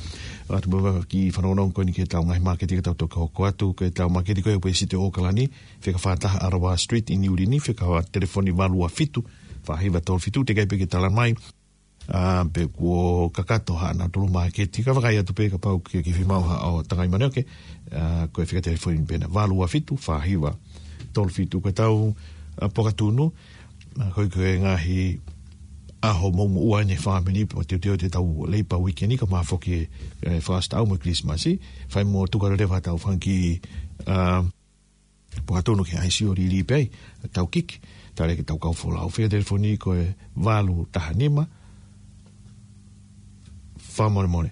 ʻAlu atu pē ki he fanongonongo ko eni ki heʻetau ngaahi māketi ka tau toki hoko atu, ko ʻetau māketi ko ē ʻoku ʻi Siti ʻo ʻOkalani, fika fā taha Arawa Street ʻi Niu Lini, fika telefoni valu ua fitu, fā hiva tolu fitu, teʻeki ai pē ke tala mai. Ah, pe kuo kakato haʻanautolu māketi, ka vakai atu pē kapau ke, ke fiemaʻu haʻo tangai manioke, ah, ko e fika telefoni pē ena valu ua fitu, fā hiva tolu fitu. Ko ʻetau, ah, pokatunu, ah, ko e, ko e ngaahi ʻaho moʻumoʻua eni e fāmili, pea teuteu atu ʻetau Labour Weekend kae ʻumaʻā foki e, e fakasitaʻau mo e Kilisimasi, fai mo tuku leva ʻetau fanga kiʻi, ah, pokatunu ke ʻai ʻo lī pē ai, tau kiki, tale ke tau kau folau. Fika telefoni ko e valu taha nima, fakamolemole.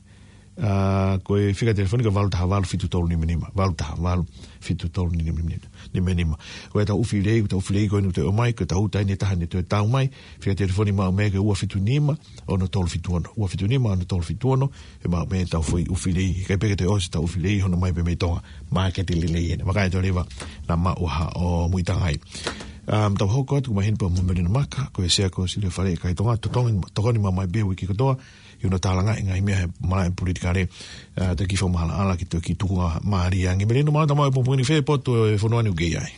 Ah, ko e fika telefoni ko e valu taha valu fitu tolu nima nima, valu taha valu fitu tolu nima nima. Ko ʻetau ʻufi lelei, ko ʻetau ʻufi lelei ko eni ʻoku toe ʻomai, ko ʻetau uta eni ʻe taha eni ʻoku toe tau mai, fika telefoni maʻu mei ai ko e ua fitu nima, ono tolu fitu ono, ua fitu nima, ono tolu fitu ono, ʻe maʻu mei ai ʻetau foʻi ʻufi lelei. ʻIkai pē ke toe ʻosi ʻetau ʻufi lelei, hono ʻomai pē mei Tonga. Māketi lelei eni. Vakai atu leva naʻa maʻu ha ʻo muitanga ai. Um, tau hoko atu, ko Mahina pea mo Melino Maka, ko e Sea ko Silefale ʻa e Kai Tonga, tokoni, tokoni mai pē uike kotoa, ʻi hono tālangaʻi e ngaahi meʻa he malaʻe politikale, ah, toki fakamaʻalaʻala ki he toki tukunga mālie ange. Melino, mālō e tau maʻu e pongipongi ni, fē potu e fonua ni ʻoku ke ʻi ai?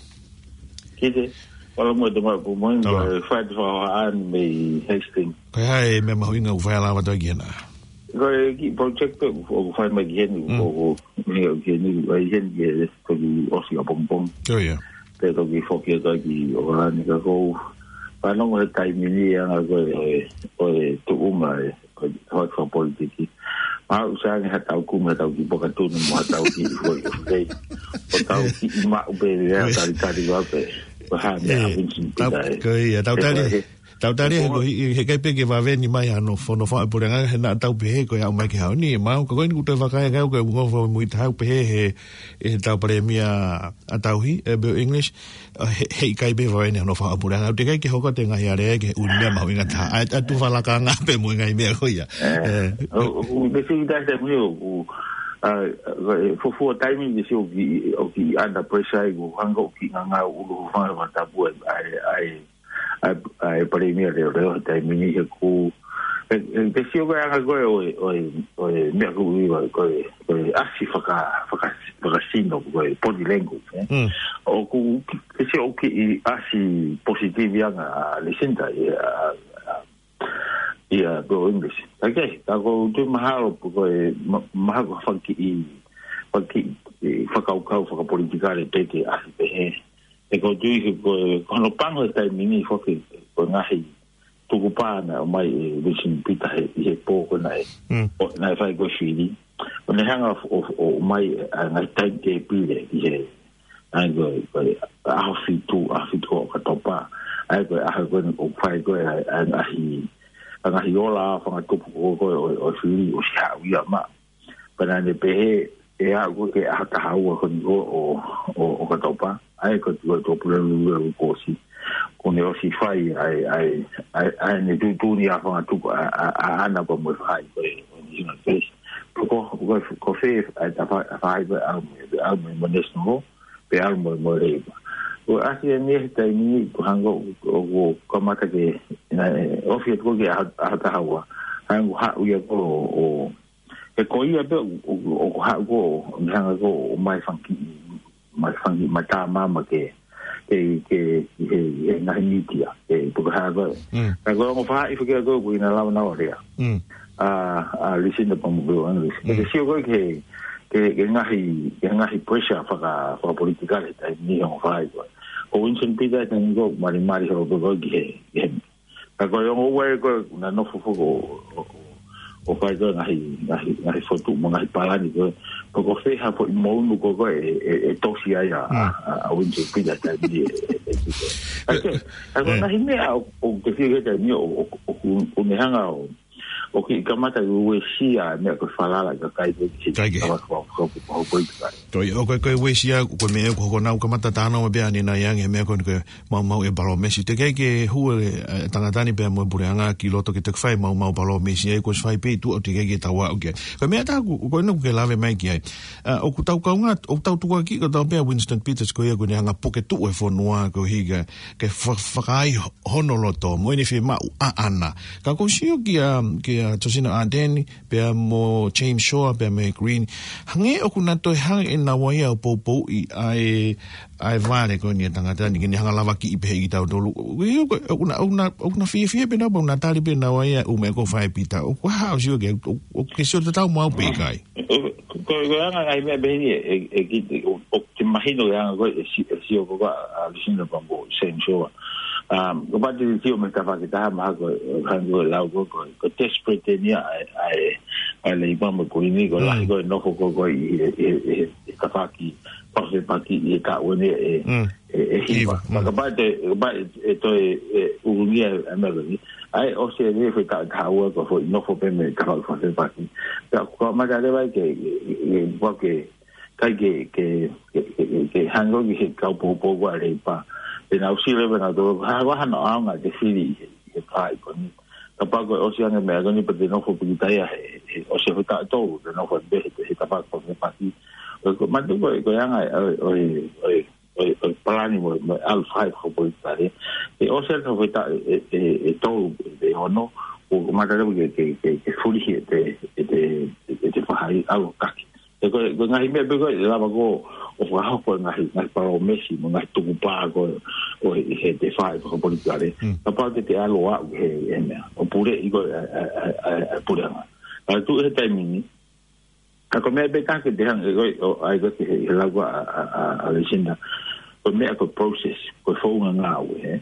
Kite, mālō mo e tau maʻu e pongipongi, Tau. ko e fai atu e fakahohaʻa eni mei Hastings. Ko e hā e meʻa mahuʻinga ʻoku fai lava atu ai ki hena? Ko e kiʻi project pē ʻoku, ʻoku fai mai ki heni, Mm. ʻoku, ʻoku, ki heni, ʻai heni ki he toki ʻosi ʻapongipongi. Oh, yeah. Pea toki foki atu ai ki ʻOkalani ka ʻoku ou Fanongo he taimi ni ʻa e anga ko ē ʻo e, ʻo e tuʻunga ʻo e, ʻo e, ʻo e fakapolitiki. Maʻu ʻosi ange ha tau kumi, ha tau kiʻi pokatuni mo ha tau kiʻi foʻi ʻofu kei. ʻO tau kiʻi maʻu pē ia, talitali ua pē. Ko e hā meʻa, Vincent Peter, ē. Ko ia, tau tali, tau tali, he ko e, he ʻikai pē ke vave ni mai hano fono fa puleʻanga, he naʻa tau pehē ko e aʻu mai ki he ʻaho ni, ʻe maʻu, ka ko eni kuo toe vakai ange au ko e ngofo mui taha pehē he, he tau palēmia ʻa tauhi, ʻe Bill English, ʻa, he, he ʻikai pē vave ni hano fa puleʻanga. ʻOku teʻeki ke hoko atu e ngaahi alea ke ʻuhinga mahuʻinga taha. ʻA, ʻa e tufa lakanga pē mo e ngaahi meʻa ko ia. ʻE, ʻo, ʻo, ʻo, te sio ki he taimi ni ʻoku, ʻa, ʻa, e fuofua taimi te sio ki, ʻoku under pressure ai, ʻoku hanga ʻo kiʻi ngangau ʻulu hūfanga he fakatapu ʻa e, ʻa e, ʻa e, ʻa e palēmia leoleo he taimi ni he ʻoku, ʻe, ʻe, te sio ko e anga ko ē ʻo e, ʻo e, ʻo e meʻa ʻoku ui ko e, ko e ʻasi faka-, faka-, fakasino, ko e body language, ē. ʻOku, te sio ʻoku kiʻi ʻasi positive ange ʻa Lucinda ʻia, ʻa, ʻia Bill English. ʻOku, ka ʻoku ou tui mahalo ko e ma-, mahalo ko e fanga kiʻi, fanga kiʻi, ʻe, fakakaukau fakapolitikale pē ke ʻasi pehē. ʻE, ʻoku ou tui he ko e, ko hono pango he taimi ni foki, ko e ngaahi tukupā naʻe ʻomai ʻe Vincent Peter he, ʻi he pō ko ena ē. ʻO, naʻe fai ko e fili. ʻO ne hanga ʻo, ʻo, ʻo ʻomai ʻa e ngaahi timetable ʻi he, ʻa e ko e, ko e ʻaho fitu, ʻaho fitu ʻo ʻOkatopa. ʻA e ko e ʻaho ko eni ʻoku fai ko ē ʻa e, ʻa e ngaahi, ʻa e ngaahi ola fakatupu ko ē ʻo, ʻo e fili ʻosi haʻu ia maʻu. Pea naʻa ne pehē, ʻe aʻu ko ē ki he ʻaho taha ua ko eni ʻo, ʻo, ʻo ʻOkatopa, ʻa e ko e tuʻu ʻa e tuʻapulelulu ʻo e kuo ʻosi. Kuo ne ʻosi fai ʻa e, ʻa e, ʻa e, ʻa ʻene tuʻutuʻuni ʻa e fakatupu ʻa, ʻa, ʻa ʻAna pea mo e faʻahi ko ē ʻo e National Face. Ko, ko, ko, ko fē ʻa e tafa-, faʻahi ko ē ʻalu mo e, ʻalu mo e National Law, pe ʻalu mo e, mo e Labour. Ko e ʻasi eni he taimi ni, ko e hanga ʻo, ʻo, ʻo kamata ke, naʻe, ʻosi atu ko ē ki he ʻaho, ʻaho taha ua. Hanga ʻo haʻu ia ko ē ʻo, ʻo, he ko ia pē ʻoku, ʻoku, ʻoku haʻu ko ē, ʻo ne hanga ko ē ʻo ʻomai fanga kiʻi, mai fanga kiʻi matamama ke, ke, ke, he, he ngaahi mītia, ke puka hā ko ē. Ka ko e ongo faʻahi foki ko ē ʻoku ʻi ai ʻena lava ʻena lea. ʻA, ʻa Lucinda pea mo Bill English. Ke sio ko ē ki he, ki he, ki he ngaahi, ki he ngaahi pressure faka-, fakapolitikale taimi ni he ongo faʻahi ko ē. Ko Vincent Peter taimi ni ʻoku malimali holo ko ē ki he, ki he Ka ko e ongo ua ē ko ē, naʻa nofo foki ʻo, ʻo, ʻo, ʻo fai ko ē ngaahi, ngaahi, ngaahi fotu mo e ngaahi palani ko ē. Ko, ko fē ha foʻi mounu ko ē ko ē ʻe, ʻe, ʻe tosi ai ʻa, ʻa, ʻa, ʻa Vincent Peter taimi ni ʻe, ʻe, ʻe, ʻe. Ka ko e, ka ko e ngaahi meʻa ʻo, ʻo te fie ke taimi ʻo, ʻo, ʻo, ʻo, ʻo ne hanga ʻo, ʻo kiʻi kamata ʻo uesia e meʻa ko e falala ʻa e kakai ko ē ki he kama ko, ko, ko, ko, ko, ko, ko, Toi, ʻo ko e, ko e uesia, ko e meʻa ʻoku hoko naʻa ku kamata talanoa pē ʻanenai ange, meʻa ko eni ko e maumau e palōmesi. Teʻeki ai ke hū e, e tangata ni pea mo e puleʻanga ki loto ke toki fai maumau palōmesi, ʻa ia ko e fai pē tuʻa ʻo teʻeki ai ke tau aʻu ki ai. Ko e meʻa taha ʻoku, ko ena ʻoku ke lave mai ki ai. ʻA, ʻoku tau kaungā, ʻoku tau tukuakiʻi kotoa pē ʻa Winston Peters ko ia ʻoku ne hanga ʻo puke tuʻu e fonua koeʻuhi ke, ke fa-, fakaai hono loto, mo ʻene fiemaʻu ʻaʻana. Ka ʻoku ou sio kia, kia Josina Ardern, pea mo James Shaw, pea mo Green. Hangē ʻoku na toe hanga ʻe naua ia ʻo poupouʻi ʻa e, ʻa e vale ko eni ʻa e tangata ni, ke ne hanga ʻo lavakiʻi pehē kitautolu. ʻOku, ʻoku, ʻoku na, ʻoku na, ʻoku na fiefia pē naua, ʻoku na tali pē naua ia ʻū meʻa ko ē ʻoku fai ʻe Pita. ʻOku hā ʻo sio ke, ʻoku, ʻoku ke sio tatau mo au pe ʻikai. Ko, ko e anga ngaahi meʻa pehē ni ē, ʻe, ʻe, ki, ʻo, ʻo te mahino e anga ko ē, ʻe si-, ʻe sio ko ē ʻa, ʻa Lucinda pea mo James Shaw. Um, ko e pati sio mei he tafaʻaki ʻe taha mahalo ko e, ʻo hangē ko e lau ko ē, ko e, ko e desperate eni ia ʻa e, ʻa e, ʻa e Leipa mo Kuini, ko e lahi ko ē e nofo ko ē ko ē ʻi he, ʻi he, ʻi he, ʻi he tafaʻaki fakafepaki ʻi he taʻu eni ʻe, ʻe, ʻe hiva. Hiva. Ka, kapau te, kapau ʻe, ʻe toe, ʻe ʻulungia e, e meʻa ko eni. ʻA ia ʻosi e foʻi taʻu ʻe taha ua ko e foʻi nofo pē mei he tafaʻaki fakafepaki. Ka, ko e mata leva ke, ke, ke, ke, ʻikai ke, ke, ke, ke, ke, ke hangē ki he kau poupou ko ē ʻa e Leipa. Te nau sio leva nautolu, ha, ha, hano ʻaonga te fili ʻi he, ʻi he faʻahi ko eni. Kapau ko e ʻosi ange meʻa ko eni pea te nofo pīkitai ia he, he ʻosi e foʻi taʻu ʻe tolu, te nofo pē he, he tafaʻaki fakafepaki. Ko, ko, manatuʻi ko e, ko e anga ʻo e, ʻo e, ʻo e, ʻo e palani mo, mo e ʻalu faʻahi fakapolitikale. He ʻosi ange foʻi taʻu ʻe, ʻe, ʻe, ʻe tolu, ʻe ono, ʻoku kamata leva ke, ke, ke, ke fulihi ʻete, ʻete, ʻete faʻahi ʻalu taki. He ko e, ko e ngaahi meʻa pē ko ē ʻe lava ko ē ʻo fakahoko e ngaahi, ngaahi palōmesi mo e ngaahi tukupā ko ē ʻo e, ʻi heʻete faʻahi fakapolitikale. Kapau te te ʻalu ʻo aʻu he, he meʻa. ʻO puleʻi ko ē ʻa e, ʻa e, ʻa e, ʻa e, ʻa e puleʻanga. Ka tuʻu he taimi ni, ka ko e meʻa pē taha ke te hanga, ʻe, ʻo, ʻai ko ē ki he, he lau ʻa, ʻa, ʻa, ʻa Lucinda. Ko e meʻa ko e process, ko e founga ngāue, ē.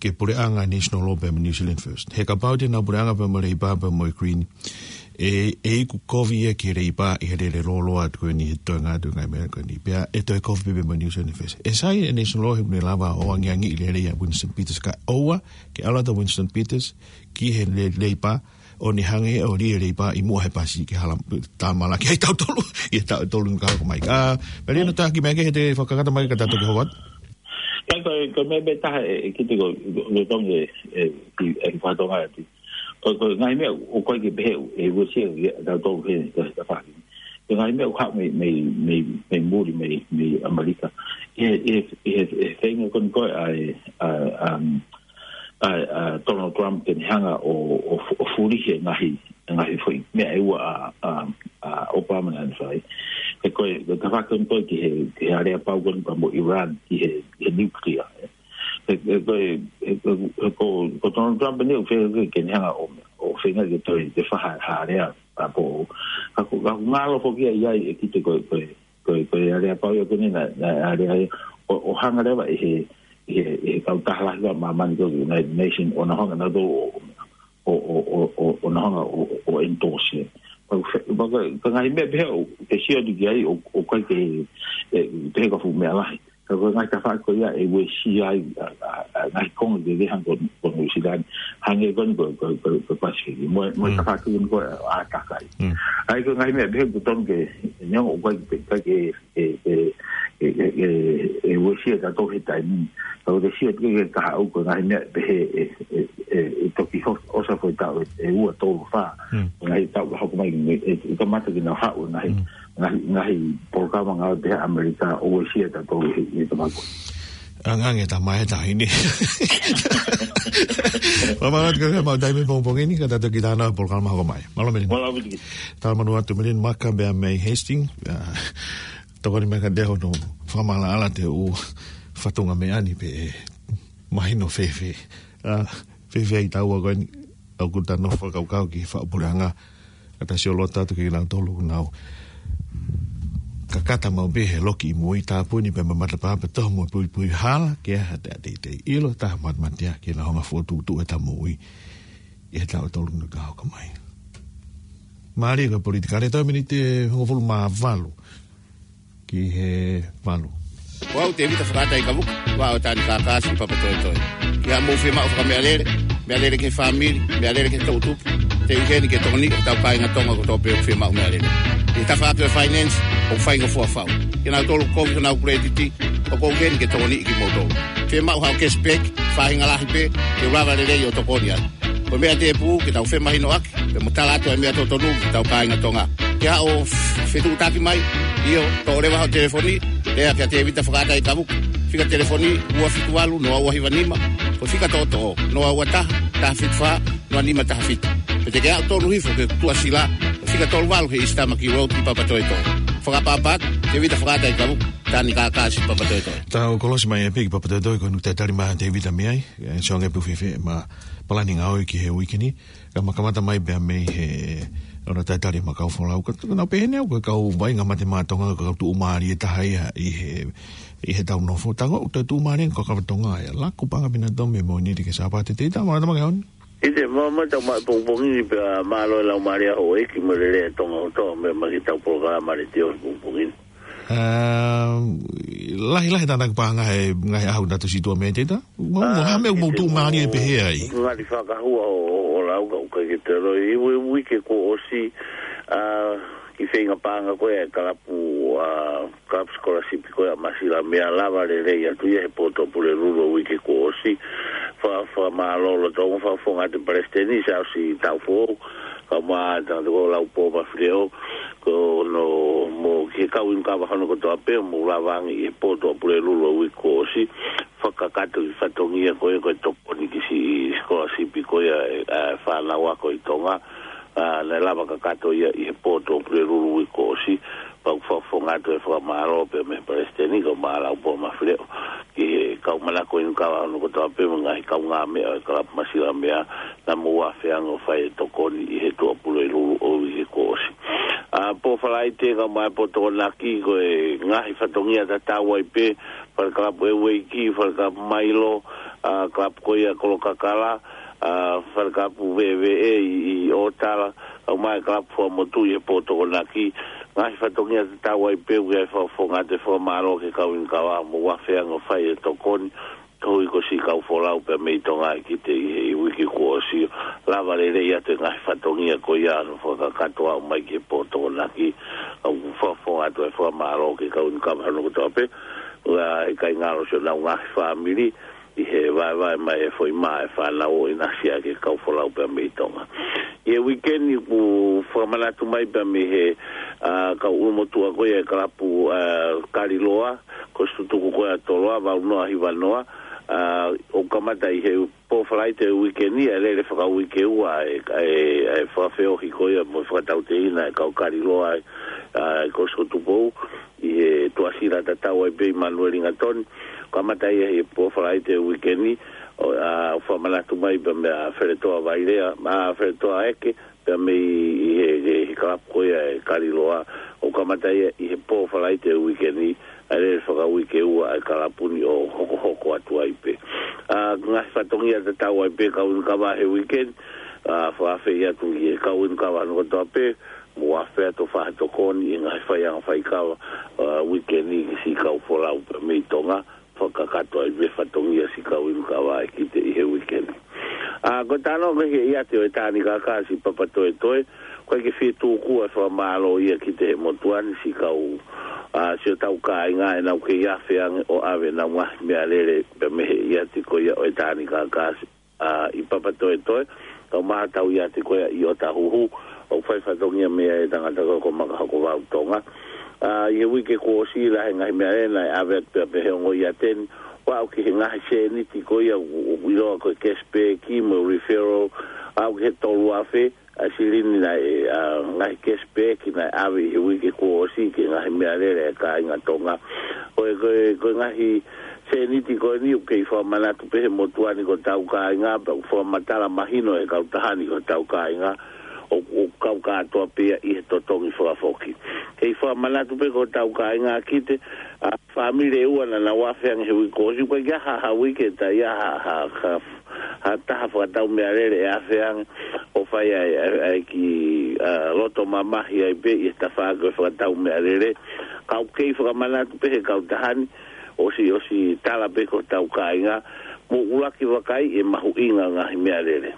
ki he puleʻanga National Law pea mo New Zealand First. He kapau te nau puleʻanga pea mo Leipa pea mo e Green, ʻe, ʻe iku kovi ia ki he Leipa ʻi he lele lōloa atu ko eni he toenga atu e ngaahi meʻa ko eni. Pea ʻe toe kovi pē mo New Zealand First. ʻE sai e National Law he ʻoku ne lava ʻo angiangiʻi lelei ʻa Winston Peters ka ʻoua ke ʻalu atu ʻa Winston Peters ki he le-, Leipa ʻo ne hangē ʻo lie leipa ʻi muʻa he pasi ki he hala tāmala ki ai tautolu, ʻi he tautolu nunga ka hoko mai. Ka, Meli, no taki mai ke he te fakakata mai ka ta toki hoko atu. Ka ko, ko e meʻa pē taha ʻe, ʻe kite ko, ko, ko Tonga ʻe, ʻe, ʻe, ʻe fatonga ati. Ko, ko e ngaahi meʻa ʻoku ʻikai ke pehē ʻe uesia ʻe tautolu he, he, he fāki. Ko e ngaahi meʻa ʻoku haʻu mei, mei, mei, mei muli, mei, mei ʻAmelika. ʻI he, ʻi he, ʻi he, ʻi he feinga ko eni ko ē ʻa e, ʻa, um, ʻa, ʻa Donald Trump ke ne hanga ʻo, ʻo, ʻo fulihi e ngaahi, ngaahi foʻi meʻa ʻe ua ʻa, ʻa, ʻa Obama naʻa ne fai. He ko e, ko e tafaʻaki ko eni ko ē ki he, ki he aleapau ko eni pea mo Iran ki he, he nuclear. He, he ko e, he, he, he ko, ko Donald Trump eni ʻoku feinga ke, ke ne hanga ʻo, ʻo feinga ke toe, ke faha ha alea ʻa pō. Ka ko, ka ko ngalo foki ia ʻe kite ko e, ko e, ko e, ko e aleapau ia ko eni naʻe, naʻe alea ia ʻo, ʻo hanga leva ʻe he, ʻe he, ʻe he kautaha lahi ʻa māmani ko e United Nations ʻo na hanga nautolu ʻo, ʻo, ʻo, ʻo, ʻo, ʻo na hanga ʻo, ʻo endorse. Ka ko e, ka ko e, ka ngaahi meʻa pehē ʻoku ke sio atu ki ai ʻo, ʻoku ʻikai ke, ʻe, pehē ko ha fuʻu meʻa lahi. Ka ko e ngaahi tafaʻaki ko ia ʻe uesia ai ʻa, ʻa, ʻa e ngaahi konga kehekehe hangē ko, ko Nuʻu Sila ni. Hangē ko eni ko, ko, ko, ko Pasifiki. Mo, mo e tafaʻaki ko eni ko e ʻātakai. ʻA ia ko e ngaahi meʻa pehē ʻoku totonu ke, neongo ʻoku ʻikai ke, ʻikai ke, ʻe, ʻe, ʻe, ʻe, ʻe uesia ʻe tautolu he taimi ni. Ka ko e sio atu ki he kahaʻu ko e ngaahi meʻa pehē ʻe, ʻe, ʻe, ʻe toki ho-, ʻosi foʻi taʻu ʻe, ʻe ua tolu fā. Ngaahi taʻu ka hoko mai, ʻe, ʻe kamata ke nau haʻu ngaahi, ngaahi, ngaahi polokalama ngāue pehē ʻa ʻAmelika ʻo uesia ʻe tautolu he, he tafaʻaki. Angange ta mai ta hini. Mālō atu ka mau taimi pongipongi ni, ka ta toki tā nau polokalama hoko mai. Mālō Meli. Mālō Meli. Tala manu atu Meli Maka pea mei Hastings. Tokoni mai ka te hono fakamaʻalaʻala te u fatongia meʻa ni pē ʻe mahino fēfē. ʻA, fēfē ai taua ko eni ʻoku ta nofo fakakaukau ki he faʻu puleʻanga. Ka ta sio loto atu ki he nau tolu ʻoku nau kakata maʻu pē he loki ʻi mui tāpuni pē ma matapā pē toho mo puipui hala ke ha te ʻatā te ʻilo taha matematia ke na honga fotu tu e ta mui. ʻI he taʻu tolu nunga ka hoko mai. Mālie ka politikale tau miniti ʻe hongofulu mā valu. Ki he valu. Ko au Tevita Fakaʻatai Kavuka, ua o Tani Kakasi Papatoetoe. Ki haʻamou fiemaʻu fakameʻalele, meʻalele ki he fāmili, meʻalele ki he toʻutupu, te u ʻi heni ke tokoniʻi hotau kāinga Tonga kotoa pē ʻoku fiemaʻu meʻalele. ʻI he tafaʻaki ʻo e finance, ʻoku faingofua fau. Ke nau tolu kovi honau kuletiti, ʻoku ou ʻi heni ke tokoniʻi kimoutolu. Fiemaʻu haʻo cashback, faʻahinga lahi pē, ke u lava lelei ʻo tokoni ai. Ko e meʻa tēpū ke tau femahinoʻaki, pea mo tala atu e meʻa totonu ki hotau kāinga Tonga. Ke haʻo f-, fetuʻutaki mai, ʻio, toʻo leva hoʻo telefoni, lea kia Tevita Fakaʻatai Kavuka. Fika telefoni ua fitu valu noa ua hiva nima, ko e fika toʻotoʻo, noa ua taha, taha fitu fā, noa nima taha fitu. Pe te ke haʻu tonu hifo ki he Tuʻasila, ko e fika tolu valu he East Tamaki Road ʻi Papatoetoe. Fakaʻapaʻapa atu, Tevita Fakaʻatai Kavuka, Tani Kakasi Papatoetoe. Tau kolosi mai e piki Papatoetoe ko e nukta tali mai Tevita mei ai, e, sio ange pe ʻoku fēfē ʻema palani ngāue ki he uike ni, ka ma kamata mai pea mei he ʻona talitali ʻema kau folau. Ka, ka nau pehē ni au ko e kau vaʻinga mate māʻa Tonga ko e kau tuʻumālie taha ia ʻi he, ʻi heʻetau nofo. Tango, ʻoku tuʻumālie ko e kau Tonga ia. Laku, Paʻanga, Pinatō mo Moʻunili ki he Sāpate. Te ta ma, ta ma ke on. ʻIte, ma, ma tau mai pongipongi ni pea mālō e laumālie ʻa houʻeiki mo e lelei ʻa Tonga kotoa mei, mei heʻetau polokalama letiō pongipongi ni. ʻA, lahi, lahi tānaki paʻanga he ngaahi ʻaho naʻa tau situʻa mei ai, Tevita? Mo, mo, ʻa, ha meʻa ʻoku mou tuʻumālie pehē ai? Ngali fakahua ʻo, ʻo, ʻo lau ka ʻoku ʻikai ke te loi. ʻI he ui-, uike kuo ʻosi, ʻa, kiʻi feinga paʻanga ko ē ʻa e kalapu, ʻa, kalapu scholarship ko ē ʻa Masilamea, lava lelei atu ia he poto Pulelulu ʻo e uike kuo ʻosi. Fa-, fakamālō lolotonga, fakafofonga atu Palesiteni Siaosi Taufo, kae ʻumaʻā e tangata ko Laupō Mafileʻo, ko hono, mo e kau inu kava hono kotoa pē, mou lava ange ʻi he poto ʻa Pulelulu ʻo e uike kuo ʻosi, fakakakato e fatongia ko ē ko e tokoni ki he siʻi scholarship ko ia ʻa e, ʻa e fānau ako ʻi Tonga, ʻa, naʻe lava kakato ia ʻi he poto ʻo Pulelulu ʻo e uike kuo ʻosi, pea ʻoku fakafofonga atu e fakamālō pea mei he Palesiteni kae ʻumaʻā Laupō Mafileʻo, ki he kau manako inu kava hono kotoa pē mo e ngaahi kaungāmeʻa ʻo e kalapu Masilamea, naʻa mou ʻi ai ʻo fai e tokoni ʻi he Tuʻapulelulu ʻo e uike kuo ʻosi. ʻA, pō Falaite kae ʻumaʻā e pō Tokonaki ko e ngaahi fatongia tatau ai pē, Falekalapu ʻEueiki, Falekalapu Mailo, ʻa, kalapu ko ia Kolokakala, ʻa, Falekalapu Veʻeveʻe ʻi, ʻi ʻŌtala, kae ʻumaʻā e kalapu Fuaʻamotu ʻi he pō Tokonaki, ngaahi fatongia tatau ai pē, ʻoku ʻi ai e fakafofonga atu e fakamālō ki he kau inu kava, mou ʻi ai ʻo fai e tokoni, koeʻuhi ko siʻi kau folau pea mei Tonga ʻe kite ʻi he uike kuo ʻosi, lava lelei atu e ngaahi fatongia ko ia ʻo fakakakato ʻo aʻu mai ki he pō Tokonaki. ʻOku fakafofonga atu e fakamālō ki he kau ʻunikava hono kotoa pē, ʻa e kāinga ʻo siʻonau ngaahi fāmili, ʻi he vaevae mai e foʻi mā e fānau ʻo ʻinasi ʻaki e kau folau pea mei Tonga. ʻI he uike ni ʻoku fakamanatu mai pea mei he, ʻa, kau ʻulumotuʻa ko ia e kalapu, ʻa, Kaliloa, ko e situtuku ko ia ʻa Toloa, valu noa hiva noa, ʻa, ʻoku kamata ʻi he pō Falaite uike ni, ʻa e lele fakauike ua e, e, e fakafeohi ko ia mo e fakatauteina e kau Kaliloa, ʻa, ʻa e Kolisi ko Tupou, ʻi he Tuʻasila tatau ai pē ʻi Manueli Gatoni, kamata ia he pō Falaite uike ni, ʻo, ʻa, fakamanatu mai pea mei a Feletoa Vailea, ʻa, Feletoa Eke, pea mei he, he, he kalapu ko ia e Kaliloa, ʻo kamata ia ʻi he pō Falaite uike ni, ʻa e lele fakauike ua e kalapu ni ʻo hokohoko atu ai pē. ʻA, ngaahi fatongia tatau ai pē kau ʻunikava he uike ni, ʻa, fakaafeʻi atu ki he kau ʻunikava hono kotoa pē, mou afe atu ʻo fai ha tokoni ʻi he ngaahi faiʻanga faikava, ʻa, uike ni ki siʻi kau folau pea mei Tonga, fakakakato ai pē fatongia siʻi kau ʻunikava ʻe kite ʻi he uike ni. ʻA, ko e talanoa ko ē ki he ʻiate ʻo e Tānikakasi Papatoetoe, ʻoku ʻikai ke fie tuku ʻa e fakamālō ia ki he motuʻa ni siʻi kau, ʻa, siʻotau kāinga ʻenau kei afe ange ʻo ʻave ʻenau ngaahi meʻalele pea mei he ʻiate ko ia ʻo e Tānikakasi, ʻa, ʻi Papatoetoe, kaeʻumaʻā ʻetau ʻiate ko ia ʻi ʻOtahuhu, ʻoku fai fatongia mei ai e tangata ko ē ko Makahokovau Tonga. ʻA, ʻi he uike kuo ʻosi, lahi e ngaahi meʻalele naʻe ʻave atu pea mei he ongo ʻiate ni, ʻo aʻu ki he ngaahi sēniti ko ia ʻoku, ʻoku ʻiloa ko e cashback mo e referral, aʻu ki he tolu afe, ʻa e silini naʻe, ʻa, ngaahi cashback naʻe ʻave ʻi he uike kuo ʻosi ki he ngaahi meʻalele ʻa e kāinga Tonga. Ko e, ko e, ko e ngaahi sēniti ko eni ʻoku kei fakamanatu pē he motuʻa ni ko hotau kāinga, pea ʻoku fakamatala mahino ʻe he kautaha ni ko hotau kāinga, ʻo, ʻoku kau kātoa pē ia ʻi he totongi fakafoki. Kei fakamanatu pē ko hotau kāinga ʻe kite, ʻa, fāmili ʻe ua naʻa nau afe ange he uike kuo ʻosi, ʻoku ʻikai ke ʻi ai ha, ha uike ʻe taha ia ha, ha, ha, ha taha fakatau meʻalele ʻe afe ange ʻo fai ai, ai, ai ki, ʻa, loto mamahi ai pē ʻi he tafaʻaki ʻo e fakatau meʻalele. Ka ʻoku kei fakamanatu pē he kautaha ni, ʻosi, ʻosi tala pē ko hotau kāinga, mou ʻuluaki vakai e mahuʻinga ngaahi meʻalele.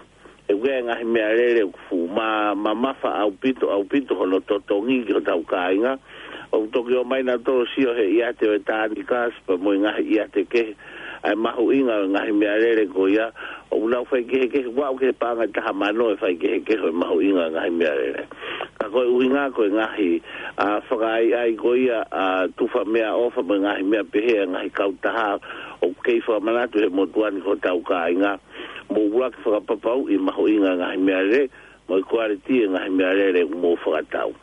ʻOku ʻi ai e ngaahi meʻalele ʻoku fuʻu mā, mamafa ʻaupito, ʻaupito hono totongi ki hotau kāinga. ʻOku toki ō mai nautolu ʻo sio he ʻiate ʻo e Tānikakasi pea mo e ngaahi ʻiate kehe, ʻa e mahuʻinga ʻo e ngaahi meʻalele ko ia, ʻoku nau faikehekehe, ʻoku aʻu ki he paʻanga ʻe taha mano e faikehekehe ʻo e mahuʻinga ʻo e ngaahi meʻalele. Ka ko e ʻuhinga ko e ngaahi, ʻa, fakaʻaiʻai ko ia, ʻa, tufa meʻaʻofa mo e ngaahi meʻa pehē ʻa e ngaahi kautaha, ʻoku kei fakamanatu he motuʻa ni ko hotau kāinga, mou ʻuluaki fakapapauʻi e mahuʻinga ʻo e ngaahi meʻalele, mo e quality ʻo e ngaahi meʻalele ʻoku mou fakatau.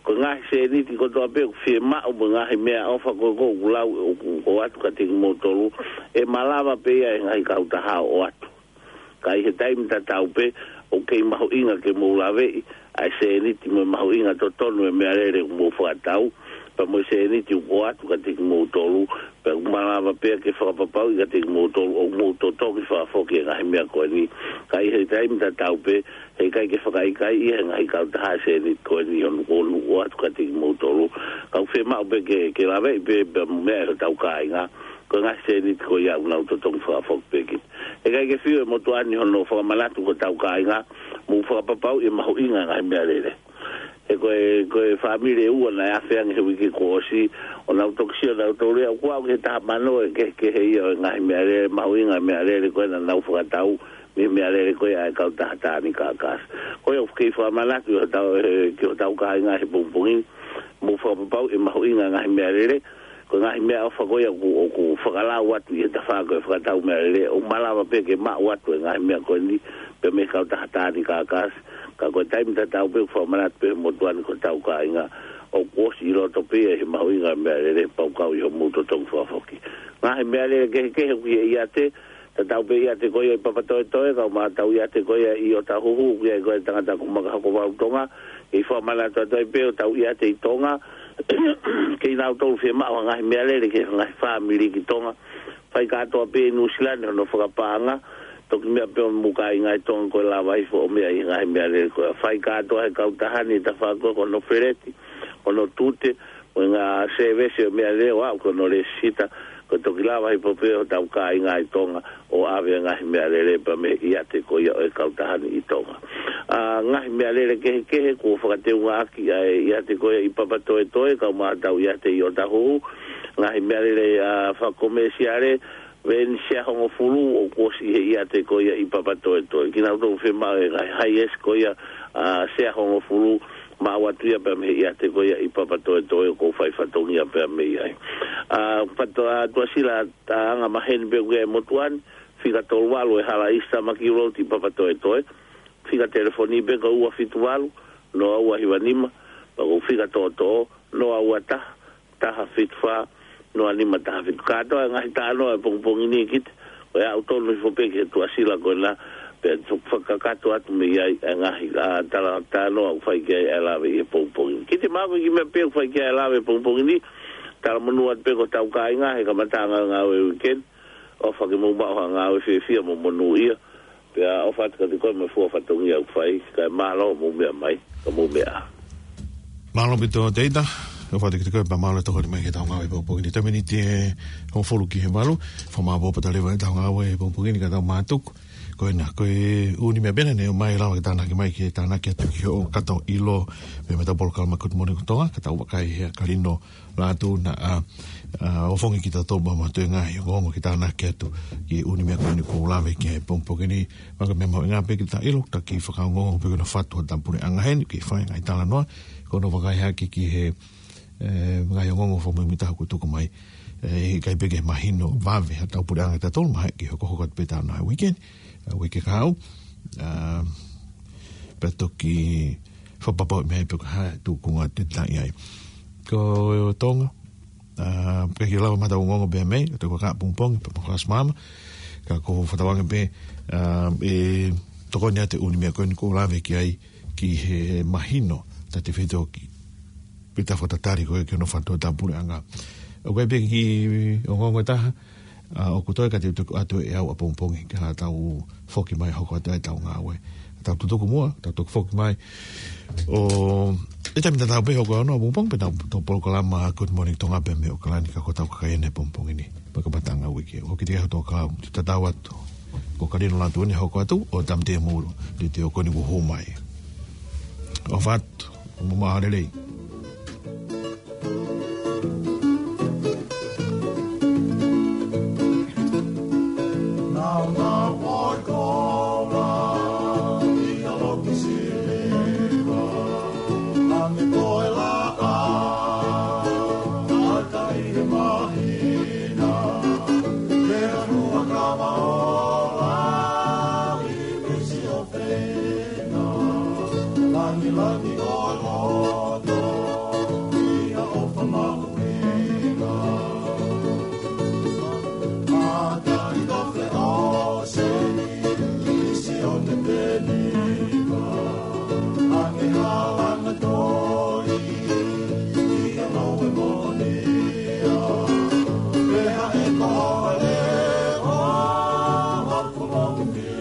Ko e ngaahi sēniti kotoa pē ʻoku fiemaʻu mo e ngaahi meʻaʻofa ko ē ʻoku lau, ʻoku, ʻoku ʻoatu kiate kimoutolu, ʻe malava pē ia ʻe he ngaahi kautaha ʻo ʻoatu. Ka ʻi he taimi tatau pē, ʻoku kei mahuʻinga ke mou laveʻi ʻa e sēniti mo e mahuʻinga totonu ʻo e meʻalele ʻoku mou fakatau, pea mo e sēniti ʻoku ʻoatu kiate kimoutolu, pea ʻoku malava pē ia ke fakapapauʻi kiate kimoutolu ʻoku mou totongi fakafoki e ngaahi meʻa ko eni. Ka ʻi he taimi tatau pē, heʻikai ke fakaʻikaiʻi ia ʻe he ngaahi kautaha e sēniti ko eni ʻoku nau, ʻoku nau ʻoatu kiate kimoutolu. Ka ʻoku fiemaʻu pē ke, ke laveʻi pē, pea mo e meʻa ʻe hotau kāinga, ko e ngaahi sēniti ko ia ʻoku nau totongi fakafoki pē ki. Heʻikai ke fiu e motuʻa ni hono fakamanatu ko hotau kāinga, mou fakapapauʻi e mahuʻinga ʻo e ngaahi meʻalele. He ko e, ko e fāmili ʻe ua naʻe afe ange he uike kuo ʻosi, ʻo nau toki sio nautolu ia, ʻoku aʻu ki he taha mano e kehekehe ia ʻo e ngaahi meʻalele, mahuʻinga e meʻalele ko ē naʻa nau fakatau, mei he meʻalele ko ia ʻa e kautaha Tānikakasi. Ko ia ʻoku kei fakamanatu ʻe hotau, ʻe, ki hotau kāinga he pongipongi ni, mou fakapapauʻi e mahuʻinga ʻo e ngaahi meʻalele, ko e ngaahi meʻaʻofa ko ia ʻoku, ʻoku fakalau atu ʻi he tafaʻaki ʻo e fakatau meʻalele, ʻoku malava pē ke maʻu atu e ngaahi meʻa ko eni, pea mei he kautaha Tānikakasi, ka ko e taimi tatau pē ʻoku fakamanatu pē he motuʻa ni ko hotau kāinga, ʻoku ʻosi ʻi loto pē ia ʻi he mahuʻinga ʻo e meʻalele, pea ʻoku kau ʻi hoʻomou totongi fakafoki. Ngaahi meʻalele kehekehe ʻoku ʻi he ʻiate, tatau pē ʻiate ko ia ʻi Papatoetoe, kaeʻumaʻā ʻetau ʻiate ko ia ʻi ʻOtahuhu, ʻoku ʻi ai ko ē e tangata ko Makahokovau Tonga, kei fakamanatu atu ai pē hotau ʻiate ʻi Tonga, kei nautolu fiemaʻu ha ngaahi meʻalele ki he ngaahi fāmili ki Tonga. Fai kātoa pē ʻi Nuʻusila ni hono fakapaʻanga, toki meʻa pē ʻo mou kāinga ʻi Tonga ko e lava hifo ʻo meʻa ʻi he ngaahi meʻalele ko ia. Fai kātoa ʻe he kautaha ni e tafaʻaki ko ē ko hono feleti, hono tute, Mo e ngaahi sēvesi ʻo e meʻalele ʻo aʻu ki hono lēsisita, ko e toki lava hifo pē ʻo hotau kāinga ʻi Tonga ʻo ʻave ngaahi meʻalele pea mei he ʻiate ko ia ʻo e kautaha ni ʻi Tonga. ʻA, ngaahi meʻalele kehekehe kuo fakateungaʻaki ʻa e ʻiate ko ia ʻi Papatoetoe, kau mai hotau ʻiate ʻi ʻŌtāhuhu, ngaahi meʻalele, ʻa, fakakomēsiale, veeni sea hongofulu ʻoku ʻosi he ʻiate ko ia ʻi Papatoetoe. Kinautolu fiemaʻu e ngaahi highest ko ia, ʻa, sea hongofulu, maʻu atu ia pea mei he ʻiate ko ia ʻi Papatoetoe ʻoku ou fai fatongia pea mei ai. ʻA, fato-, ʻa, Tuʻasila, ʻa, anga maheni pē ʻoku ʻi ai e motuʻa ni, fika tolu valu e hala ʻi Stamaki Road ʻi Papatoetoe, fika telefoni pē ko e ua fitu valu, noa ua hiva nima, pea ko e fika toʻotoʻo, noa ua taha, taha fitu fā, noa nima taha fitu. Kātoa e ngaahi talanoa ʻo e pongipongi ni, Kite, ko e aʻu tonu hifo pē ki he Tuʻasila ko ena, pea toki fakakakato atu mei ai e ngaahi, ʻa, tala-, talanoa ʻoku fai ki ai e lave ʻi he pongipongi ni. Kite, mahalo ko e kiʻi meʻa pē ʻoku fai ki ai e lave ʻi he pongipongi ni, talamonū atu pē ki hotau kāinga he kamataʻanga e ngāue weekend, ʻofa ke mou maʻu ha ngāue fiefia mo monūʻia, pea ʻofa atu kiate koe mo e fua fatongia ʻoku fai, kae mālō hoʻomou meʻa mai, ka mou meʻa ā. Mālō ʻaupito Teita, ʻofa atu kiate koe pea mālō e tokoni mai ki heʻetau ngāue ʻi he pongipongi ni. Taimi ni ʻe hongofulu ki he valu, fakamālō ʻaupito leva ʻetau ngāue ʻi he pongipongi ni ka tau mātuku. Ko ena, ko e ʻū niʻihi meʻa pē ena ne ʻomai e lava ke tānaki mai ke tānaki atu ki hoʻo kato ʻilo, pea mei heʻetau polokalama Good Morning Tonga, ka tau vakai he ʻa Kalino Lātū naʻa, ʻa, ʻofongi kitautolu pea mo e ngaahi ongoongo ke tānaki atu ki he ʻū niʻihi meʻa ko eni ʻoku ou lave ki ai he pongipongi ni. Pea ko e meʻa mahuʻinga pē ke ta ʻilo, ta kiʻi fakaongoongo pē ki hono fatu hotau puleʻanga heni, ke fai e ngaahi talanoa, ko hono vakai hake ki he, ʻe, ngaahi ongoongo fakamuimuitaha kuo tuku mai. ʻE, ʻikai pē ke mahino vave hotau puleʻanga ʻatautolu, mahalo ke hokohoko atu pē ʻetau ngāue weekend, ʻa, uike kahaʻu. ʻA, pea toki fakapapauʻi mei ai pe ko e hā e tūkunga te ta ʻi ai. Ko Tonga, ʻa, pea ke lava mai hotau ongoongo pē mei, ʻa e toki kakaʻi pongipongi, pea mo e fakaʻosi māmani, ka ʻoku ou fakatauange pē, ʻa, ʻe tokoni atu e ʻū niʻihi meʻa ko eni ʻoku ou lave ki ai, ki he mahino, ta te fito ki, pea ta fakatatali ko ē ki hono fatu hotau puleʻanga. ʻOku ʻi ai pē kiʻi ongoongo ʻe taha, ʻa, ʻoku toe ka te u tuku atu ʻe au ʻapongipongi, ka tau foki mai hoko atu ai ʻetau ngāue. Tau tutuku muʻa, tau toki foki mai. ʻO, ʻi he taimi tatau pē hoko ʻa hono ʻapongipongi, pea tau toʻo polokalama Good Morning Tonga pē mei ʻAokalani ka ko hotau kakai eni he pongipongi ni. Pea ka pata ngā uike. ʻO kiʻi teʻeki ai hoto kau, te u tatau atu. Ko Kalino Lātū eni hoko atu, ʻo Tāmate Mulu, te te ʻo ko eni kuo hū mai. ʻOfa atu, ʻo mou maʻa lelei. Langilangi ʻo e loto, ʻi he ʻofa mahuʻinga. Mata i ka fe o se ni, isi o te peniva. Ange halanga toi, ʻi he loe moʻonia. Pea ʻe koe le o, ʻa ko mau pia.